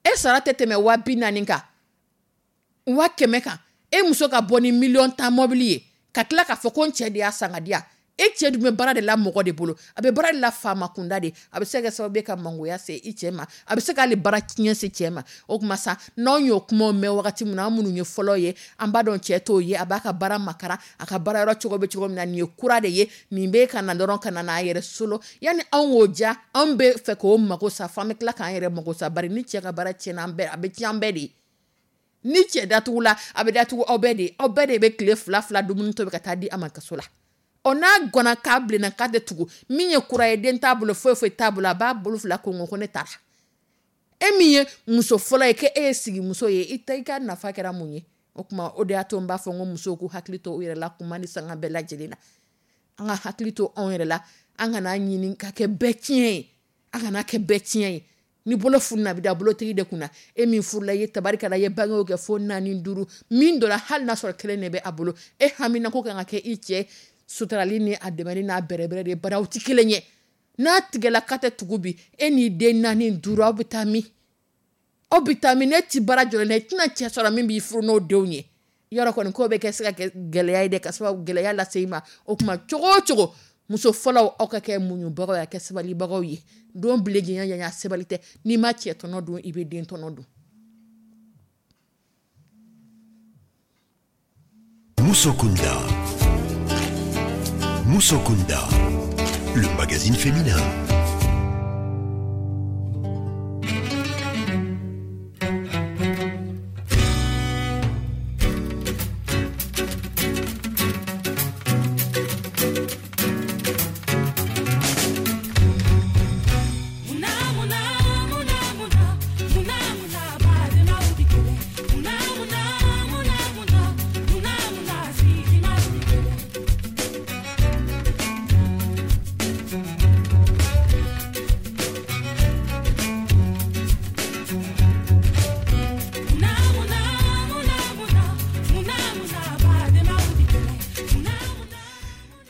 E sara tɛ tɛmɛ 40 000 kan, 100 000 kan. E muso ka bɔ ni 10 000 000 mɔbili ye, ka tila k'a fɔ ko n cɛ de y'a san ka di yan. E cɛ dun bɛ baara de la mɔgɔ de bolo, a bɛ baara de la faama kunda de. A bɛ se ka kɛ sababu ye ka mangoya se i cɛ ma, a bɛ se k'ale baara tiɲɛ se cɛ ma. O tuma sa, n'anw y'o kumaw mɛn wagati min na, an minnu ye fɔlɔ ye, an b'a dɔn cɛ t'o ye, a b'a ka baara makara, a ka baara yɔrɔ cogo bɛ cogo min na, nin ye kura de ye, nin bɛ ka na dɔrɔn ka na n'a yɛrɛ solo. Yanni anw k'o ja, anw bɛ fɛ k'o mago sa, f'an bɛ tila k'an yɛrɛ mago sa. Bari ni cɛ ka baara tiɲɛna, an bɛɛ, a bɛ tiɲɛ an bɛɛ de ye. Ni cɛ datugu la, a bɛ datugu aw bɛɛ de ye. Aw bɛɛ de bɛ tile fila fila dumuni tobi ka taa di a ma kaso la. Ɔ, n'a gɔnna k'a bilenna k'a tɛ tugu, min ye kura ye, den t'a bolo, foyi foyi t'a bolo, a b'a bolo fila ko ko ne taara. E min ye muso fɔlɔ ye, k'e ye sigimuso ye, i ta i ka nafa kɛra mun ye? O tuma, o de y'a to n b'a fɔ n ko musow k'u hakili to u yɛrɛ la kuma ni sanga bɛɛ lajɛlen na. An ka hakili to anw yɛrɛ la, an kana ɲini ka kɛ bɛɛ tiɲɛ ye, an kana kɛ bɛɛ tiɲɛ ye. Ni bolo fununa, a bɛ da bolotigi de kunna. E min furula, i ye tabarikala, i ye bangew kɛ fo 4, 5, min donna hali n'a sɔrɔ kelen de bɛ a bolo, e hamina ko kan ka kɛ i cɛ suturali ni a dɛmɛni n'a bɛrɛbɛrɛ de ye, bari aw tɛ kelen ye. N'a tigɛla k'a tɛ tugu bi, e n'i den 4, 5, aw bɛ taa min? Aw bɛ taa min? Ne ti baara jɔlen na, i tɛna cɛ sɔrɔ min b'i furu n'o denw ye. Yɔrɔ kɔni ko bɛ kɛ se ka kɛ gɛlɛya ye dɛ, ka sababu gɛlɛya lase i ma. O tuma, cogo o cogo, muso fɔlɔw, aw ka kɛ muɲubagaw ye, a kɛ sabalibagaw ye. Don bilen janya janya sabali tɛ. N'i ma cɛ tɔnɔ dun, i bɛ den tɔnɔ dun. Musokunda. Musokunda, le magazine féminin.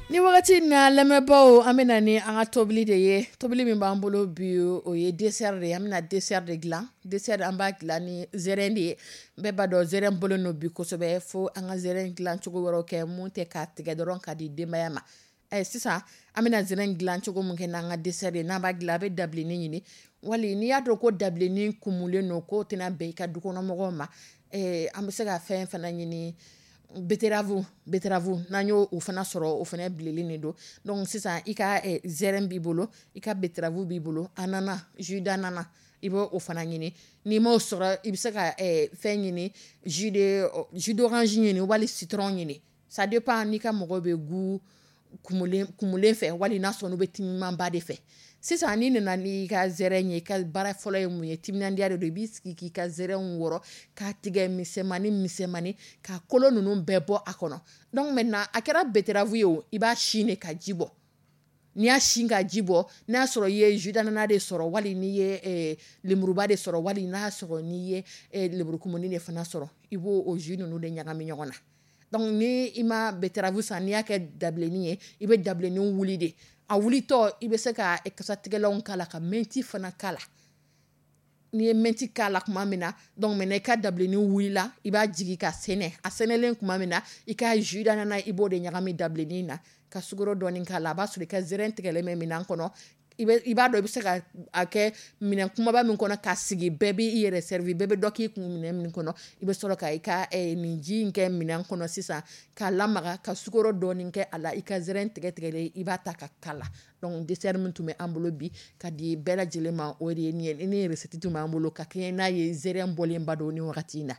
Ni wagati na, lamɛnbaaw, an bɛ na ni an ka tobili de ye. Tobili min b'an bolo bi, o ye dessert de ye. An bɛna dessert de dilan. Dessert, an b'a dilan ni zɛrɛn de ye. Bɛɛ b'a dɔn zɛrɛn bolo n'o bi kosɛbɛ, fo an ka zɛrɛn dilan cogo wɛrɛw kɛ mun tɛ k'a tigɛ dɔrɔn ka di denbaya ma. Sisan an bɛna zɛrɛn dilan cogo mun kɛ n'an ka dessert ye, n'an b'a dilan, a bɛ dabilennin ɲini, wali n'i y'a dɔn ko dabilennin kumulen don, k'o tɛna bɛn i ka dukɔnɔmɔgɔw ma, an bɛ se ka fɛn fana ɲini. Betterave n'an y'o o fana sɔrɔ, o fana bilenlen de don. Donc sisan, i ka zɛrɛn b'i bolo, i ka betterave b'i bolo, ananas, jus d'ananas, i b'o o fana ɲini. N'i m'o sɔrɔ, i bɛ se ka fɛn ɲini, jus d'orange ɲini wali citron ɲini. Ça dépend n'i ka mɔgɔ bɛ goût kumulen kumulen fɛ wali n'a sɔrɔ n'u bɛ timimanba de fɛ. Sisan, n'i nana n'i ka zɛrɛn ye, i ka baara fɔlɔ ye mun ye? Timinandiya de don. I b'i sigi k'i ka zɛrɛnw wɔrɔ k'a tigɛ misɛnmani misɛnmani, ka kolo ninnu bɛɛ bɔ a kɔnɔ. Donc maintenant, a kɛra betterave ye o, i b'a sin de ka ji bɔ. N'i y'a sin ka ji bɔ, n'a y'a sɔrɔ i ye jus d'ananas de sɔrɔ, wali n'i ye lemuruba de sɔrɔ, wali n'a y'a sɔrɔ n'i ye lemurukumuni de fana sɔrɔ, i b'o o jus ninnu de ɲagami ɲɔgɔn na. Donc ni i ma betterave san, n'i y'a kɛ dabilennin ye, i bɛ dabilennin wuli de. A wulitɔ, i bɛ se ka kasatigɛlanw k'a la, ka menthe fana k'a la. N'i ye menthe k'a la tuma min na, donc maintenant i ka dabilennin wulila, i b'a jigi ka sɛnɛ. A sɛnɛlen tuma min na, i ka jus d'ananas, i b'o de ɲagami dabilennin na, ka sukaro dɔɔni k'a la. A b'a sɔrɔ i ka zɛrɛn tigɛlen bɛ minɛn kɔnɔ. I b'a dɔn i bɛ se ka a kɛ minɛn kumaba min kɔnɔ k'a sigi, bɛɛ b'i yɛrɛ servi, bɛɛ bɛ dɔ k'i kun minɛn min kɔnɔ. I bɛ sɔrɔ ka i ka nin ji in kɛ minɛn kɔnɔ sisan, k'a lamaga, ka sukaro dɔɔni kɛ a la. I ka zɛrɛn tigɛ tigɛlen, i b'a ta ka k'a la. Donc dessert min tun bɛ an bolo bi ka di bɛɛ lajɛlen ma, o de ye nin ye. Ni recette tun b'an bolo ka kɛɲɛ n'a ye, zɛrɛn bɔlenba don ni wagati in na.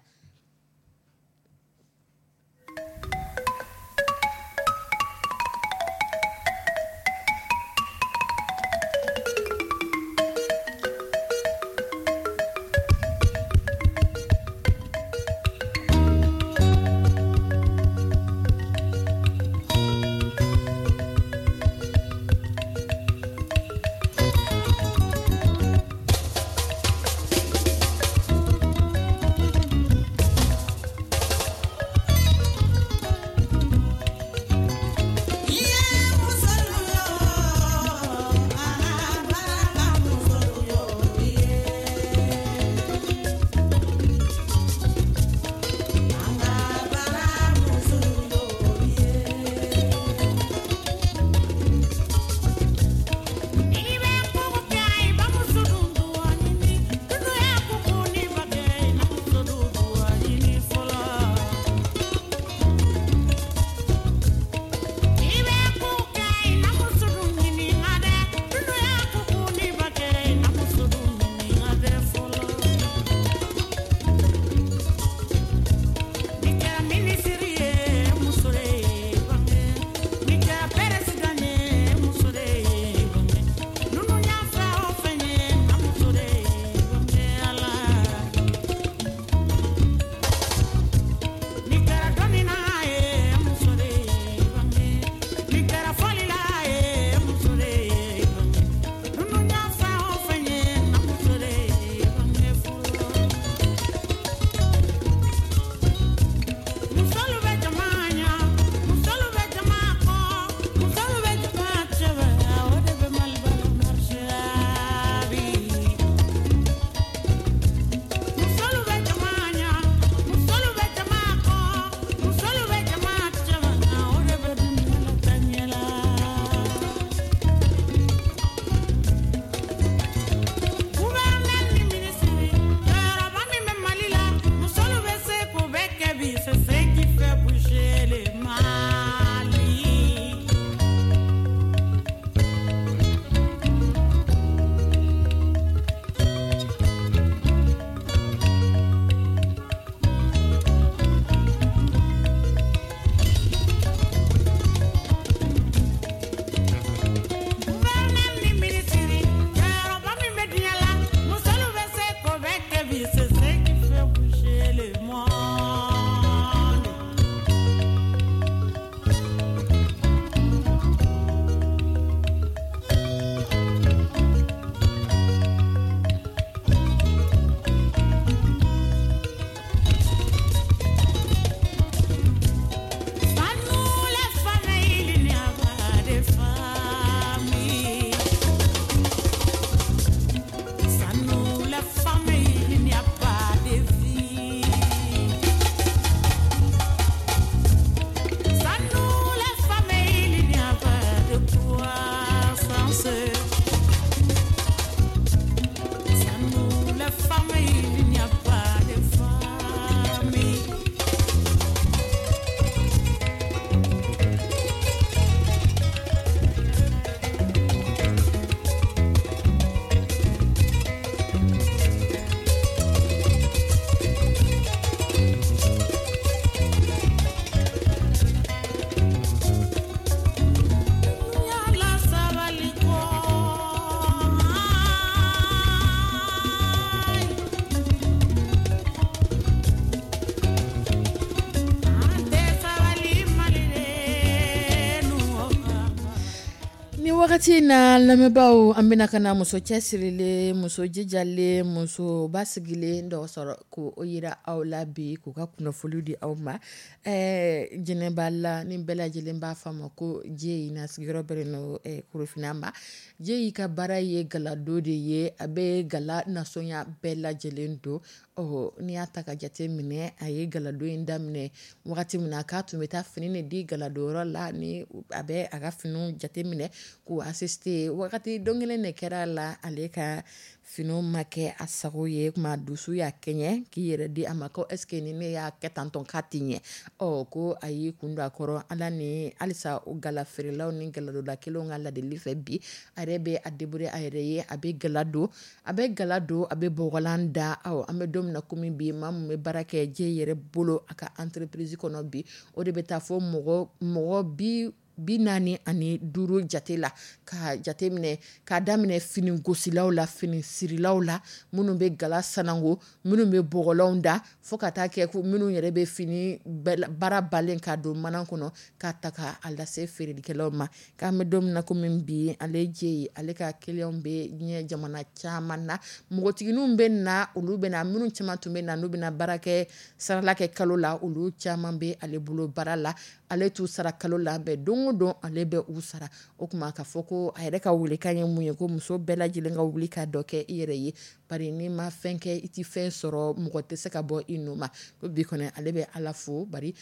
Wagati in na, lamɛnbaaw, an bɛna ka na muso cɛsirilen, muso jijalen, muso basigilen dɔ sɔrɔ ko o yira aw la bi, k'u ka kunnafoni di aw ma. Jɛnɛba la ni bɛɛ lajɛlen b'a fɔ a ma ko Jeyi, na sigiyɔrɔ bɛnnen don Korofina ma. Jeyi ka baara ye galadon de ye, a bɛ gala nasɔnya bɛɛ lajɛlen don. Ɔ, n'i y'a ta ka jate minɛ, a ye galadon in daminɛ wagati min na, k'a tun bɛ taa fini de di galadonyɔrɔ la, ni a bɛ a ka finiw jate minɛ k'u assister. Wagati don kelen de kɛra a la, ale ka finiw ma kɛ a sago ye. Kuma dusu y'a kɛɲɛ k'i yɛrɛ di a ma ko est ce que ni ne y'a kɛ tantɔn k'a tɛ ɲɛ. Ɔ, ko a y'i kun don a kɔrɔ, Ala ni halisa o gala feerelaw ni galadonda kelenw ka ladili fɛ, bi a yɛrɛ bɛ a débrouiller a yɛrɛ ye, a bɛ gala don, a bɛ gala don, a bɛ bɔgɔlan da. Aw, an bɛ don min na komi bi, maa min bɛ baara kɛ Jeyi yɛrɛ bolo a ka entreprise kɔnɔ bi, o de bɛ taa fɔ mɔgɔ 45 jate la, ka jate minɛ k'a daminɛ fini gosilaw la, fini sirilaw la, minnu bɛ gala sanango, minnu bɛ bɔgɔlanw da, fo ka taa kɛ ko minnu yɛrɛ bɛ fini baara balen ka don mana kɔnɔ k'a ta ka a lase feerelikɛlaw ma. K'an bɛ don min na komi bi, ale Jeyi, ale ka kiliyanw bɛ diɲɛ jamana caman na. Npogotigininw bɛ na, olu bɛ na, minnu caman tun bɛ na n'u bɛna baara kɛ sarala kɛ kalo la, olu caman bɛ ale bolo baara la. Ale t'u sara kalo la bɛɛ, don o don ale bɛ u sara. O tuma k'a fɔ ko a yɛrɛ ka welekan ye mun ye? Ko muso bɛɛ lajɛlen ka wuli ka dɔ kɛ i yɛrɛ ye, bari n'i ma fɛn kɛ, i tɛ fɛn sɔrɔ, mɔgɔ tɛ se ka bɔ i nɔ ma. Ko bi kɔni, ale bɛ Ala fo, bari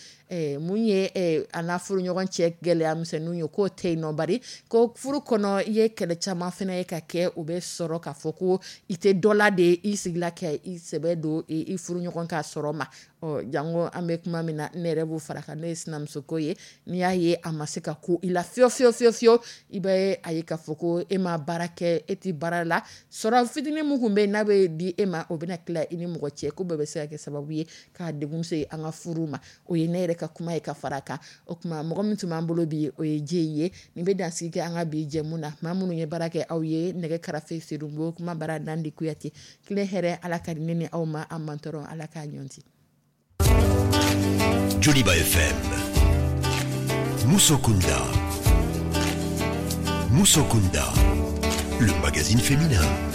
mun ye a n'a furuɲɔgɔn cɛ gɛlɛya misɛnninw ye, k'o tɛ yen nɔ, bari ko furu kɔnɔ, i ye kɛlɛ caman fana ye ka kɛ, o bɛ sɔrɔ k'a fɔ ko i tɛ dɔ la de, i sigila kɛ i sɛbɛ don i furuɲɔgɔn ka sɔrɔ ma. Ɔ, janko an bɛ kuma min na, ne yɛrɛ b'o fara kan, n'o ye sinamusoko ye. N'i y'a ye a ma se ka ko i la fiyewu fiyewu fiyewu fiyewu, i bɛ a ye k'a fɔ ko e ma baara kɛ, e tɛ baara la, sɔrɔ fitinin min tun bɛ yen n'a bɛ di e ma, o bɛna tila i ni mɔgɔ cɛ, ko bɛɛ bɛ se ka kɛ sababu ye k'a degun se an ka furu ma. O ye ne yɛrɛ ka kuma ye ka fara a kan. O tuma, mɔgɔ min tun b'an bolo bi, o ye Jeyi ye. Nin bɛ dansigi kɛ an ka bi jɛmu na. Maa minnu ye baara kɛ aw ye, nɛgɛ karafe Sedonbo, kuma bara Nandi Kuyate. Tile hɛrɛ, Ala ka di ne ni aw ma, an mantɔrɔ Ala k'a ɲɔnti. Joliba FM. Musokunda. Musokunda. Le magazine féminin.